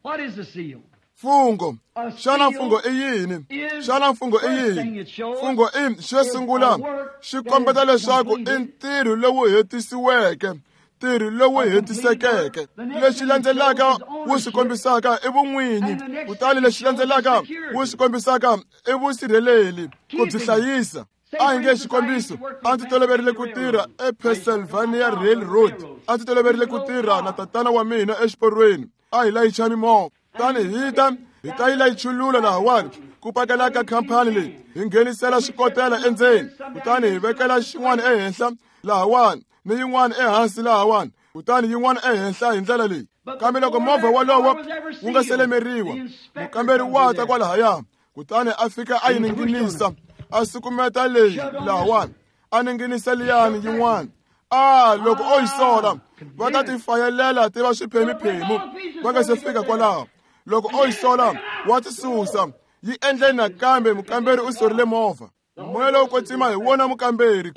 What is the seal? Mfungho. Xana mfungho i yini? Xana mfungho i yini? Mfungho i xo sungula xi kombeta leswaku i ntirho lowu hetisiweke, ntirho lowu hetisekeke. Lexi landzelaka wu swi kombisaka i vun'winyi, kutani lexi landzelaka wu swi kombisaka i vusirheleli, ku byi hlayisa. A hi nge xikombiso, a ndzi toloverile ku tirha ePennsylvania Railroad. A ndzi toloverile ku tirha na tatana wa mina exiporweni. A hi layicha mimovha, kutani hi ta hi ta yi layichulula lahawani ku pakela ka khampani leyi, hi nghenisela swikotela endzeni, kutani hi vekela xin'wana ehenhla lahawani ni yin'wana ehansi lahawani, kutani yin'wana ehenhla hi ndlela leyi. Kambe loko movha wolowo wu nga selemeriwa, mukamberi wa ta kwalahaya, kutani a fika a yi ninginisa, a sukumeta leyi lahawani, a ninginisa liyani yin'wana. A loko o yi sola, va ta ti fayelela ti va swiphemiphemu va nga se fika kwalaho. Loko o yi sola, wa ti susa. Yi endle nakambe mukamberi u sorile movha. Moya lowo kwetsima hi wona mukamberi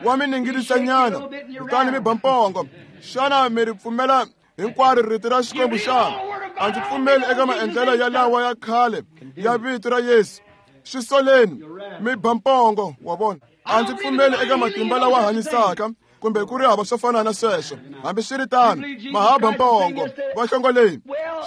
wa mi ninginisanyana, kutani mi ba mpongo. Xana mi ri pfumela hinkwaro rito ra Xikwembu xana? A ndzi pfumeli eka maendlelo ya lawa ya khale ya vito ra Yesu. Swi soleni, mi ba mpongo, wa vona. A ndzi pfumeli eka matimba lawa hanyisaka kumbe ku ri hava swo fana na sweswo. Hambiswiritano, mahaba mpongo va hlongoleni.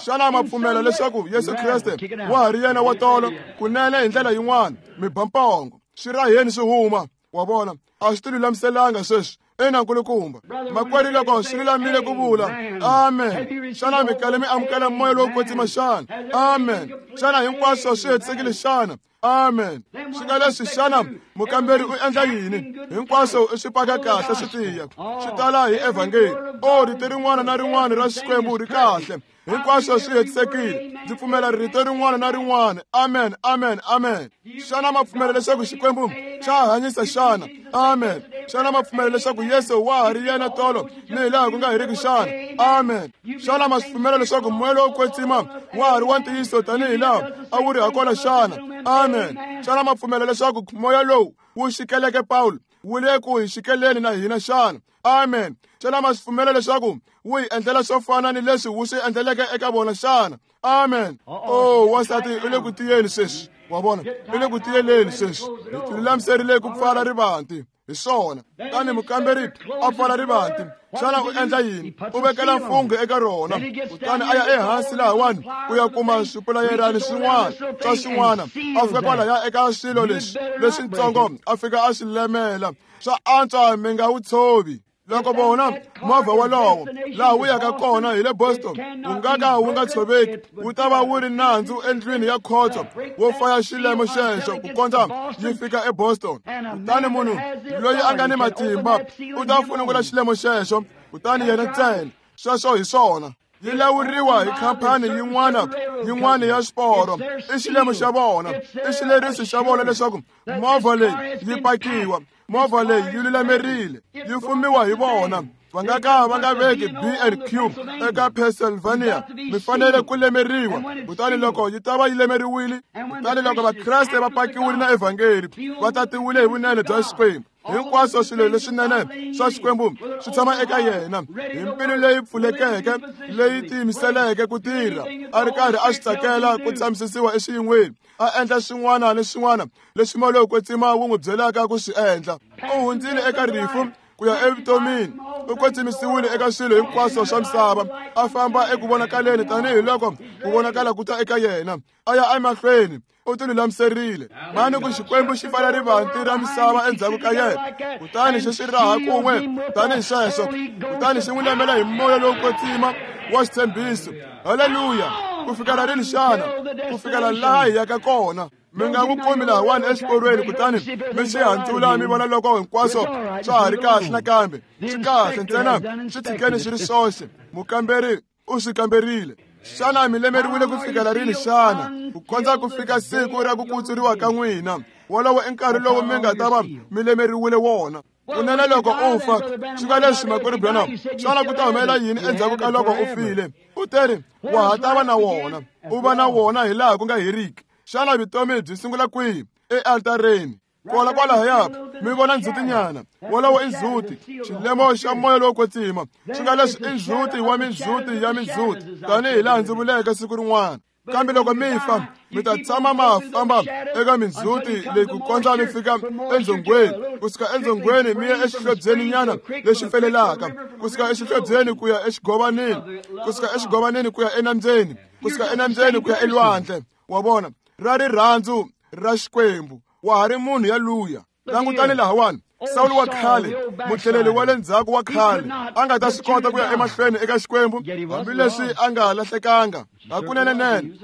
Xana ma pfumela leswaku Yesu Kreste wa ha ri yena wa tolo kunene hi ndlela yin'wana? Mi ba mpongo, swi raheni swi huma, wa vona. A swi ti lulamiselanga sweswi. Ina nkulukumba, makwerhu, loko swi lulamile ku vula amen, xana mi kale mi amukela moya lowo kwetsima xana? Amen. Xana hinkwaswo swi hetisekile xana? Amen. Swi nga leswi, xana mukamberi u endla yini? Hinkwaswo i swi paka kahle swi tiya, swi tala hi evhangeli. O rito rin'wana na rin'wana ra Xikwembu ri kahle, hinkwaswo swi hetisekile. Ndzi pfumela rito rin'wana na rin'wana. Amen, amen, amen. Xana ma pfumela leswaku Xikwembu xa hanyisa xana? Amen. Xana ma pfumela leswaku Yesu wa ha ri yena tolo ni hi laha ku nga heriki xana? Amen. Xana ma swi pfumela leswaku moya lowo kwetsima wa ha ri wa ntiyiso tanihi laha a wu ri hakona xana? Amen. Xana ma pfumela leswaku moya lowu wu xikeleke Pawulo wu le ku hi xikeleni na hina xana? Amen. Xana ma swi pfumela leswaku wu hi endlela swo fana ni leswi wu swi endleleke eka vona xana? Amen. Oh, wansati u le ku tiyeni sweswi, wa vona, u le ku tiyeleni sweswi. Hi tilulamiserile ku pfala rivanti. Hi swona. Kutani mukamberi a pfala rivanti. Xana u endla yini? U vekela mfungho eka rona. Kutani a ya ehansi lahawani ku ya kuma swipulayerani swin'wana swa swin'wana. A fika kwalaya eka swilo leswi leswitsongo a fika a swi lemela. Swa antswa mi nga wu tshovi. Loko vona movha wolowo laha wu yaka kona hi le Boston wu nga ka wu nga tshoveki, wu ta va wu ri nandzu endlwini ya khotso wo faya xilemo xexo ku kondza yi fika eBoston. Kutani munhu loyi a nga ni matimba u ta funungula xilemo xexo, kutani yena ntsena. Sweswo hi swona. Yi lawuriwa hi khampani yin'wana yin'wana ya swiporo. I xilemo xa vona, i xileriso xa vona leswaku movha leyi yi pakiwa, movha leyi yi lulamerile, yi fumiwa hi vona. Va nga ka va nga veki B and Q eka Pennsylvania, mi fanele ku lemeriwa. Kutani loko yi ta va yi lemeriwile, kutani loko Vakreste va pakiwile na evhangeli, va tatiwile hi vunene bya Xikwembu. Hinkwaswo swilo leswinene swa Xikwembu swi tshama eka yena hi mbilu leyi pfulekeke, leyi tiyimiseleke ku tirha, a ri karhi a swi tsakela ku tshamisisiwa exiyin'weni, a endla swin'wana ni swin'wana leswi moya lowo kwetsima wu n'wi byelaka ku swi endla. U hundzile eka rifu ku ya evutomini, u kwetsimisiwile eka swilo hinkwaswo swa misava, a famba eku vonakaleni tanihiloko ku vonakala ku ta eka yena, a ya emahlweni. U ti lulamiserile. Mani ku Xikwembu xi pfala rivanti ra misava endzhaku ka yena, kutani xi swi raha kun'we tanihi sweswo, kutani xi n'wi lemela hi moya lowo kwetsima wa xitshembiso. Haleluya! Ku fikela rini xana? Ku fikela laha hi yaka kona. Mi nga n'wi kumi lahawani exiporweni, kutani mi xi handzula mi vona loko hinkwaswo swa ha ri kahle nakambe. Swi kahle ntsena, swi tshikeni swi ri swoxe. Mukamberi u swi kamberile. Xana mi lemeriwile ku fikela rini xana? Ku kondza ku fika siku ra ku kutsuriwa ka n'wina. Wolowo i nkarhi lowu mi nga ta va mi lemeriwile wona. Kunene loko u fa, swi nga leswi makwerhu Branham, xana ku ta humelela yini endzhaku ka loko u file? U teri wa ha ta va na wona, u va na wona hi laha ku nga heriki. Xana vutomi byi sungula kwihi? Ealtareni. Kwala kwalahaya mi vona ndzhutinyana. Wolowo i ndzhuti, xilemo xa moya lowo kwetsima. Swi nga leswi i ndzhuti wa mindzhuti ya mindzhuti, tanihi laha ndzi vuleke siku rin'wana. Kambe loko mi fa, mi ta tshama ma famba eka mindzhuti leyi ku kondza mi fika endzhongweni. Kusuka endzhongweni mi ya exihlobyeninyana lexi pfelelaka, kusuka exihlobyeni ku ya exigovaneni, kusuka exigovaneni ku ya enambyeni, kusuka enambyeni ku ya elwandle. Wa vona, ra rirhandzu ra Xikwembu. Wa ha ri munhu yaluya. Langutani lahawani, Sawulo wa khale, mutlheleli wa le ndzhaku wa khale, a nga ta swi kota ku ya emahlweni eka Xikwembu hambileswi a nga lahlekanga. Hakunene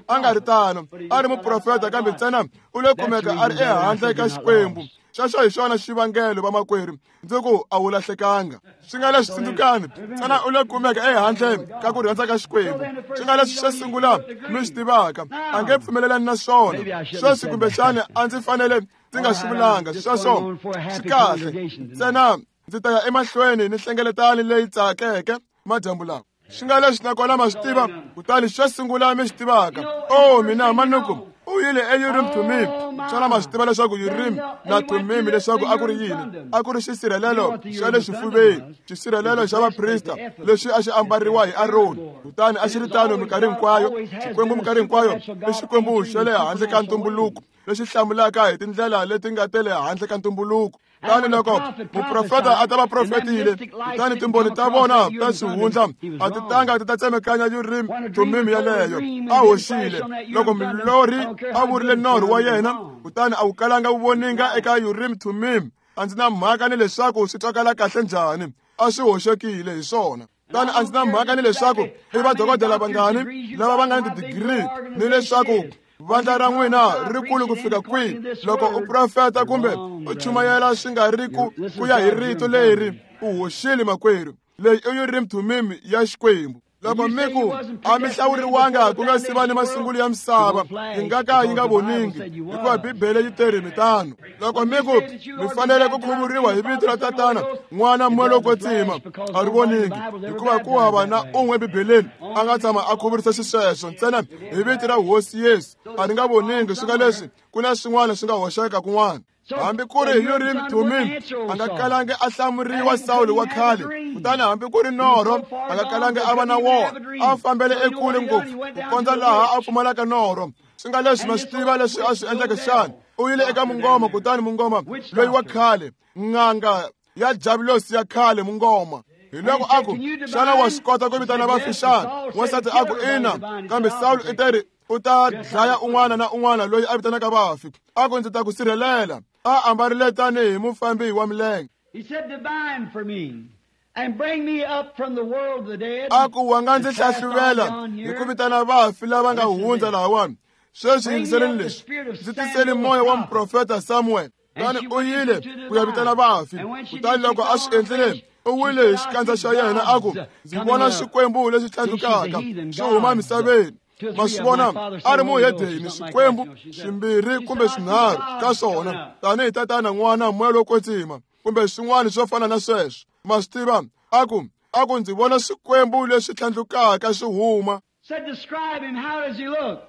a nga ri tano, a ri muprofeta, kambe ntsena u le kumeka a ri ehandle ka Xikwembu. Xexo hi xona xivangelo, vamakwerhu, ndzi ku a wu lahlekanga. Swi nga leswi tsundzukani, ntsena u le kumeka ehandle ka ku rhandza ka Xikwembu. Swi nga leswi xo sungula mi swi tivaka, a nge pfumelelani na swona. Sweswi kumbexani a ndzi fanele ndzi nga swi vulanga sweswo, swi kahle. Ntsena ndzi ta ya emahlweni ni nhlengeletano leyi tsakeke madyambu lawa. Swi nga leswi nakona ma swi tiva, kutani xo sungula mi swi tivaka, oh mina manuku u yile eUrim Thummim. Xana ma swi tiva leswaku Urim na Thummim leswaku a ku ri yini? A ku ri xisirhelelo xa le xifuveni, xisirhelelo xa vaprista lexi a xi ambariwa hi Aroni. Kutani a xi ri tano minkarhi hinkwayo. Xikwembu minkarhi hinkwayo i Xikwembu xa le handle ka ntumbuluko, lexi hlamulaka hi tindlela leti nga ta le handle ka ntumbuluko. Kutani loko muprofeta a ta va profetile, kutani timbhoni ta vona ta xihundla a ti tanga ti ta tsemekanya Urim Thummim yaleyo, a hoxile. Loko mulorhi a vurile norho wa yena, kutani a wu kalanga wu voninga eka Urim Thummim, a ndzi na mhaka ni leswaku swi twakala kahle njhani, a swi hoxekile hi swona. Kutani a ndzi na mhaka ni leswaku i vadokodela vangani lava va nga ni tidigiri, ni leswaku vandla ra n'wina ri kulu ku fika kwihi. Loko u profeta kumbe u chumayela swi nga ri ku ku ya hi rito leri, u hoxile makwerhu. Leyi i Urim Thummim ya Xikwembu. Loko mi ku a mi hlawuriwanga ku nga si va ni masungulo ya misava, yi nga ka yi nga voningi, hikuva Bibele yi teri mi tano. Loko mi ku mi fanele ku khuvuriwa hi vito ra Tatana, N'wana, Moya lowo Kwetsima, a ri voningi, hikuva ku hava na un'we eBibeleni a nga tshama a khuvurisa xisweswo, ntsena hi vito ra Hosi Yesu. A ri nga voningi. Swi nga leswi ku na swin'wana swi nga hoxeka kun'wana. Hambi ku ri Urim Thummim a nga kalangi a hlamuriwa Sawulo wa khale, kutani hambi ku ri norho a nga kalangi a va na wona. A fambele ekule ngopfu ku kondza laha a pfumalaka norho. Swi nga leswi ma swi tiva leswi a swi endleke xana? U yile eka mungoma, kutani mungoma loyi wa khale, n'anga ya javulosi ya khale mungoma. Hi loko a ku, xana wa swi kota ku vitana vafi xana? Wansati a ku, ina, kambe Sawulo i teri u ta dlaya un'wana na un'wana loyi a vitanaka vafi. A ku, ndzi ta ku sirhelela. A ambarile tanihi mufambi wa milenge. He said, divine for me and bring me up from the world of the dead. A ku, wa nga ndzi hlahluvela hi ku vitana vafi lava nga hundza lahawani. Sweswi yingiseleni leswi, ndzi tiseli moya wa muprofeta Samuel. Kutani u yile ku ya vitana vafi. Kutani loko a swi endlile, u wile hi xikandza xa yena a ku, ndzi vona xikwembu lexi tlhandlukaka xi huma emisaveni. Ma swi vona, a ri muhedeni, swikwembu swimbirhi kumbe swinharhu ka swona, tanihi tatana, n'wana, moya lowo kwetsima, kumbe swin'wana swo fana na sweswo. Ma swi tiva, a ku, a ku ndzi vona xikwembu lexi tlhandlukaka xi huma. Said, describe him, how does he look?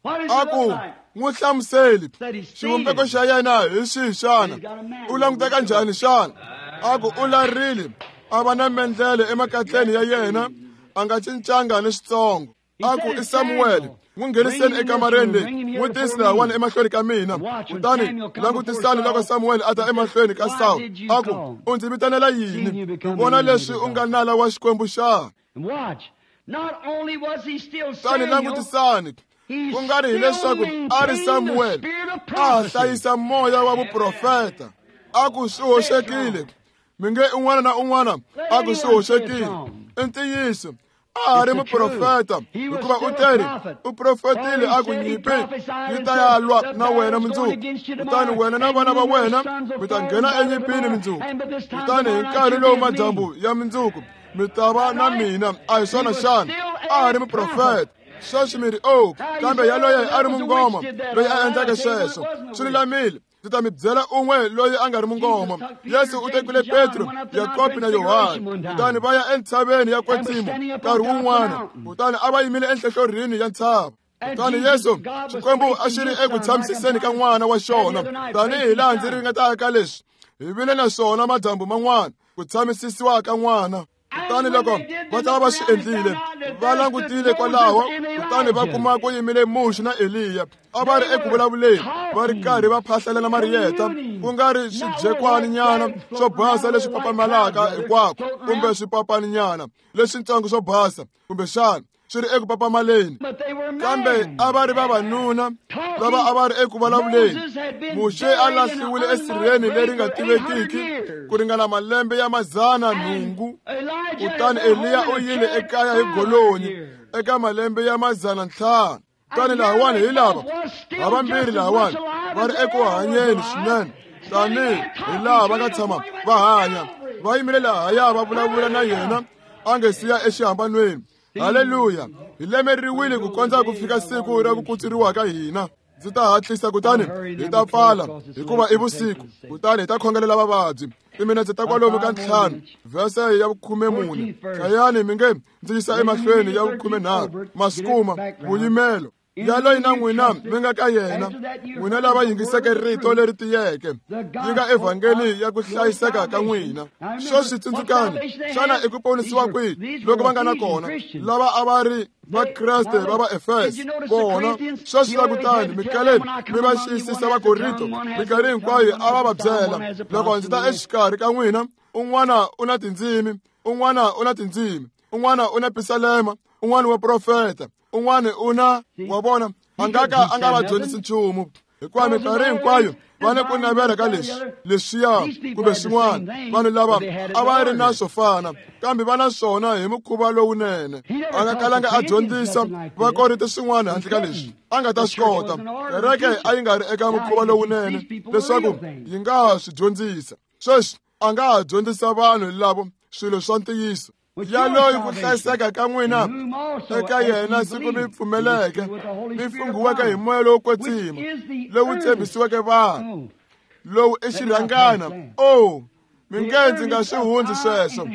What does he A ku, look like? n'wi hlamuseli, Said he's xivumbeko seated. xa yena hi xihi xana? U languteka njhani xana? A ku, u larile, a va na mendlele emakatleni ya yena, a nga cincanga ni xitsongo. A ku, i Samuel, n'wi ngheniseni ekamareni leyi, n'wi tisi lahawani emahlweni ka mina. Kutani langutisani loko Samuel a ta emahlweni ka Sawulo, a ku, u ndzi vitanela yini? Vona leswi u nga nala wa Xikwembu xana? And watch, not only was he still Kutani Samuel, langutisani, he ku nga ri still hileswaku a ri maintained the Samuel, spirit of a ha prophecy. hlayisa moya wa vuprofeta. A ku swi hoxekile, mi nge un'wana na un'wana a ku swi hoxekile. I ntiyiso, a ha ri muprofeta, hikuva u teri u profetile a ku nyimpi yi ta ya lwa na wena mundzuku, kutani wena na vana va wena mi ta nghena enyimpini mundzuku. Kutani hi nkarhi lowu madyambu ya mundzuku mi ta va na mina. A hi swona xana? A ha ri muprofeta. Sweswi mi ri, oh, kambe yaloye a ri mungoma loyi a endleke sweswo. Swi lulamile, ndzi ta mi byela un'we loyi a nga ri mungoma. Yesu u tekile Petro, Yakobo na Yohane, kutani va ya entshaveni ya Kwetsimo nkarhi wun'wana, kutani a va yimile enhlohlorhini ya ntshava. Kutani Yesu, Xikwembu a xi ri eku tshamisiseni ka n'wana wa xona, tanihi laha ndzi ringetaka leswi hi vile na swona madyambu man'wana, ku tshamisisiwa ka n'wana. Kutani loko va ta va swi endlile, va langutile kwalaho, kutani va kuma ku yimile Muxe na Eliya. A va ri eku vulavuleni, va ri karhi va phahlelela mariyeta, ku nga ri swijekwaninyana swo basa leswi papamalaka hinkwako, kumbe swipapaninyana leswitsongo swo basa, kumbexana swi ri eku papamaleni. But they were Kambe men. a va ri vavanuna lava a va ri eku vulavuleni. Muxe a lahliwile esirheni leri nga tivekiki ku ringana malembe ya madzana nhungu. Kutani Eliya u yile ekaya hi golonyi eka malembe ya madzana ntlhanu. Kutani lahawani hi lava havambirhi lahawani va ri eku hanyeni swinene, tanihi hi laha va nga tshama va hanya. Va yimile lahaya va vulavula na yena a nge siya exihambanweni. Haleluya! Hi lemeriwile ku kondza ku fika siku ra ku kutsuriwa ka hina. Ndzi ta hatlisa kutani hi ta pfala, hikuva i vusiku, kutani hi ta khongelela vavabyi. Timinetse ta kwalomu ka ntlhanu, vhese ya vukhume mune. Hlayani mi nge ndzi yisa emahlweni ya vukhume nharhu. Masikuma vuyimelo yaloyi na n'wina mi nga ka yena, n'wina lava yingiseke rito leri tiyeke, yi nga evhangeli ya ku hlayiseka ka n'wina. Sweswi tsundzukani, xana i ku ponisiwa kwihi loko va nga na kona lava a va ri Vakreste va va Efeso kona? Sweswi langutani, mikaleni mi va xiyisisa Vakorinto, minkarhi hinkwayo a va va byela, loko ndzi ta exikarhi ka n'wina, un'wana u na tindzimi, un'wana u na tindzimi, un'wana u na pisalema, un'wana wa profeta, un'wana u na wa vona, a nga ka a nga va dyondzisi nchumu, hikuva minkarhi hinkwayo va ni ku navela ka leswi leswiya kumbe swin'wana. Vanhu lava a va ri na swo fana, kambe va na swona hi mukhuva lowunene. A nga kalanga a dyondzisa Vakorinto swin'wana handle ka leswi a nga ta swi kota. Kereke a yi nga ri eka mukhuva lowunene leswaku yi nga swi dyondzisa. Sweswi a nga ha dyondzisa vanhu lavo swilo swa ntiyiso. Yaloyi ku hlayiseka ka n'wina eka yena siku mi pfumeleke, mi funghiweke hi moya lowo kwetsima lowu tshembisiweke vanhu, lowu i xirhangana. Oh, mi nge ndzi nga swi hundzi sweswo.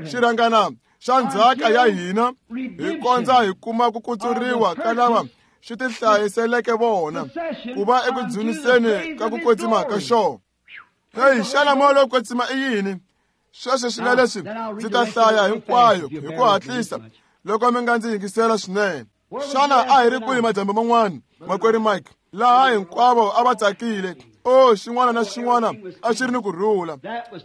Xirhangana xa ndzhaka ya hina hi kondza hi kuma ku kutsuriwa ka lava xi tihlayiseleke vona, ku va eku dzuniseni ka ku kwetsima ka xona. Hey, xana moya lowo kwetsima i yini? Sweswo swi nga leswi ndzi ta hlaya hinkwayo hi ku hatlisa loko mi nga ndzi yingisela swinene. Xana a hi ri kwihi madyambu man'wana, makwerhu Mike? Laha hinkwavo a va tsakile. O xin'wana na xin'wana a xi ri ni ku rhula.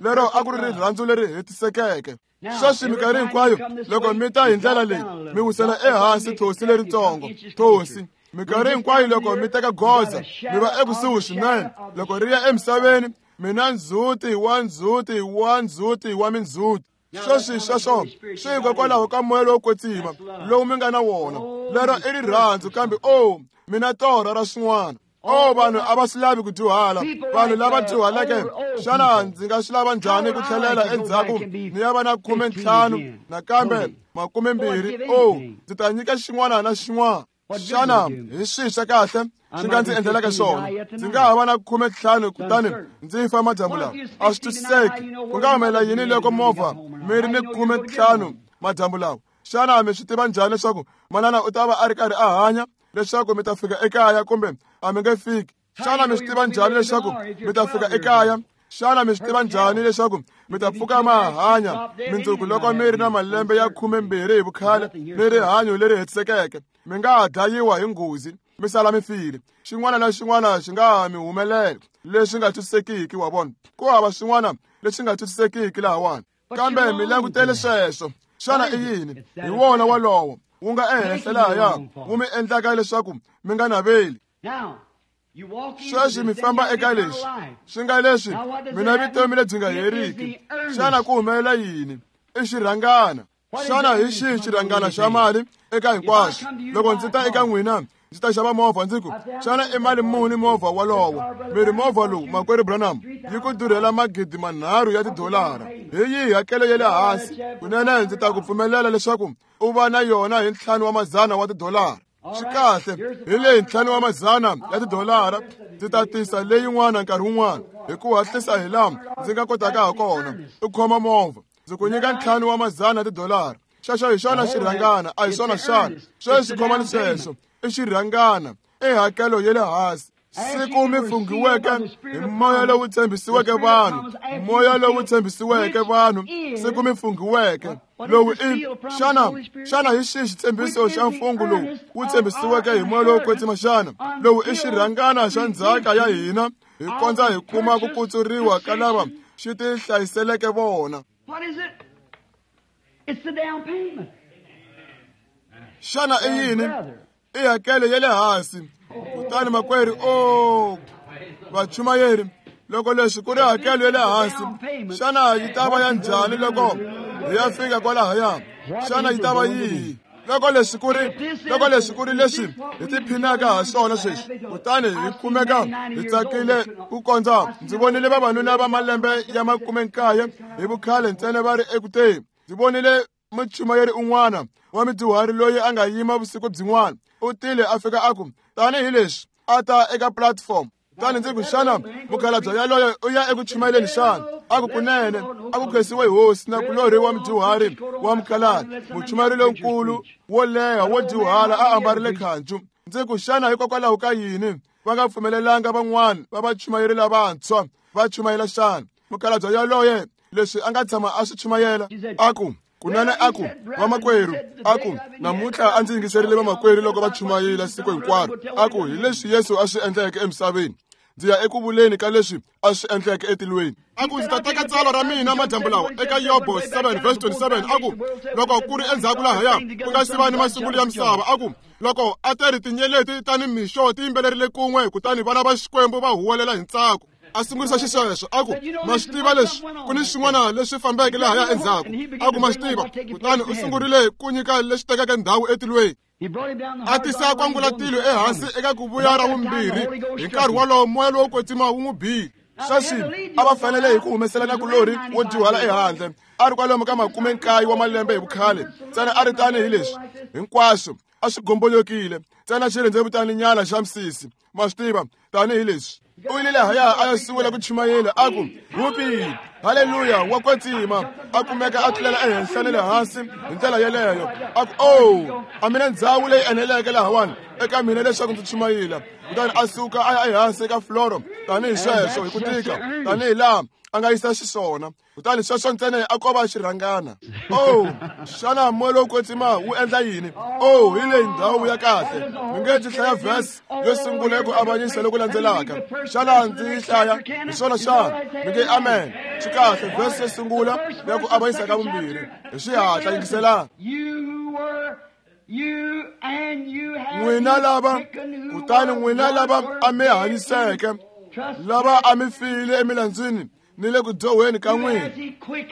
Lero a ku ri rirhandzu leri hetisekeke. Sweswi minkarhi hinkwayo loko mi ta hi ndlela leyi mi wisela ehansi thosi leritsongo. Thosi minkarhi hinkwayo loko mi teka goza mi va ekusuhi swinene. Loko ri ya emisaveni mi na ndzhuti wa ndzhuti wa ndzhuti wa mindzhuti. Sweswi sweswo swi hikokwalaho ka moya lowo kwetsima lowu mi nga na wona. Lero i rirhandzu kambe o mi na torha ra swin'wana. O vanhu a va swi lavi ku dyuhala. Vanhu lava dyuhaleke, xana ndzi nga swi lava njhani ku tlhelela endzhaku ni ya va na khume ntlhanu nakambe makume mbirhi? O ndzi ta nyika xin'wana na xin'wana. Xana hi swihi swa kahle swi nga ndzi endlelaka swona? Ndzi nga ha va na khume ntlhanu kutani ndzi fa madyambu lawa. A swi twisiseki. Ku nga humelela yini loko movha mi ri ni khume ntlhanu madyambu lawa? Xana mi swi tiva njhani leswaku manana u ta va a ri karhi a hanya leswaku mi ta fika ekaya kumbe a mi nge fiki? Xana mi swi tiva njhani leswaku mi ta fika ekaya? Xana mi swi tiva njhani leswaku mi ta pfuka ma hanya mindzuku loko mi ri na malembe ya khume mbirhi hi vukhale ni rihanyo leri hetisekeke? Mi nga ha dlayiwa hi nghozi mi sala mi file. Xin'wana na xin'wana xi nga ha mi humelela leswi nga twisisekiki, wa vona. Ku hava swin'wana leswi nga twisisekiki lahawani. Kambe mi langutele sweswo. Xana i yini? Hi wona wolowo wu nga ehenhla lahaya wu mi endlaka leswaku mi nga naveli. Sweswi mi famba eka leswi swi nga leswi mi na vutomi lebyi nga heriki. Xana ku humelela yini? I xirhangana. Xana hi xihi xirhangana xa mali eka hinkwaswo? Loko ndzi ta eka n'wina ndzi ta xava movha, ndzi ku xana i mali muni movha wolowo? Mi ri movha lowu makwerhu Branham yi ku durhela magidi manharhu ya tidolara. Hi yihi hakelo ya le hansi? Kunene ndzi ta ku pfumelela leswaku u va na yona hi ntlhanu wa madzana wa tidolara. Swi kahle, hi leyi ntlhanu wa madzana ya tidolara. Ndzi ta tisa leyin'wana nkarhi wun'wana hi ku hatlisa hi laha ndzi nga kotaka ha kona. U khoma movha, ndzi ku nyika ntlhanu wa madzana ya tidolara. Xexo hi xona xirhangana, a hi swona xana? Sweswi khomani sweswo i xirhangana, i hakelo ya le hansi. Siku mi funghiweke hi moya lowu tshembisiweke vanhu, moya lowu tshembisiweke vanhu, siku mi funghiweke lowu i xana xana hi xihi xitshembiso xa mfungho lowu wu tshembisiweke hi moya lowo kwetsima xana? Lowu i xirhangana xa ndzhaka ya hina hi kondza hi kuma ku kutsuriwa ka lava xi ti hlayiseleke vona. Xana i yini? I hakelo ya le hansi. Kutani makwerhu, o vachumayeri, loko leswi ku ri hakelo ya le hansi, xana yi ta va ya njhani loko hi ya fika kwalahaya? Xana yi ta va yihi? Loko leswi ku ri loko leswi ku ri leswi hi tiphinaka ha swona sweswi, kutani hi kumeka hi tsakile ku kondza. Ndzi vonile vavanuna va malembe ya makume nkaye hi vukhale ntsena va ri ekuteni. Ndzi vonile muchumayeri un'wana wa mudyuhari loyi a nga yima vusiku byin'wana. U tile a fika a ku tanihi leswi a ta eka platform. Kutani ndzi ku xana mukhalabye yaloye u ya eku chumayeleni xana? A ku kunene, a ku khensiwe hosi na kulorhi wa mudyuhari wa mukhalabye, muchumayeri lonkulu wo leha wo dyuhala a ambarile khancu. Ndzi ku xana hikokwalaho ka yini va nga pfumelelanga van'wana va vachumayeri lavantshwa va chumayela xana? Mukhalabye yaloye leswi a nga tshama a swi chumayela, a ku kunene a ku vamakwerhu, a ku namuntlha a ndzi yingiserile vamakwerhu loko va chumayela siku hinkwaro. A ku hi leswi Yesu a swi endleke emisaveni, ndzi ya eku vuleni ka leswi a swi endleke etilweni. A ku ndzi ta teka tsalwa ra mina madyambu lawa eka Yobo seven verse twenty-seven. A ku loko ku ri endzhaku lahaya ku nga si va ni masungulo ya misava, a ku loko a ti ri tinyeleti ta ni mixo ti yimbelerile kun'we, kutani vana va Xikwembu va huwelela hi ntsako. A sungurisa xisweswo, a ku ma swi tiva leswi ku ni swin'wana leswi fambeke lahaya endzhaku. A ku ma swi tiva. Kutani u sungurile ku nyika leswi tekeke ndhawu etilweni. A tisa kwangulatilo ehansi eka ku vuya ra vumbirhi. Hi nkarhi wolowo moya lowo kwetsima wu n'wi bile. Sweswi a va fanele hi ku humesela na kulorhi wo dyuhala ehandle. A ri kwalomu ka makume nkaye wa malembe hi vukhale ntsena, a ri tanihi leswi hinkwaswo a swi gombolokile ntsena xirhendzevutaninyana xa misisi, ma swi tiva, tanihi leswi. U yile lahaya a ya sungula ku chumayela, a ku hupi haleluya wa kwetsima. A kumeka a tlulela ehenhla ni le hansi hi ndlela yeleyo. A ku o a mina ndhawu leyi eneleke lahawani eka mina leswaku ndzi chumayela. Kutani a suka a ya ehansi eka floro tanihi sweswo hi ku tika, tanihi laha a nga yisa xiswona kutani sweswo ntsena a ko va xirhangana. Oh, xana moya lowo kwetsima wu endla yini? Oh, hi leyi ndhawu ya kahle. Mi nge ndzi hlaya verse yo sungula ku avanyisa loku landzelaka. Xana ndzi yi hlaya? Hi swona xana? Mi nge amen. Swi kahle, verse yo sungula ya ku avanyisa ka vumbirhi. Hi xihatla yingiselani. N'wina lava, kutani n'wina lava a mi hanyiseke, lava a mi file emilandzwini ni le ku dyohweni ka n'wina,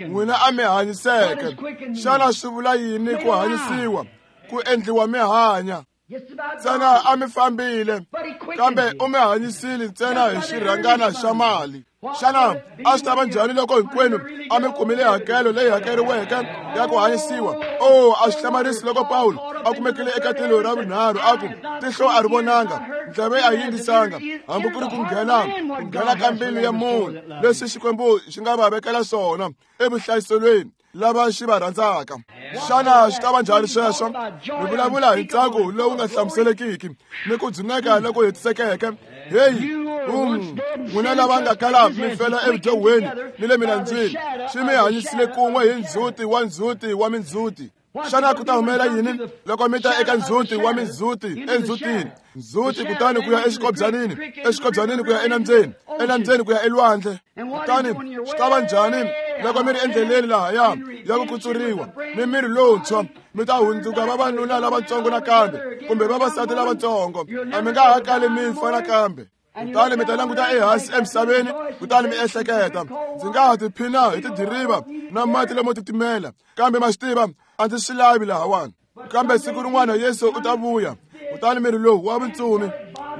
n'wina a mi hanyiseke. Xana swi vula yini ku hanyisiwa? Ku endliwa mi hanya. Ntsena a mi fambile, kambe u mi hanyisile ntsena hi xirhangana xa mali. Xana a swi ta va njhani loko hinkwenu a mi kumile hakelo leyi hakeriweke ya ku hanyisiwa? Oh, a swi hlamarisi loko Pawulo a kumekile eka tilo ra vunharhu a ku tihlo a ri vonanga, ndleve a yi yingisanga, hambi ku ri ku nghena ku nghena ka mbilu ya munhu leswi Xikwembu xi nga va vekela swona evuhlayiselweni lava xi va rhandzaka. Xana swi ta va njhani sweswo? Mi vulavula hi ntsako lowu nga hlamuselekiki ni ku dzuneka loku hetisekeke. Heyi, um, n'wina lava nga kala mi fela evudyohweni ni le milandzwini, xi mi hanyisile kun'we hi ndzhuti wa ndzhuti wa mindzhuti. Xana ku ta humelela yini loko mi ta eka ndzhuti wa mindzhuti endzhutini? Ndzhuti kutani ku ya exikobyanini, exikobyanini ku ya enambyeni, enambyeni ku ya elwandle. Kutani swi ta va njhani loko mi ri endleleni lahaya ya ku kutsuriwa ni miri lowuntshwa? Mi ta hundzuka vavanuna lavatsongo nakambe kumbe vavasati lavatsongo. A mi nga ha kali mi fa nakambe. Kutani mi ta languta ehansi emisaveni, kutani mi ehleketa, ndzi nga ha tiphina hi tidiriva na mati lamo titimela, kambe ma swi tiva a ndzi swi lavi lahawani. Kambe siku rin'wana Yesu u ta vuya, kutani miri lowu wa vutsumi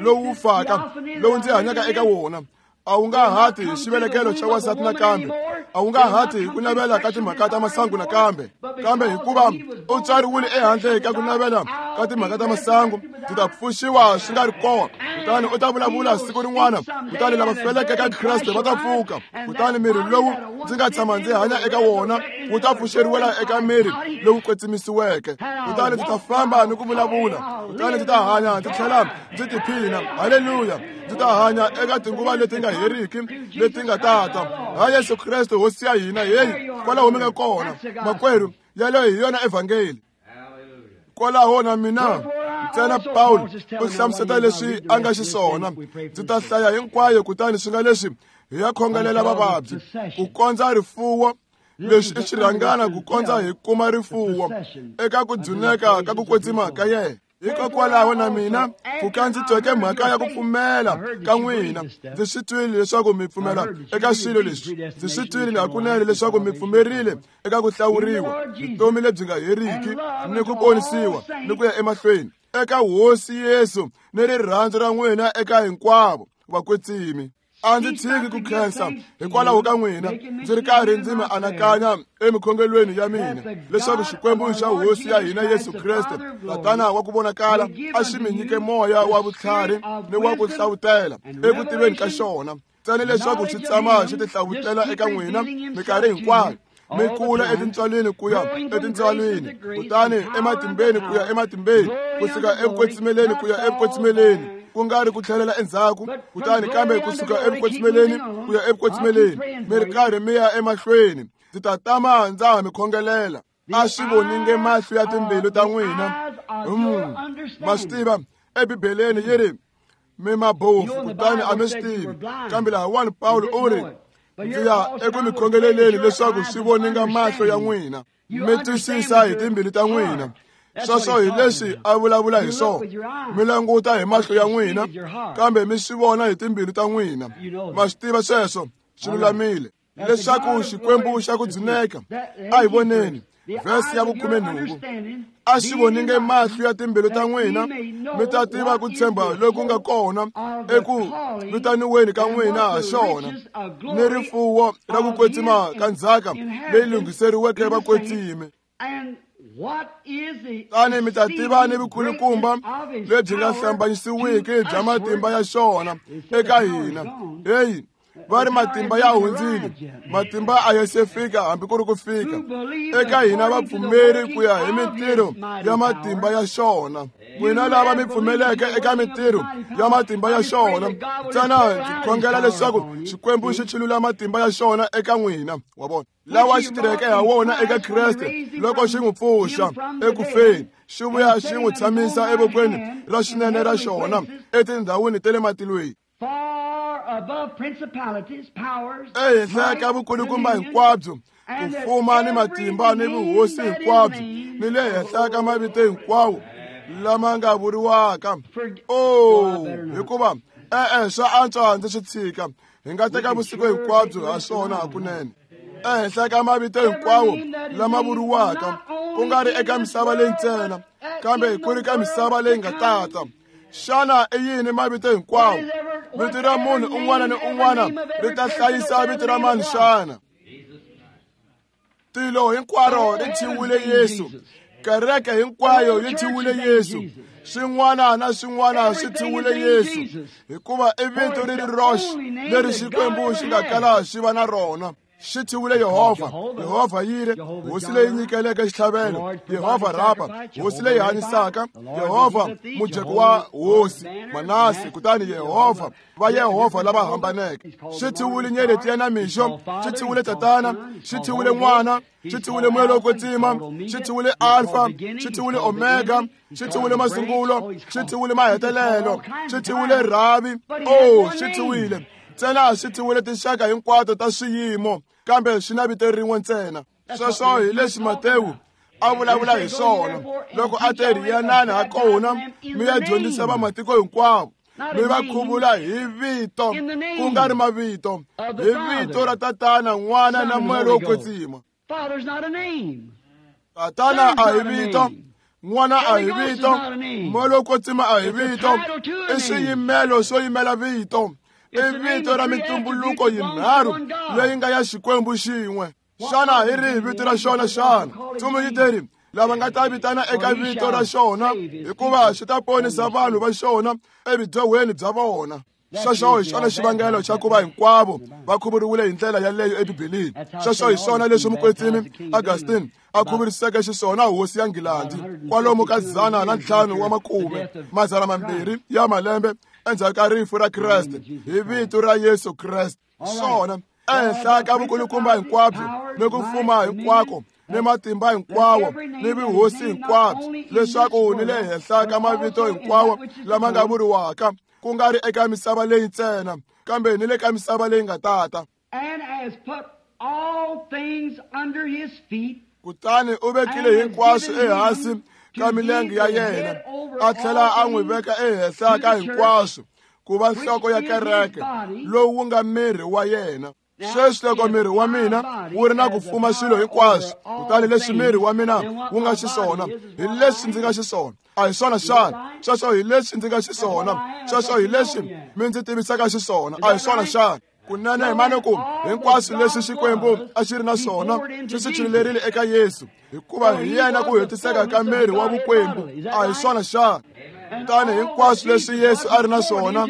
lowu wu faka lowu ndzi hanyaka eka wona a wu nga hati hi xivelekelo xa wansati nakambe, a wu nga hati hi ku navela ka timhaka ta masangu nakambe, kambe hikuva u tswariwile ehandle ka ku navela ka timhaka ta masangu, ndzi ta pfuxiwa swi nga ri kona. Kutani u ta vulavula siku rin'wana, kutani lava feleke ka Kreste va ta pfuka, kutani miri lowu ndzi nga tshama ndzi hanya eka wona wu ta pfuxeriwela eka miri lowu kwetsimisiweke. Kutani ndzi ta famba ni ku vulavula, kutani ndzi ta hanya ndzi tlhela ndzi tiphina. Haleluya! Ndzi ta hanya eka tinguva leti nga heriki leti nga tata ha Yesu Kreste hosi ya hina. Heyi, kwalaho mi nga kona makwerhu, yaleyo hi yona evhangeli. Kwalaho na mina ntsena Pawulo u hlamuseta leswi a nga xiswona. Ndzi ta hlaya hinkwayo, kutani swi nga leswi hi ya khongelela vavabyi ku kondza rifuwo. Leswi i xirhangana ku kondza hi kuma rifuwo eka ku dzuneka ka ku kwetsima ka yena. Hikokwalaho na mina pfuka ndzi tweke mhaka ya ku pfumela ka n'wina, ndzi swi twile leswaku mi pfumela eka swilo leswi. Ndzi swi twile hakunene leswaku mi pfumerile eka ku hlawuriwa, vutomi lebyi nga heriki ni ku ponisiwa ni ku ya emahlweni eka Hosi Yesu ni rirhandzu ra n'wina eka hinkwavo vakwetsimi. A ndzi tshiki ku khensa hikwalaho ka n'wina, ndzi ri karhi ndzi mi anakanya emikhongelweni ya mina leswaku Xikwembu xa Hosi ya hina Yesu Kreste, Tatana wa ku vonakala, a xi mi nyike moya wa vutlhari ni wa ku hlavutela eku tiveni ka xona, ntsena leswaku xi tshama xi tihlavutela eka n'wina minkarhi hinkwayo, mi kula etintswalweni ku ya etintswalweni, kutani ematimbeni ku ya ematimbeni, ku suka ekukwetsimeleni ku ya ekukwetsimeleni, ku nga ri ku tlhelela endzhaku, kutani kambe ku suka ekukwetsimeleni ku ya ekukwetsimeleni, mi ri karhi mi ya emahlweni. Ndzi ta tama ndza ha mi khongelela. A swi voninge mahlo ya timbilu ta n'wina. Mm, ma swi tiva ebibeleni yi ri mi mabofu kutani a mi swi tivi, kambe lahawani Pawulo u ri ndzi ya eku mi khongeleleni leswaku swi voninga mahlo ya n'wina, mi twisisa hi timbilu ta n'wina. Sweswo hi leswi a vulavula hi swona. Mi languta hi mahlo ya n'wina, kambe mi swi vona hi timbilu ta n'wina. Ma swi tiva sweswo swi lulamile leswaku Xikwembu xa ku dzuneka. A hi voneni vhesi ya vukhumenhungu. A xi voninge mahlo ya timbilu ta n'wina, mi ta tiva ku tshemba loku nga kona eku vitaniweni ka n'wina ha xona, ni rifuwo ra ku kwetsima ka ndzhaka leyi lunghiseriweke vakwetsimi. Tani mi ta tiva ni vukulukumba lebyi nga hlambanyisiwiki bya matimba ya xona eka hina. Heyi, va ri matimba ya hundzile, matimba a ya se fika hambi ku ri ku fika eka hina vapfumeri ku ya hi mintirho ya matimba ya xona. N'wina lava mi pfumeleke eka mintirho ya matimba ya xona, ntsena ndzi khongela leswaku Xikwembu xi chulula matimba ya xona eka n'wina, wa vona, lawa xi tirheke ha wona eka Kreste loko xi n'wi pfuxa ekufeni, xi vuya xi n'wi tshamisa evokweni ra xinene ra xona etindhawini ta le matilweni. Ehenhla ka vukulukumba hinkwabyo, ku fuma ni matimba ni vuhosi hinkwabyo, ni le henhla ka mavito hinkwawo lama nga vuriwaka. Oh, hikuva e-e swa antswa ndzi swi tshika, hi nga teka vusiku hinkwabyo ha swona hakunene. Ehenhla ka mavito hinkwawo lama vuriwaka, ku nga ri eka misava leyi ntsena, kambe ku ri ka misava leyi nga tata. Xana i yini mavito hinkwawo? Vito ra munhu un'wana ni un'wana ri ta hlayisa vito ra mani xana? Tilo hinkwaro ri thyiwile Yesu, kereke hinkwayo yi thyiwile Yesu, swin'wana na swin'wana swi thyiwile Yesu, hikuva i vito ri ri roxe leri Xikwembu xi nga kala xi va na rona. Xi thyiwile Yehovha, Yehovha Yire, hosi leyi nyikeleke xitlhavelo, Yehovha Rapa, hosi leyi hanyisaka, Yehovha mujeko wa hosi Manase, kutani Yehovha va Yehovha lava hambaneke. Xi thyiwile nyeleti ya namixo, xi thyiwile Tatana, xi thyiwile N'wana, xi thyiwile Moya lowo Kwetsima, xi thyiwile Alfa, xi thyiwile Omega, xi thyiwile masungulo, xi thyiwile mahetelelo, xi thyiwile Rhavi. Oh, xi thyiwile ntsena, xi thyiwile tinxaka hinkwato ta swiyimo, kambe xi na vito rin'we ntsena. Sweswo hi leswi Matewu a vulavula hi swona loko a te ri yanani ha kona mi ya dyondzisa vamatiko hinkwavo, mi va khuvula hi vito, ku nga ri mavito, hi vito ra Tatana, N'wana na Moya lowo Kwetsima. Tatana a hi vito, N'wana a hi vito, Moya lowo Kwetsima a hi vito, i swiyimelo swo yimela vito. I vito ra mitumbuluko yinharhu leyi nga ya Xikwembu xin'we. Xana hi rihi vito ra xona xana? Ntsumi yi te ri, lava nga ta vitana eka vito ra xona, hikuva xi ta ponisa vanhu va xona evudyohweni bya vona. Sweswo hi xona xivangelo xa ku va hinkwavo va khuvuriwile hi ndlela yaleyo eBibeleni. Sweswo hi swona leswi mukwetsimi Augustine a khuvuriseke xiswona hosi ya Nghilandhi kwalomu ka dzana na ntlhanu wa makume madzana mambirhi ya malembe endzhaku ka rifu ra Kreste, hi vito ra Yesu Kreste. Swona ehenhla ka vukulukumba hinkwabyo ni ku fuma hinkwako ni matimba hinkwawo ni vuhosi hinkwabyo, leswaku ni le henhla ka mavito hinkwawo lama nga vuriwaka, ku nga ri eka misava leyi ntsena, kambe ni le ka misava leyi nga tata. Kutani u vekile hinkwaswo ehansi ka milenge ya yena, a tlhela a n'wi veka ehenhla ka hinkwaswo ku va nhloko ya kereke, lowu wu nga miri wa yena. Sweswi loko miri wa mina wu ri na ku fuma swilo hinkwaswo, kutani leswi miri wa mina wu nga xiswona, hi leswi ndzi nga xiswona. A hi swona xana? Sweswo hi leswi ndzi nga xiswona. Sweswo hi leswi mi ndzi tivisaka xiswona. A hi swona xana? Kunene hi mane ku hinkwaswo leswi Xikwembu a xi ri na swona xi swi chululerile eka Yesu, hikuva hi yena ku hetiseka ka miri wa vukwembu. A hi swona xana? Kutani hinkwaswo leswi Yesu a ri na swona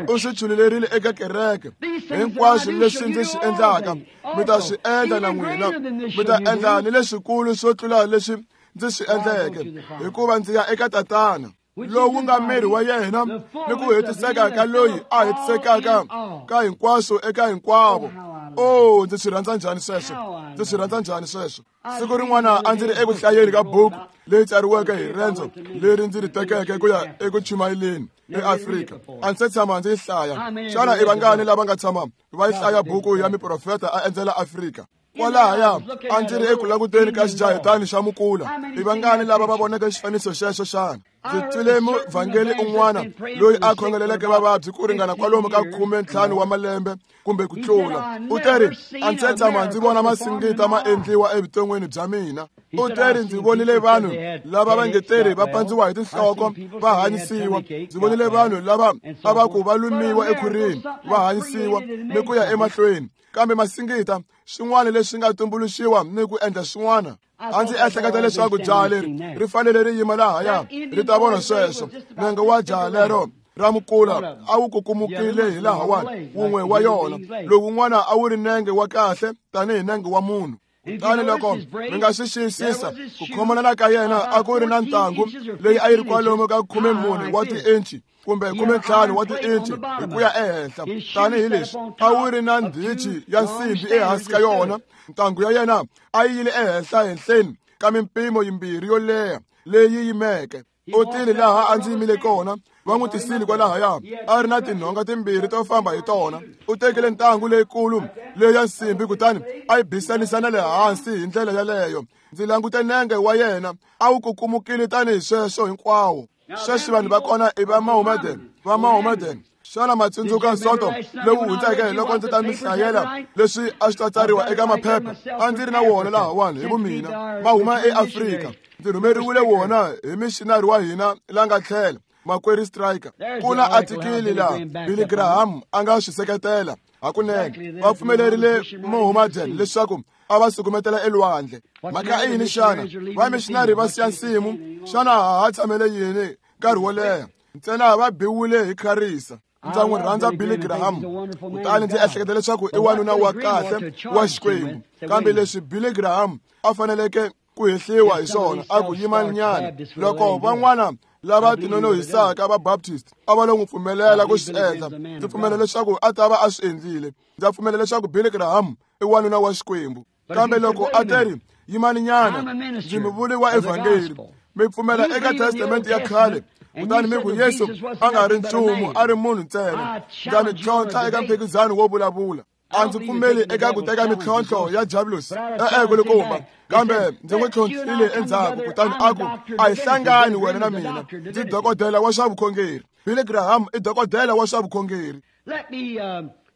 u swi chululerile eka kereke. Hinkwaswo leswi ndzi swi endlaka mi ta swi endla na n'wina, mi ta endla ni leswikulu swo tlula leswi ndzi swi endleke, hikuva ndzi ya eka Tatana, lowu nga miri wa yena ni ku hetiseka ka loyi a hetisekaka ka hinkwaswo eka hinkwavo. Oh, ndzi swi rhandza njhani sweswo, ndzi swi rhandza njhani sweswo. Siku rin'wana a ndzi ri eku hlayeni ka buku leyi tsariweke hi rendzo leri ndzi ri tekeke ku ya eku chumayeleni eAfrika. A ndzi se tshama ndzi yi hlaya. Xana i vangani lava nga tshama va yi hlaya buku ya miprofeta a endzela Afrika? Kwalahaya a ndzi ri eku languteni ka xijahetani xa mukula. I vangani lava va voneke xifaniso xexo xana? Ndzi twile muvhangeli un'wana loyi a khongeleleke vavabyi ku ringana kwalomu ka khume ntlhanu wa malembe kumbe ku tlula. U te ri, a ndzi se tshama ndzi vona masingita ma endliwa evuton'wini bya mina. U te ri, ndzi vonile vanhu lava va nge teri va pandziwa hi tinhloko va hanyisiwa. Ndzi vonile vanhu lava a va ku va lumiwa ekhwirini va hanyisiwa ni ku ya emahlweni. Kambe masingita swin'wana leswi nga tumbuluxiwa ni ku endla swin'wana. A ndzi ehleketa leswaku jaha leri ri fanele ri yima lahaya ri ta vona sweswo. Nenge wa jaha lero ra mukula a wu kukumukile hi lahawani wun'we wa yona, lowun'wana a wu ri nenge wa kahle tanihi nenge wa munhu. Kutani loko mi nga swi xiyisisa ku khomanana ka yena a ku ri na ntangu leyi a yi ri kwalomu ka khume mune wa tiinchi kumbe khume ntlhanu wa tiinchi hi ku ya ehenhla tanihi leswi a wu ri na ndhichi ya nsimbi ehansi ka yona. Ntangu ya yena a yi yile ehenhla henhleni ka mimpimo yimbirhi yo leha leyi yimeke. U tile laha a ndzi yimile kona, va n'wi tisile kwalahaya a ri na tinhonga timbirhi to famba hi tona. U tekile ntangu leyikulu leyi ya nsimbi kutani a yi bisanisa na le hansi hi ndlela yaleyo. Ndzi langute nenge wa yena a wu kukumukile tanihi sweswo hinkwawo. Sweswi vanhu va kona i va Mahomedan, va Mahomedan. Xana ma tsundzuka Sonto lowu hundzeke loko ndzi ta mi hlayela leswi a swi ta tsariwa eka maphepha? A ndzi ri na wona lahawani hi vumina, ma huma eAfrika. Ndzi rhumeriwile wona hi missionary wa hina la nga tlhela, makwerhu Striker. Ku na atikili laha Billy Graham a nga swi seketela hakunene. Va pfumelerile Mohammedan leswaku a va sukumetela elwandle. Mhaka i yini xana? Va missionary va siya nsimu. Xana ha ha tshamele yini nkarhi wo leha? Ntsena va biwile hi kharisa. Ndza n'wi rhandza Billy Graham, kutani ndzi ehleketa leswaku i wanuna wa kahle wa Xikwembu. Kambe leswi Billy Graham a faneleke ku hehliwa hi swona a ku yimanyana loko van'wana lava tinonohisaka va Baptist a va lo n'wi pfumelela ku swi endla, ndzi pfumela leswaku a ta va a swi endlile. Ndza pfumela leswaku Billy Graham i wanuna wa Xikwembu. Kambe loko a teri yimaninyana, ndzi muvuli wa evhangeli, mi pfumela eka testamente ya khale, kutani mi ku Yesu a nga ri nchumu, a ri munhu ntsena, ndza mi tlhontlha eka mphikizano wo vulavula. A ndzi pfumeli eka ku teka mintlhontlho ya Diabolus, e-e kulukumba, kambe ndzi n'wi tlhontlhile endzhaku. Kutani a ku, a hi hlangani wena na mina, ndzi dokodela wa swa vukhongeri. Billy Graham i dokodela wa swa vukhongeri.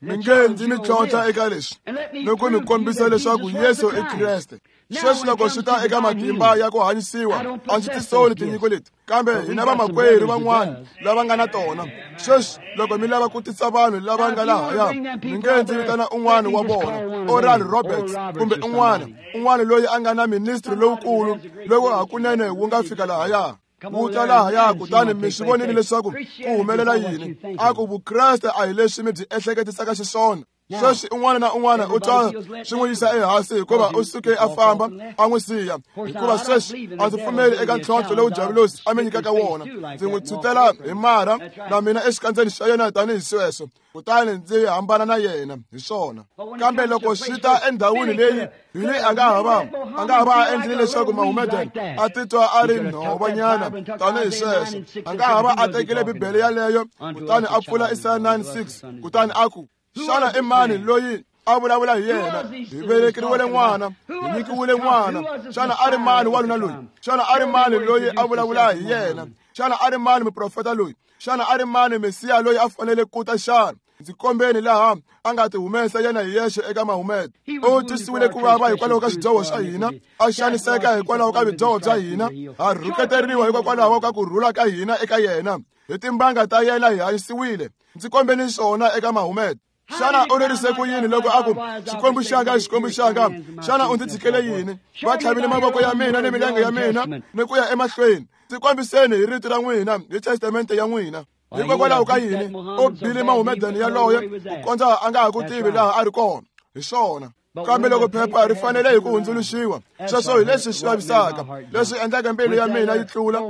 Mi nge ndzi mi tlhontlha eka leswi ni ku mi kombisa leswaku Yesu i Kreste. Sweswi loko swi ta eka matimba ya ku hanyisiwa, a ndzi tisoli tinyiko leti, kambe hina vamakwerhu van'wana lava nga na tona. Sweswi loko mi lava ku tisa vanhu lava nga lahaya, mi nge ndzi vitana un'wana wa vona, Oral Roberts kumbe un'wana, un'wana loyi a nga na ministry lowukulu lowu hakunene wu nga fika lahaya. Wu ta lahaya, kutani mi swi vonile leswaku ku humelela yini. A ku Vukreste a hi leswi mi byi ehleketisaka xiswona. Sweswi un'wana na un'wana u twa swi n'wi yisa ehansi hikuva u suke a famba a n'wi siya. Hikuva sweswi a ndzi pfumeli eka ntlhontlho lowu Diabolus a mi nyikaka wona. Ndzi n'wi tshutela hi marha na mina exikandzeni xa yena tanihi sweswo, kutani ndzi hambana na yena hi swona. Kambe loko swi ta endhawini leyi Billy a nga ha va a nga ha va a endlile leswaku Mahomedan a titwa a ri nhovanyana tanihi sweswo, a nga ha va a tekile Bibele yaleyo kutani a pfula Isaya nine six, kutani a ku, xana i mani loyi a vulavula hi yena? Hi velekeriwile n'wana, hi nyikiwile n'wana. Xana a ri mani wanuna loyi? Xana a ri mani loyi a vulavula hi yena? Xana a ri mani muprofeta loyi? Xana a ri mani Mesiya loyi a fanele ku ta xana? Ndzi kombeni laha a nga ti humesa yena hi yexe eka Mahomed. U twisiwile ku vava hikwalaho ka swidyoho swa hina, a xaniseka hikwalaho ka vudyoho bya hina, a rhuketeriwa hikokwalaho ka ku rhula ka hina eka yena. Hi timbanga ta yena hi hanyisiwile. Ndzi kombeni swona eka Mahomed. Xana u lerise ku yini loko a ku, Xikwembu xanga, Xikwembu xanga, xana u ndzi tshikele yini? Va tlhavile mavoko ya mina ni milenge ya mina ni ku ya emahlweni. Ndzi kombiseni hi rito ra n'wina, hi testamente ya n'wina. Hikokwalaho ka yini u bile Mahomedan yaloye ku kondza a nga ha ku tivi laha a ri kona? Hi swona. Kambe loko phepha ri fanele hi ku hundzuluxiwa, sweswo hi leswi swi vavisaka, leswi endlaka mbilu ya mina yi tlula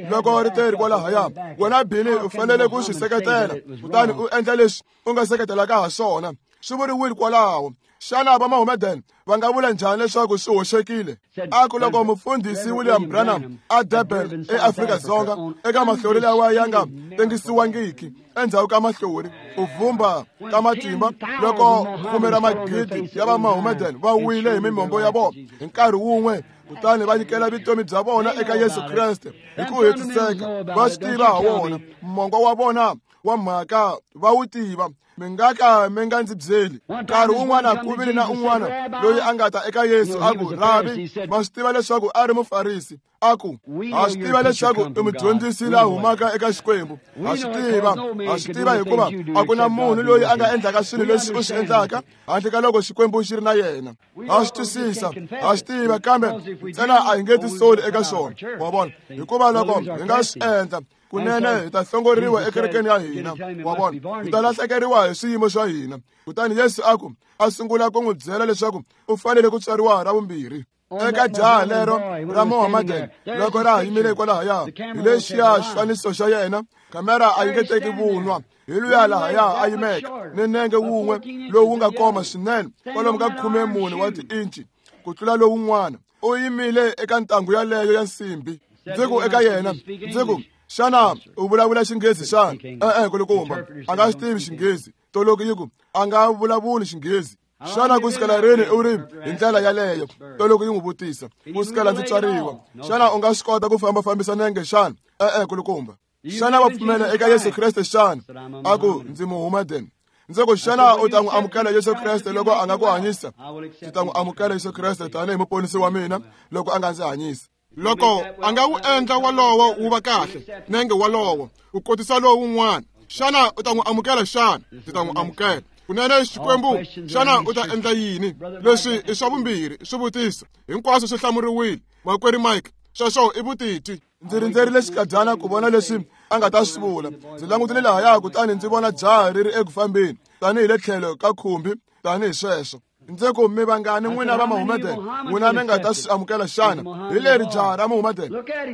loko ri teri kwalahaya. Wena Billy u fanele ku swi seketela, kutani u endla leswi u nga seketelaka ha swona. Swi vuriwile kwalaho. Xana va Mahomedan va nga vula njhani leswaku swi hoxekile? A ku loko mufundhisi William Branham a Durban eAfrika-Dzonga eka mahlori lawa ya nga tengisiwangiki endzhaku ka mahlori, u vumba ka matimba loko khume ra magidi ya va Mahomedan va wile hi mimombo ya vona hi nkarhi wun'we, kutani va nyikela vutomi bya vona eka Yesu Kreste hi ku hetiseka. Va swi tiva ha wona mongo wa vona wa mhaka, va wu tiva. Mi nga ka mi nga ndzi byeli. Nkarhi wun'wana ku vile na un'wana loyi a nga ta eka Yesu a ku, Rabi, ma swi tiva leswaku a ri Mufarisi. A ku, ha swi tiva leswaku i mudyondzisi la humaka eka Xikwembu. Ha swi tiva, ha swi tiva hikuva a ku na munhu loyi a nga endlaka swilo leswi u swi endlaka handle ka loko Xikwembu xi ri na yena. Ha swi twisisa, ha swi tiva, kambe ntsena a hi nge tisoli eka swona. Wa vona? Hikuva loko hi nga swi endla, kunene hi ta hlongoriwa ekerekeni ya hina. Wa vona? Hi ta lahlekeriwa hi swiyimo swa hina. Kutani Yesu a ku a sungula ku n'wi byela leswaku u fanele ku tswariwa ra vumbirhi. Eka jaha lero ra Mohammedan loko ra ha yimile kwalahaya, hi lexiya xifaniso xa yena, kamera a yi nge teki vunwa. Hi luya lahaya a yimeke ni nenge wun'we lowu nga koma swinene kwalomu ka khume mune wa tiinci ku tlula lowun'wana. U yimile eka ntangu yaleyo ya nsimbi. Ndzi ku eka yena, ndzi ku, xana u vulavula Xinghezi xana? E-e, kulukumba, a nga swi tivi Xinghezi. Toloki yi ku, a nga vulavuli Xinghezi. Xana ku sukela rini u ri hi ndlela yaleyo? Toloki yi n'wi vutisa. Ku sukela ndzi tswariwa. Xana u nga swi kota ku fambafambisa nenge xana? E-e, kulukumba. Xana wa pfumela eka Yesu Kreste xana? A ku, ndzi Muhammadan. Ndzi ku, xana u ta n'wi amukela Yesu Kreste loko a nga ku hanyisa? Ndzi ta n'wi amukela Yesu Kreste tanihi muponisi wa mina loko a nga ndzi hanyisa. Loko a nga wu endla walowo wu va kahle, nenge walowo u kotisa lowu wun'wana, xana u ta n'wi amukela xana? Ndzi ta n'wi amukela. Kunene Xikwembu, xana u ta endla yini? Leswi i swa vumbirhi swivutiso hinkwaswo swi hlamuriwile. Makwerhu Mike, sweswo i vutitwi. Ndzi rindzerile xikadyana ku vona leswi a nga ta swi vula. Ndzi langutile lahaya kutani ndzi vona jaha ri ri eku fambeni tanihi le tlhelo ka khumbi tanihi sweswo. Ndzi ku, mi vangani n'wina va Mohammedan, n'wina mi nga ta swi amukela xana? Hi leri jaha ra Mohammedan,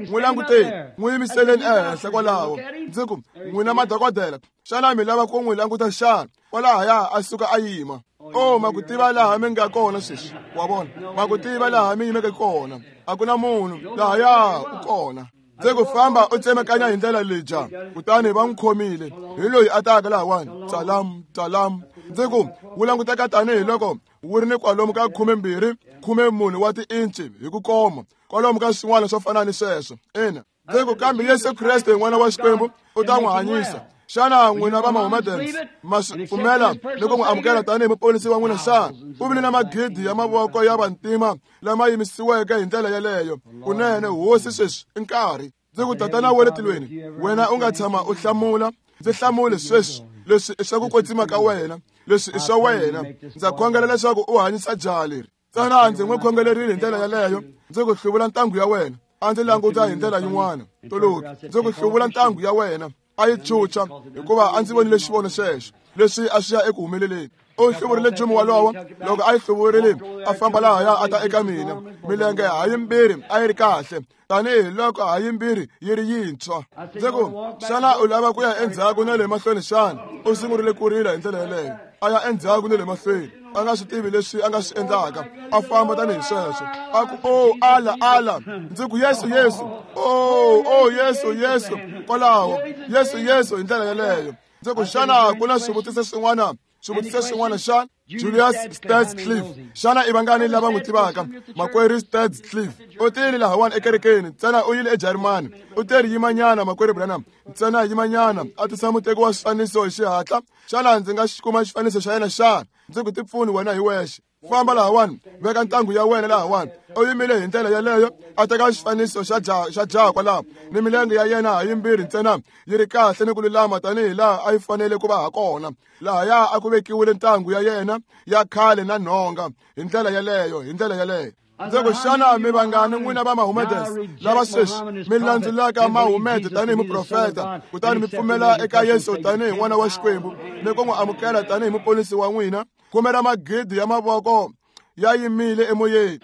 n'wi languteni, n'wi yimiseleni ehenhla kwalaho. Ndzi ku, n'wina madokodela, xana mi lava ku n'wi languta xana? Kwalahaya a suka a yima. O, ma ku tiva laha mi nga kona sweswi, wa vona, ma ku tiva laha mi yimeke kona. A ku na munhu lahaya u kona. Ndzi ku, famba u tsemakanya hi ndlela leyi jaha. Kutani va n'wi khomile. Hi loyi a taka lahawani, tsalam tsalam. Ndzi ku, wu languteka tanihi loko wu ri ni kwalomu ka khume mbirhi khume mune wa tiinci hi ku koma, kwalomu ka swin'wana swo fana ni sweswo. Ina. Ndzi ku, kambe Yesu Kreste n'wana wa Xikwembu u ta n'wi hanyisa. Xana n'wina va Mohammedans ma swi pfumela ni ku n'wi amukela tanihi muponisi wa n'wina xana? U vile na magidi ya mavoko ya vantima lama yimisiweke hi ndlela yeleyo. Kunene Hosi sweswi i nkarhi. Ndzi ku, Tatana wa le tilweni, wena u nga tshama u hlamula, ndzi hlamule sweswi. Leswi i swa ku kwetsima ka wena, leswi i swa wena. Ndza khongela leswaku u hanyisa jaha leri. Ntsena ndzi n'wi khongelerile hi ndlela yaleyo. Ndzi ku, hluvula ntangu ya wena. A ndzi languta hi ndlela yin'wana. Toloki, ndzi ku, hluvula ntangu ya wena. A yi chucha hikuva a ndzi vonile xivono xexo leswi a swi ya eku humeleleni. U hluvurile nchumu walowo. Loko a yi hluvurile, a famba lahaya a ta eka mina. Milenge ha yimbirhi a yi ri kahle tanihi loko ha yimbirhi yi ri yintshwa. Ndzi ku, xana u lava ku ya endzhaku na le mahlweni xana? U sungurile ku rila hi ndlela yeleyo, a ya endzhaku ni le mahlweni, a nga swi tivi leswi a nga swi endlaka. A famba tanihi sweswo. A ku, o, ala ala. Ndzi ku, Yesu Yesu, o o Yesu Yesu, kwalaho Yesu Yesu hi ndlela yeleyo. Ndzi ku, xana ku na swivutiso swin'wana? Swivutiso swin'wana xana? Julius Stadscliffe, xana i vangani lava n'wi tivaka? Makwerhu Stadscliffe u tile lahawani ekerekeni, ntsena u yile eJarimani. U teri yimanyana, makwerhu Branham, ntsena yimanyana, a tisa muteki wa swifaniso hi xihatla. Xana ndzi nga xi kuma xifaniso xa yena xana? Ndzi ku, tipfuni wena hi wexe. Famba lahawani, veka ntangu ya wena lahawani. U yimile hi ndlela yeleyo, a teka xifaniso xa jaha xa jaha kwalaho, ni milenge ya yena ha yimbirhi ntsena yi ri kahle ni ku lulama tanihi laha a yi fanele ku va ha kona. Lahaya a ku vekiwile ntangu ya yena ya khale na nhonga hi ndlela yeleyo, hi ndlela yeleyo. Ndzi ku, xana mi vangani n'wina va Mohammedans lava sweswi mi landzulaka Mahomed tanihi muprofeta, kutani mi pfumela eka Yesu tanihi n'wana wa Xikwembu ni ku n'wi amukela tanihi muponisi wa n'wina? Khume ra magidi ya mavoko ya yimile emoyeni.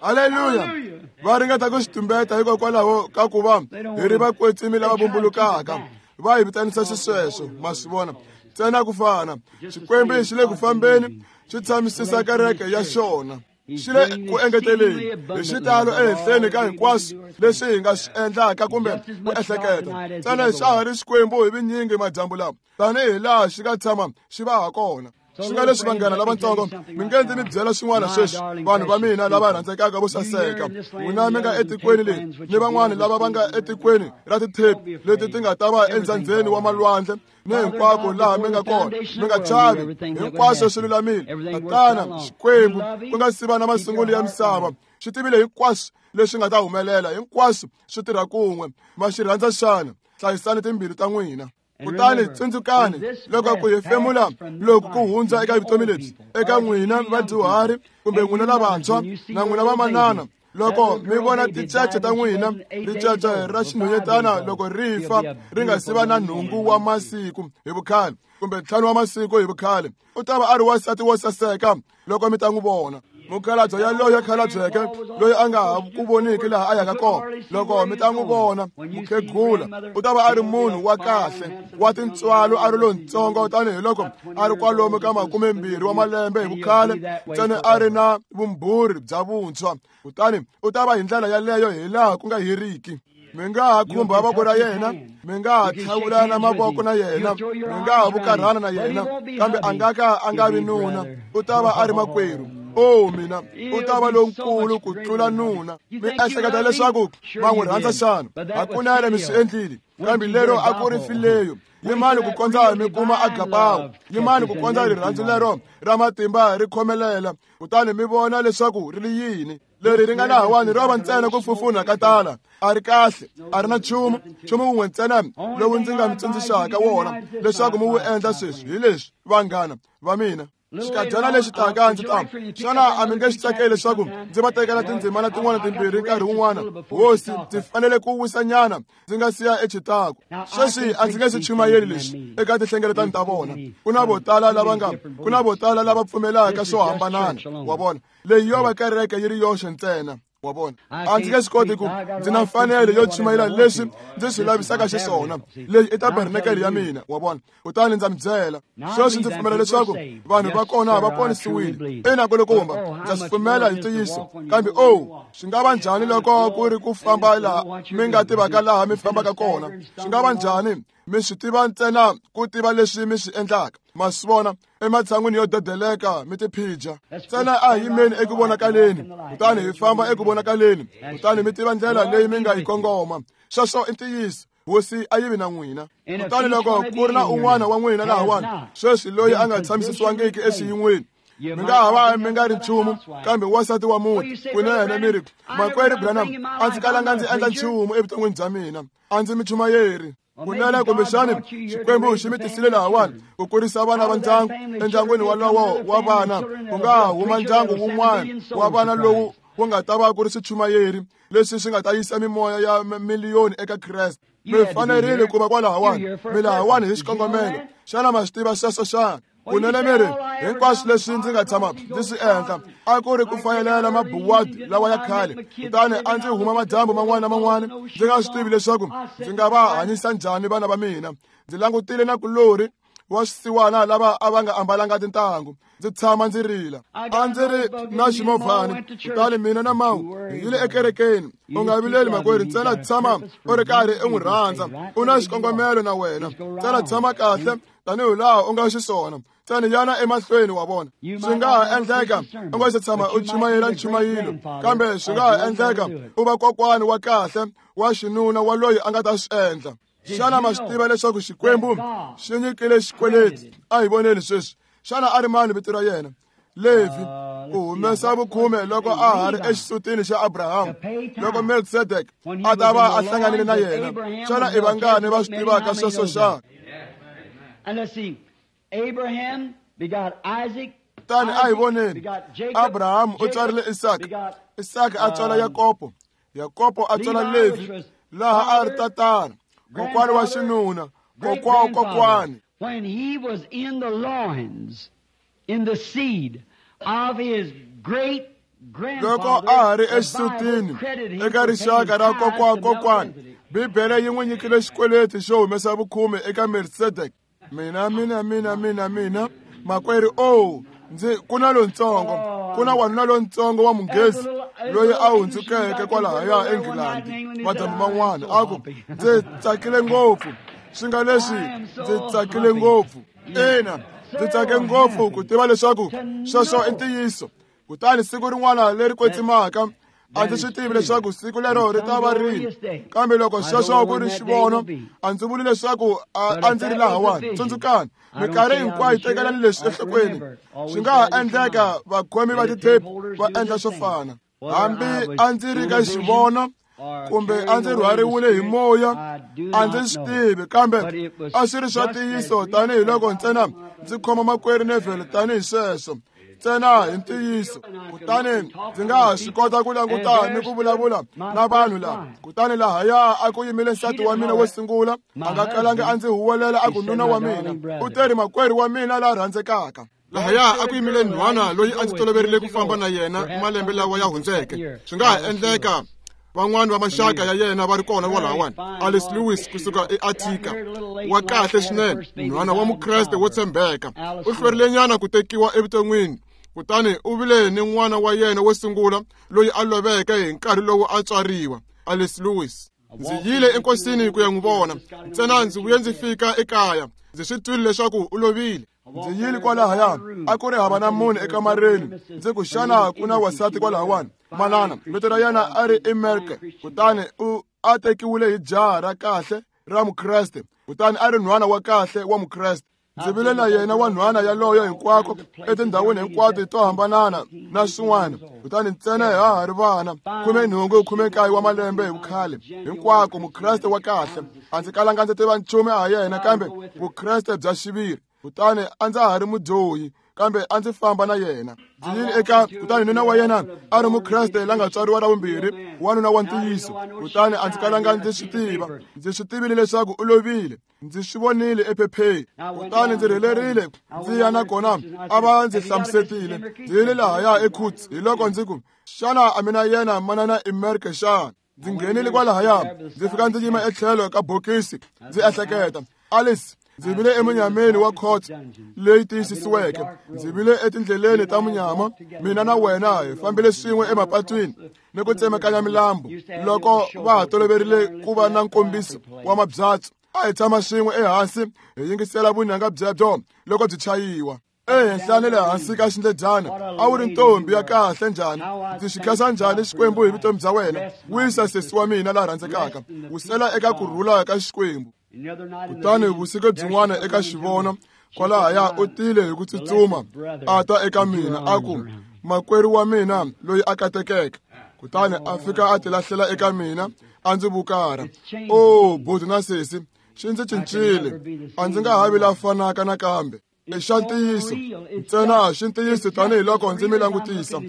Haleluya! Va ringeta ku swi tumbeta hikokwalaho ka ku va hi ri vakwetsimi lava vumbulukaka. Va hi vitanisa xisweswo, ma swi vona, ntsena ku fana. Xikwembu xi le ku fambeni, xi tshamisisa kereke ya xona. Xi le ku engeteleni hi xitalo ehenhleni ka hinkwaswo leswi hi nga swi endlaka kumbe ku ehleketa. Ntsena xa ha ri Xikwembu hi vinyingi madyambu lawa, tanihi laha xi nga tshama xi va ha kona. Swi nga leswi vanghana lavatsongo, mi nge ndzi mi byela swin'wana sweswi, vanhu va mina lava rhandzekaka vo saseka. N'wina mi nga etikweni leri ni van'wana lava va nga etikweni ra tithepi leti ti nga ta va endzhandzeni wa malwandle ni hinkwako laha mi nga kona, mi nga chavi, hinkwaswo swi lulamile. Tatana Xikwembu ku nga siva na masungulo ya misava, xi tivile hinkwaswo leswi nga ta humelela, hinkwaswo swi tirha kun'we. Ma xi rhandza xana? Hlayisani timbilu ta n'wina. Kutani tsundzukani loko ku hefemula loko ku hundza eka vutomi lebyi, eka n'wina vadyuhari kumbe n'wina lavantshwa na n'wina vamanana, Loko mi vona tincece ta n'wina, ricece ra xinhwanyetana loko ri fa ri nga si va na nhungu wa masiku hi vukhale kumbe ntlhanu wa masiku hi vukhale, u ta va a ri wansati wo saseka loko mi ta n'wi vona. Mukhalabye yaloye khalabyeke loyi a nga ha ku voniki laha a yaka kona, loko mi ta n'wi vona mukhegula, u ta va a ri munhu wa kahle wa tintswalo, a ri lontsongo tanihiloko a ri kwalomu ka makumembirhi wa malembe hi vukhale, ntsena a ri na vumbhurhi bya vuntshwa. Kutani u ta va hi ndlela yaleyo hi laha ku nga heriki. Mi nga ha khumba voko ra yena, mi nga ha tlhavulana mavoko na yena, mi nga ha vukarhana na yena, kambe a nga ka a nga vi nuna, u ta va a ri makwerhu. O mina, u ta va lonkulu ku tlula nuna. Mi ehleketa leswaku va n'wi rhandza xana? Hakunene mi swi endlile, kambe lero a ku ri fileyo. Yimani ku kondza mi kuma agapawo, yimani ku kondza rirhandzu lero ra matimba ri khomelela, kutani mi vona leswaku ri ri yini. Leri ri nga lahawani ro va ntsena ku fufuna ka tala, a ri kahle, a ri na nchumu. Nchumu wun'we ntsena lowu ndzi nga mi tsundzuxaka wona leswaku mi wu endla sweswi hi leswi, vanghana va mina. Xikadyana lexi taka ndzi ta, xana a mi nge xi tsakeli leswaku ndzi va tekela tindzimana tin'wana timbirhi nkarhi wun'wana? Hosi, ndzi fanele ku wisanyana ndzi nga siya eChicago. Sweswi a ndzi nge xi chumayeli lexi eka tinhlengeletano ta vona. Ku na vo tala lava nga ku na vo tala lava pfumelaka swo hambanana, wa vona. Leyi yo va kereke yi ri yoxe ntsena, wa vona. A ndzi nge swi koti ku ndzi na mfanelo yo chumayela leswi ndzi swi lavisaka xiswona. Leyi i tabernakele ya mina, wa vona. Kutani ndza mi byela sweswi, ndzi pfumela leswaku vanhu va kona va ponisiwile. Ina kulukumba, ndza swi pfumela hi ntiyiso. Kambe o swi nga va njhani loko ku ri ku famba laha mi nga tivaka laha mi fambaka kona? Swi nga va njhani mi swi tiva ntsena ku tiva leswi mi swi endlaka? Ma swi vona, ematshan'wini yo dedeleka mi tiphija ntsena, a hi yimeni eku vonakaleni, kutani hi famba eku vonakaleni, kutani mi tiva ndlela leyi mi nga yi kongoma. Sweswo i ntiyiso. Hosi a yi vi na n'wina. Kutani loko ku ri na un'wana wa n'wina lahawani sweswi loyi a nga tshamisisiwangiki exiyin'weni, mi nga ha va mi nga ri nchumu kambe wansati wa muti, kunene mi ri, makwerhu Branham, a ndzi kalanga ndzi endla nchumu evuton'wini bya mina, a ndzi michumayeri. Kunene kumbexani Xikwembu xi mi tisile lahawani ku kurisa vana va ndyangu. Endyangwini walowo wa vana ku nga huma ndyangu wun'wana wa vana lowu wu nga ta va ku ri swichumayeri leswi swi nga ta yisa mimoya ya miliyoni eka Kreste. Mi fanerile ku va kwalahawani, mi lahawani hi xikongomelo. Xana ma swi tiva sweswo xana? Kunene mi ri, hinkwaswo leswi ndzi nga tshama ndzi swi endla a ku ri ku fayelela mabuwadi lawa ya khale, kutani a ndzi huma madyambu man'wana na man'wana ndzi nga swi tivi leswaku ndzi nga va hanyisa njhani vana va mina. Ndzi langutile na kulorhi wa swisiwana lava a va nga ambalanga tintangu, ndzi tshama ndzi rila. A ndzi ri na ximovhani, kutani mina na mawu hi yile ekerekeni. U nga vileli makwerhu, ntsena tshama u ri karhi u n'wi rhandza, u na xikongomelo na wena. Ntsena tshama kahle tanihi laha u nga xiswona, ntsena yana emahlweni, wa vona. Swi nga ha endleka u nga se tshama u chumayela nchumayelo, kambe swi nga ha endleka u va kokwani wa kahle wa xinuna wa loyi a nga ta swi endla. Xana ma swi tiva leswaku Xikwembu xi nyikile xikweleti? A hi voneni sweswi. Xana a ri mani vito ra yena? Levi, ku humesa vukhume loko a ha ri exisutini xa Abraham, loko Melkisedek a ta va a hlanganile na yena. Xana i vangani va swi tivaka sweswo xana? Kutani a hi voneni, Abraham u tswarile Isaka, Isaka a tswala Yakobo, Yakobo a tswala Levi, laha a ri tatana, kokwani wa xinuna, kokwa kokwani. When he was in the loins, in the seed of his great loko a ha ri exisutini eka rixaka ra kokwa kokwani, Bibele yi n'wi nyikile xikweleti xo humesa vukhume eka Melkisedek. Mina mina mina mina mina makwerhu, o ndzi ku na lontsongo, ku na wanuna lontsongo wa munghezi loyi a hundzukeke kwalahaya eNgilandi madyambu man'wana, a ku, ndzi tsakile ngopfu. Swi nga leswi ndzi tsakile ngopfu. Ina, ndzi tsake ngopfu ku tiva leswaku sweswo i ntiyiso. Kutani siku rin'wana leri kwetsimaka, a ndzi swi tivi leswaku siku lero ri ta va rini, kambe loko sweswo ku ri xivono, a ndzi vuli leswaku a ndzi ri lahawani. Tsundzukani, minkarhi hinkwayo tekelani leswi enhlokweni. Swi nga ha endleka vakhomi va tithepi va endla swo fana. Hambi a ndzi ri ka xivono kumbe a ndzi rhwariwile hi moya, a ndzi swi tivi, kambe a swi ri swa ntiyiso tanihiloko ntsena ndzi khoma makwerhu Neville tanihi sweswo. Ntsena hi ntiyiso. Kutani ndzi nga ha swi kota ku languta ni ku vulavula na vanhu lava. Kutani lahaya a ku yimile nsati wa mina wo sungula, a nga kalangi a ndzi huwelela a ku nuna wa mina. U teri makwerhu wa mina la rhandzekaka. Lahaya a ku yimile nhwana loyi a ndzi toloverile ku famba na yena malembe lawa ya hundzeke. Swi nga ha endleka van'wani va maxaka ya yena va ri kona kwalahawani. Alice Lewis kusuka eAttica, wa kahle swinene, nhwana wa Mukreste wo tshembeka. U hlwerilenyana ku tekiwa evuton'wini, kutani u vile ni n'wana wa yena wo sungula loyi a loveke hi nkarhi lowu a tswariwa, Alice Lewis. Ndzi yile enkosini ku ya n'wi vona, ntsena ndzi vuye ndzi fika ekaya, ndzi swi twile leswaku u lovile. Ndzi yile kwalahaya, a ku ri hava na munhu ekamareni. Ndzi ku, xana ku na wansati kwalahawani? Manana, vito ra yena a ri Emerke, kutani u a tekiwile hi jaha ra kahle ra Mukreste, kutani a ri nhwana wa kahle wa Mukreste. Ndzi vile na yena wa nhwana yaloyo hinkwako etindhawini hinkwato to hambanana na swin'wana, kutani ntsena ha ha ri vana, khume nhungu khume nkaye wa malembe hi vukhale, hinkwako Mukreste wa kahle. A ndzi kalanga ndzi tiva nchumu ha yena kambe Vukreste bya xiviri. Kutani a ndza ha ri mudyohi, kambe a ndzi famba na yena. Ndzi yile eka, kutani nuna wa yena a ri Mukreste la nga tswariwa ra vumbirhi, wanuna wa ntiyiso. Kutani a ndzi kalanga ndzi swi tiva. Ndzi swi tivile leswaku u lovile. Ndzi swi vonile ephepheni. Kutani ndzi rhelerile ndzi ya nakona a va ndzi hlamusetile. Ndzi yile lahaya eKhuts, hi loko ndzi ku, xana a mina yena manana Emerke xana? Ndzi nghenile kwalahaya, ndzi fika ndzi yima etlhelo ka bokisi, ndzi ehleketa, Alice, ndzi vile emunyameni wa khotso leyi tiyisisiweke. Ndzi vile etindleleni ta munyama. Mina na wena hi fambile swin'we emapatwini ni ku tsemakanya milambu. Loko va ha toloverile ku va na nkombiso wa mabyatso, a hi tshama swin'we ehansi hi yingisela vunanga byebyo loko byi chayiwa. Ehenhla ni le hansi ka xindledyana a wu ri ntombi ya kahle njhani. Ndzi xi khensa njhani Xikwembu hi vutomi bya wena. Wisa sesi wa mina la rhandzekaka, wusela eka ku rhula ka Xikwembu. Kutani vusiku byin'wana eka xivono kwalahaya u tile hi ku tsutsuma a ta eka mina, a ku, makwerhu wa mina loyi a katekeke. Kutani a fika a tilahlela eka mina, a ndzi vukara. O buti na sesi, xi ndzi cincile. A ndzi nga ha vi la fanaka nakambe. I xa ntiyiso, ntsena xi ntiyiso tanihiloko ndzi mi langutisa,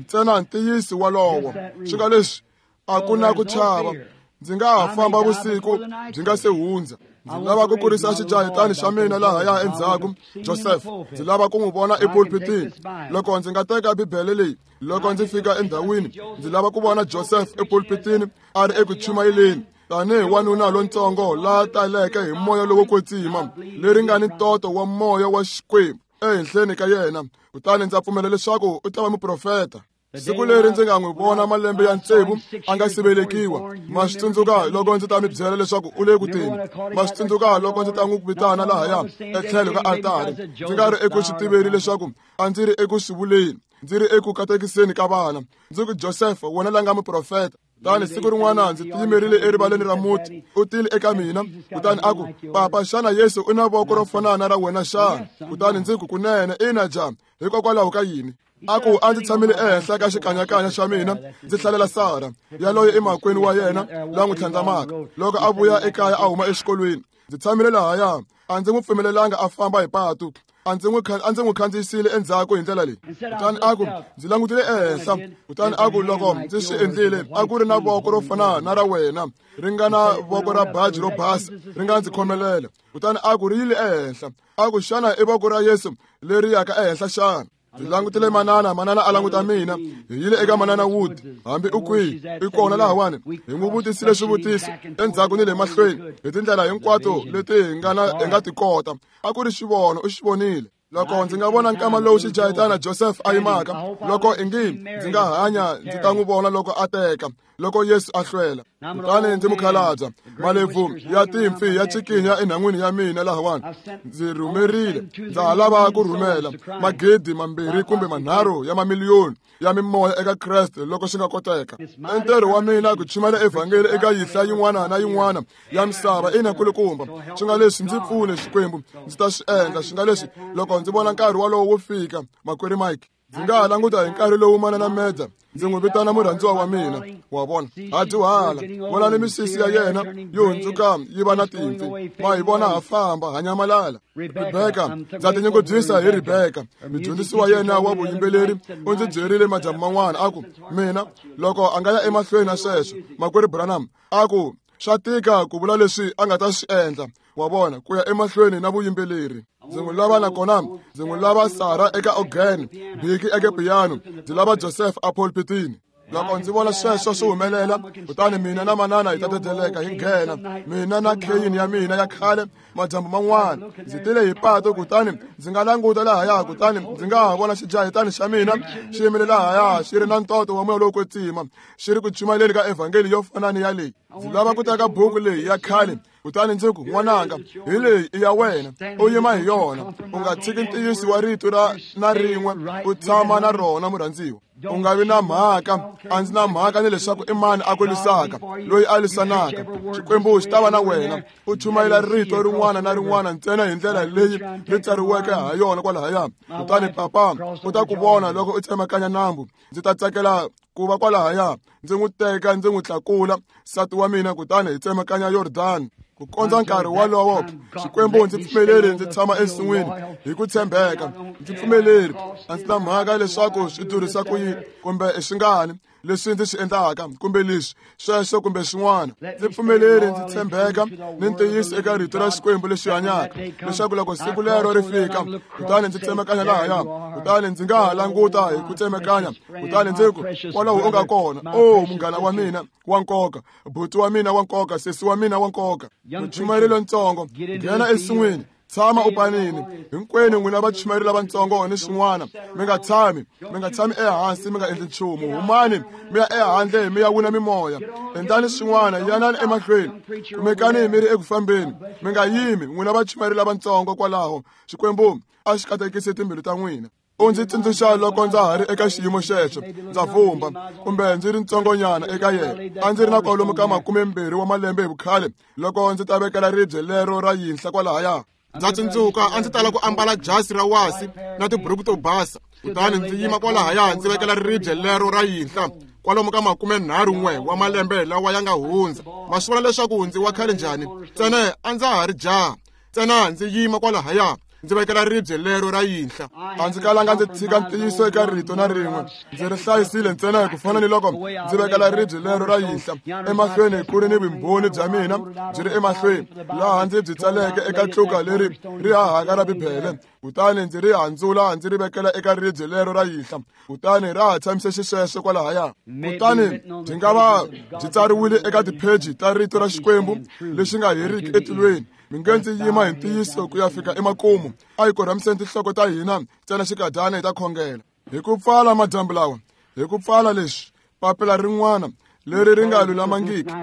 ntsena ntiyiso walowo. Swi nga leswi a ku na ku chava. Ndzi nga ha famba vusiku byi nga se hundza. Ndzi lava ku kurisa xijahetani xa mina lahaya endzhaku, Joseph. Ndzi lava ku n'wi vona epulpitini. Loko ndzi nga teka Bibele leyi, loko ndzi fika endhawini, ndzi lava ku vona Joseph epulpitini a ri eku chumayeleni tanihi wanuna lontsongo la taleke hi moya lowo kwetsima, leri nga ni ntoto wa moya wa Xikwembu ehenhleni ka yena. Kutani ndza pfumela leswaku u ta va muprofeta. Siku leri ndzi nga n'wi vona malembe ya tsevu a nga si velekiwa, ma swi tsundzuka loko ndzi ta mi byela leswaku u le ku teni. Ma swi tsundzuka loko ndzi ta n'wi vitana lahaya etlhelo ka altari. Ndzi nga ri eku swi tiveni leswaku a ndzi ri eku swi vuleni, ndzi ri eku katekiseni ka vana. Ndzi ku, Joseph, wena la nga muprofeta. Kutani siku rin'wana ndzi tiyimerile erivaleni ra muti, u tile eka mina, kutani a ku, papa, xana Yesu u na voko ro fana na ra wena xana? Kutani ndzi ku, kunene, ina ja, hikokwalaho ka yini? A ku, a ndzi tshamile ehenhla ka xikanyakanya xa mina ndzi hlalela Sara yaloye emakwenu wa yena la n'wi tlhandlamaka loko a vuya ekaya a huma exikolweni. Ndzi tshamile lahaya, a ndzi n'wi pfumelelanga a famba hi patu, a ndzi n'wi a ndzi n'wi khandziyisile endzhaku hi ndlela leyi. Kutani a ku, ndzi langutile ehenhla, kutani a ku, loko ndzi swi endlile, a ku ri na voko ro fana na ra wena, ri nga na voko ra baji ro basa, ri nga ndzi khomelela. Kutani a ku, ri yile ehenhla. A ku, xana i voko ra Yesu leri yaka ehenhla xana? Ndzi langutile manana, manana a languta mina. Hi yile eka manana Wood, hambi u kwihi, i kona lahawani. Hi n'wi vutisile swivutiso endzhaku ni le mahlweni hi tindlela hinkwato leti hi nga na hi nga ti kota. A ku ri xivono, u xi vonile. Loko ndzi nga vona nkama lowu xijahetana Joseph a yimaka, loko ingi ndzi nga hanya ndzi ta n'wi vona loko a teka, loko Yesu a hlwela. Kutani ndzi mukhalabya, malebvu ya timpfi ya cikinya enhan'wini ya mina lahawani. Ndzi rhumerile, ndza ha lava ku rhumela magidi mambirhi kumbe manharhu ya mamiliyoni ya mimoya eka Kreste loko swi nga koteka. I ntirho wa mina ku chumayela evhangeli eka yinhla yin'wana na yin'wana ya misava. Ina kulukumba, swi nga leswi ndzi pfune Xikwembu, ndzi ta swi endla. Swi nga leswi loko ndzi vona nkarhi walowo wo fika, makwerhu Mike, ndzi nga ha languta hi nkarhi lowu manana Meda Ndzi n'wi vitana murhandziwa wa mina. Wa vona, ha dyuhala. Vonani misisi ya yena yi hundzuka yi va na timpfi. Ma hi vona ha famba, ha nyamalala. Rebeka, ndza tinyungubyisa hi Rebeka. Mudyondzisi wa yena wa vuyimbeleri u ndzi byerile madyambu man'wana a ku, mina loko a nga ya emahlweni na sweswo, makwerhu Branham, a ku swa tika ku vula leswi a nga ta swi endla. Wa vona, ku ya emahlweni na vuyimbeleri. Ndzi n'wi lava nakona ndzi n'wi lava Sara eka organ, Biki eka piano, ndzi lava Joseph a pulpitini. Loko ndzi vona sweswo swi humelela, kutani mina na manana hi ta dedeleka hi nghena. Mina na kheyini ya mina ya khale madyambu man'wana ndzi tile hi pato, kutani ndzi nga languta lahaya, kutani ndzi nga ha vona xijahetani xa mina xi yimile lahaya xi ri na ntoto wa moya lowo kwetsima, xi ri ku chumayeleni ka evhangeli yo fana ni ya leyi. Ndzi lava ku teka buku leyi ya khale, kutani ndzi ku, n'wananga, hi leyi i ya wena, u yima hi yona, u nga tshiki ntiyiso wa rito ra na rin'we, u tshama na rona murhandziwa. U nga vi na mhaka, a ndzi na mhaka ni leswaku i mani a ku lwisaka, loyi a lwisanaka. Xikwembu xi ta va na wena. U chumayela rito rin'wana na rin'wana ntsena hi ndlela leyi ri tsariweke ha yona kwalahaya. Kutani papa u ta ku vona loko u tsemakanya nambu. Ndzi ta tsakela ku va kwalahaya, ndzi n'wi teka ndzi n'wi tlakula nsati wa mina, kutani hi tsemakanya Yordani. Ku kondza nkarhi wolowo, Xikwembu ndzi pfumeleri ndzi tshama ensin'wini hi ku tshembeka. Ndzi pfumeleri, a ndzi na mhaka leswaku swi durhisa ku yini kumbe i swingani leswi ndzi swi endlaka kumbe leswi sweswo kumbe swin'wana. Ndzi pfumeleri ndzi tshembeka ni ntiyiso eka rito ra Xikwembu lexi hanyaka, leswaku loko siku lero ri fika, kutani ndzi tsemakanya lahaya, kutani ndzi nga ha languta hi ku tsemakanya, kutani ndzi ku, kwalaho u nga kona, o munghana wa mina wa nkoka, buti wa mina wa nkoka, sesi wa mina wa nkoka. Muchumayeri lontsongo, nghena ensin'wini, tshama u panini. Hinkwenu n'wina vachumayeri lavatsongo ni swin'wana, mi nga tshami, mi nga tshami ehansi, mi nga endli nchumu. Humani mi ya ehandle mi ya wina mimoya. Endlani swin'wana, yanani emahlweni, kumekani mi ri eku fambeni, mi nga yimi. N'wina vachumayeri lavatsongo kwalaho, Xikwembu a xi katekise timbilu ta n'wina. U ndzi tsundzuxa loko ndza ha ri eka xiyimo xexo, ndza vumba kumbe ndzi ri ntsongonyana eka yena. A ndzi ri na kwalomu ka makumembirhi wa malembe hi vukhale loko ndzi ta vekela ribye lero ra yinhla kwalahaya. Ndza tsundzuka a ndzi tala ku ambala jasi ra wasi na tiburuku to basa, kutani ndzi yima kwalahaya ndzi vekela ribye lero ra yinhla kwalomu ka makumenharhu n'we wa malembe lawa ya nga hundza. Ma swi vona leswaku ndzi wa khale njhani? Ntsena a ndza ha ri jaha, ntsena ndzi yima kwalahaya ndzi vekela ribye lero ra yinhla. A ndzi kalanga ndzi tshika ntiyiso eka rito na rin'we, ndzi ri hlayisile ntsena hi ku fana ni loko ndzi vekela ribye lero ra yinhla emahlweni ku ri ni vumbhoni bya mina byi ri emahlweni, laha ndzi byi tsaleke eka tluka leri ri hahaka ra Bibele. Kutani ndzi ri handzula ndzi ri vekela eka ribye lero ra yinhla, kutani ra ha tshamise xisweswo kwalahaya. Kutani byi nga va byi tsariwile eka tipheji ta rito ra Xikwembu lexi nga heriki etilweni. Mi nge ndzi yima hi ntiyiso ku ya fika emakumu. A hi korhamiseni tinhloko ta hina ntsena xikadyana hi ta khongela. Hi ku pfala madyambu lawa, hi ku pfala leswi, papila rin'wana leri ri nga lulamangiki,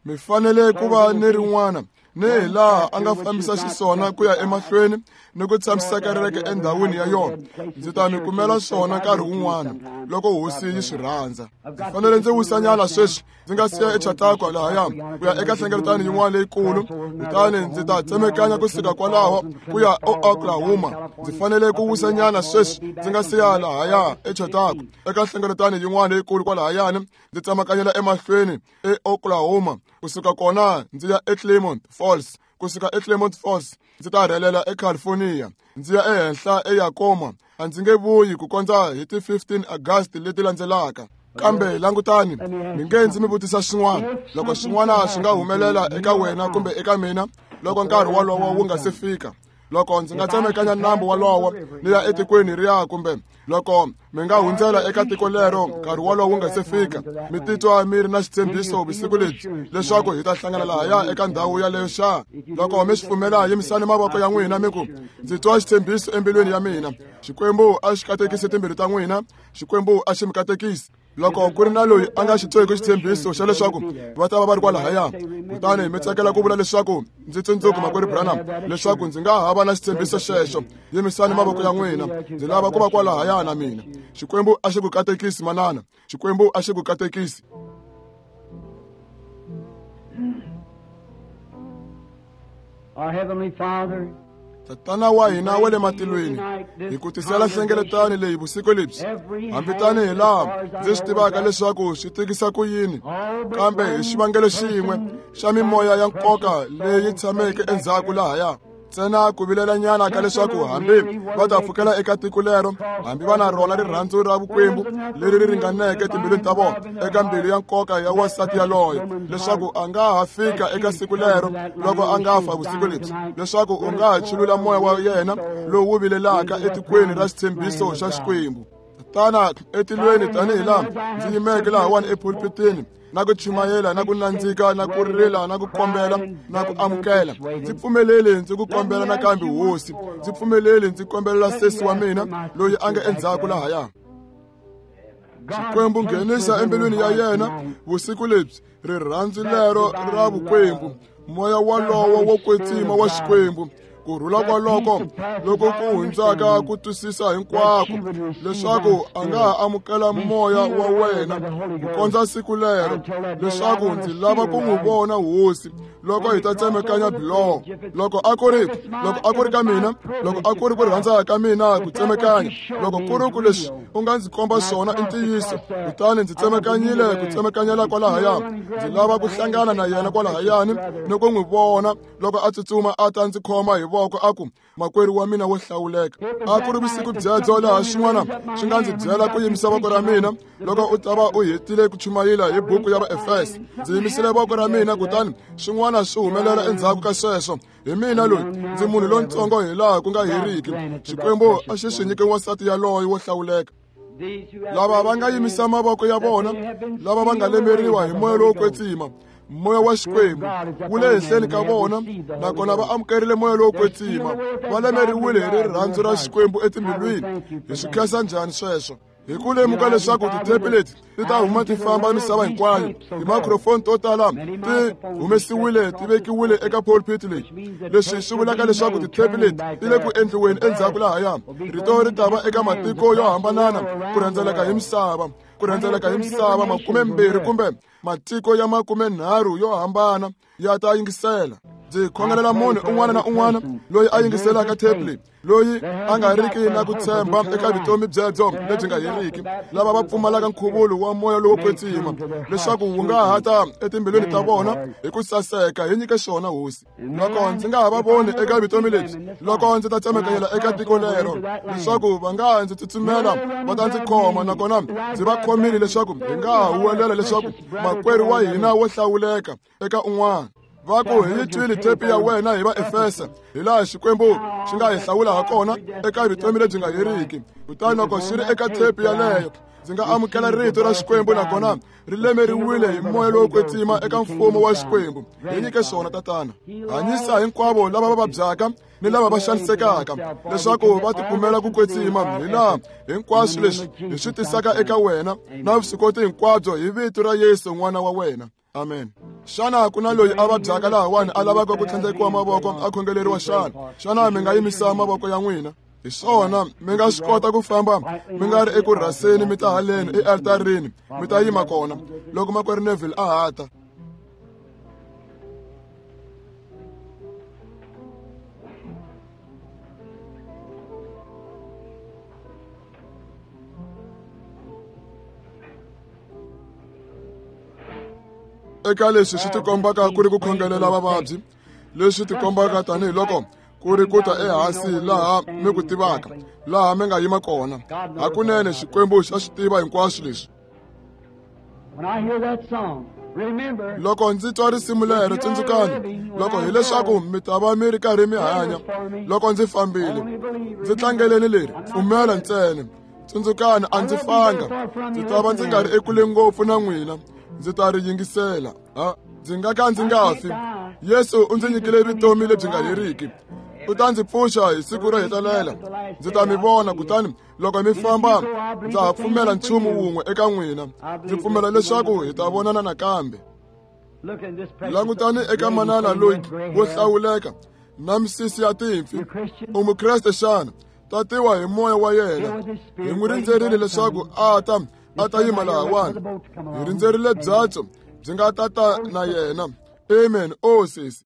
mi fanele ku va ni rin'wana ni hi laha a nga fambisa xiswona ku ya emahlweni ni ku tshamiseka reke endhawini ya yona. Ndzi ta mi kumela swona nkarhi wun'wana loko hosi yi swi rhandza. Ndzi fanele ndzi wisanyana sweswi, ndzi nga siya eChautauqua lahaya ku ya eka nhlengeletano yin'wana leyikulu, kutani ndzi ta tsemekanya kusuka kwalaho ku ya eOklahoma. Ndzi fanele ku wisanyana sweswi, ndzi nga siya lahaya eChautauqua eka nhlengeletano yin'wana leyikulu kwalahayani, ndzi tsemakanyela emahlweni eOklahoma. Kusuka kona ndzi ya eClermont Falls, kusuka eClermont Falls ndzi ta rhelela eCalifornia, ndzi ya ehenhla eYakoma. A ndzi nge vuyi ku kondza hi ti fifteen August leti landzelaka. Kambe langutani, mi nge ndzi mi vutisa swin'wana. Loko swin'wana swi nga humelela eka wena kumbe eka mina loko nkarhi wolowo wu nga se fika, loko ndzi nga tsemekanya nambu wolowo ni ya etikweni riya, kumbe loko mi nga hundzela eka tiko lero nkarhi wolowo wu nga se fika, mi titwa mi ri na xitshembiso vusiku lebyi leswaku hi ta hlangana lahaya eka ndhawu yaleyo xa? Loko mi swi pfumela, yimisani mavoko ya n'wina mi ku, ndzi twa xitshembiso embilwini ya mina. Xikwembu a xi katekise timbilu ta n'wina, Xikwembu a xi mi katekisi. Loko ku ri na loyi a nga xi tweki xitshembiso xa leswaku va ta va va ri kwalahaya, kutani mi tsakela ku vula leswaku ndzi tsundzuki makwerhu Branham leswaku ndzi nga ha va na xitshembiso xexo, yimisani mavoko ya n'wina. Ndzi lava ku va kwalahaya na mina. Xikwembu a xi ku katekisi manana, Xikwembu a xi ku katekisi. Our Heavenly Father, Tatana wa hina wa le matilweni, hi ku tisela nhlengeletano leyi vusiku lebyi, hambi tanihi laha ndzi swi tivaka leswaku swi tikisa ku yini, kambe hi xivangelo xin'we xa mimoya ya nkoka leyi tshameke endzhaku lahaya, ntsena ku vilelanyana ka leswaku hambi va ta pfukela eka tiko lero, hambi va na rona rirhandzu ra vukwembu leri ri ringaneke etimbilwini ta vona, eka mbilu ya nkoka ya wansati yaloye, leswaku a nga ha fika eka siku lero loko a nga fa vusiku lebyi, leswaku u nga ha chulula moya wa yena lowu vilelaka etikweni ra xitshembiso xa Xikwembu. Tatana etilweni, tanihi laha ndzi yimeke lahawani epulpitini na ku chumayela na ku nandzika na ku rila na ku kombela na ku amukela, ndzi pfumeleli ndzi ku kombela nakambe hosi, ndzi pfumeleli ndzi kombelela sesi wa mina loyi a nga endzhaku lahaya. Xikwembu nghenisa embilwini ya yena vusiku lebyi rirhandzu lero ra vukwembu, moya walowo wo kwetsima wa Xikwembu, ku rhula kwaloko loko ku hundzaka ku twisisa hinkwako, leswaku a nga ha amukela moya wa wena ku kondza siku lero, leswaku ndzi lava ku n'wi vona hosi loko hi ta tsemekanya biloho. Loko a ku ri loko a ku ri ka mina, loko a ku ri ku rhandza ka mina ku tsemekanya, loko ku ri ku leswi u nga ndzi komba swona i ntiyiso, kutani ndzi tsemekanyile ku tsemekanyela kwalahaya, ndzi lava ku hlangana na yena kwalahayani ni ku n'wi vona loko a tsutsuma a ta ndzi khoma hi voko a ku, makwerhu wa mina wo hlawuleka. A ku ri vusiku byebyo laha xin'wana xi nga ndzi byela ku yimisa voko ra mina loko u ta va u hetile ku chumayela hi buku ya Vaefesa. Ndzi yimisile voko ra mina, kutani xin'wana swi humelela endzhaku ka sweswo. Hi mina loyi, ndzi munhu lontsongo hi laha ku nga heriki. Xikwembu a xi swi nyike wansati yaloye wo hlawuleka. Lava va nga yimisa mavoko ya vona, lava va nga lemeriwa hi moya lowo kwetsima, moya wa Xikwembu wu le henhleni ka vona, nakona va amukerile moya lowo kwetsima, va lemeriwile hi rirhandzu ra Xikwembu etimbilwini. Hi swi khensa njhani sweswo? Hi ku lemuka leswaku tithepi leti ti ta huma ti famba misava hinkwayo, timicrophone to tala ti humesiwile ti vekiwile eka pulpit leyi. Leswi swi vulaka leswaku tithepi leti ti le ku endliweni endzhaku lahaya. Rito ri ta va eka matiko yo hambanana ku rhendzeleka hi misava, ku rhendzeleka hi misava makumembirhi kumbe matiko ya makumenharhu yo hambana ya ta yingisela. Ndzi khongelela munhu un'wana na un'wana loyi a yingiselaka thepi leyi, loyi a nga riki na ku tshemba eka vutomi byebyo lebyi nga heriki, lava va pfumalaka nkhuvulo wa moya lowo kwetsima, leswaku wu nga ha ta etimbilwini ta vona hi ku saseka. Hi nyike xona hosi. Loko ndzi nga ha va voni eka vutomi lebyi, loko ndzi ta tsemekanyela eka tiko lero, leswaku va nga ndzi tsutsumela va ta ndzi khoma, nakona ndzi va khomile leswaku hi nga ha huwelela leswaku makwerhu wa hina wo hlawuleka eka un'wana. Va ku hi yi twile thepi ya wena hi Vaefesa, hi laha Xikwembu xi nga hi hlawula ha kona eka vutomi lebyi nga heriki. Kutani loko xi ri eka thepi yaleyo, ndzi nga amukela rito ra Xikwembu, nakona ri lemeriwile hi moya lowo kwetsima eka mfumo wa Xikwembu. Hi nyike swona tatana. Hanyisa hinkwavo lava va vabyaka ni lava va xanisekaka, leswaku va tikumela ku kwetsima hi laha hinkwaswo leswi hi swi tisaka eka wena na vuswikoti hinkwabyo, hi vito ra Yesu n'wana wa wena. Amen. Xana ku na loyi a vabyaka lahawani a lavaka ku tlhandlekiwa mavoko a khongeleriwa xana? Xana mi nga yimisa mavoko ya n'wina? Hi swona, mi nga swi kota ku famba mi nga ri eku rhaseni mi ta haleni ealtarini, mi ta yima kona loko makwerhu Neville a ha ta. Eka leswi swi tikombaka ku ri ku khongelela vavabyi, leswi tikombaka tanihiloko ku ri ku ta ehansi laha mi ku tivaka, laha mi nga yima kona. Hakunene Xikwembu xa swi tiva hinkwaswo leswi. Loko ndzi twa risimu lero, tsundzukani, loko hileswaku mi ta va mi ri karhi mi hanya loko ndzi fambile, ndzi tlangeleni leri, pfumela ntsena. Tsundzukani, a ndzi fanga, ndzi ta va ndzi nga ri ekule ngopfu na n'wina, ndzi ta ri yingisela. Ha, ndzi nga ka ndzi nga fi. Yesu u ndzi nyikile vutomi lebyi nga heriki. U ta ndzi pfuxa hi siku ro hetelela. Ndzi ta mi vona, kutani loko mi famba ndza ha pfumela nchumu wun'we eka n'wina. Ndzi pfumela leswaku hi ta vonana nakambe. Langutani eka manana loyi wo hlawuleka na misisi ya timpfi. U mukreste xana? Tatiwa hi moya wa yena. Hi n'wi rindzerile leswaku a ta a ta yima lahawani. Hi rindzerile byatso byi nga tata na yena. Amen. O sesi.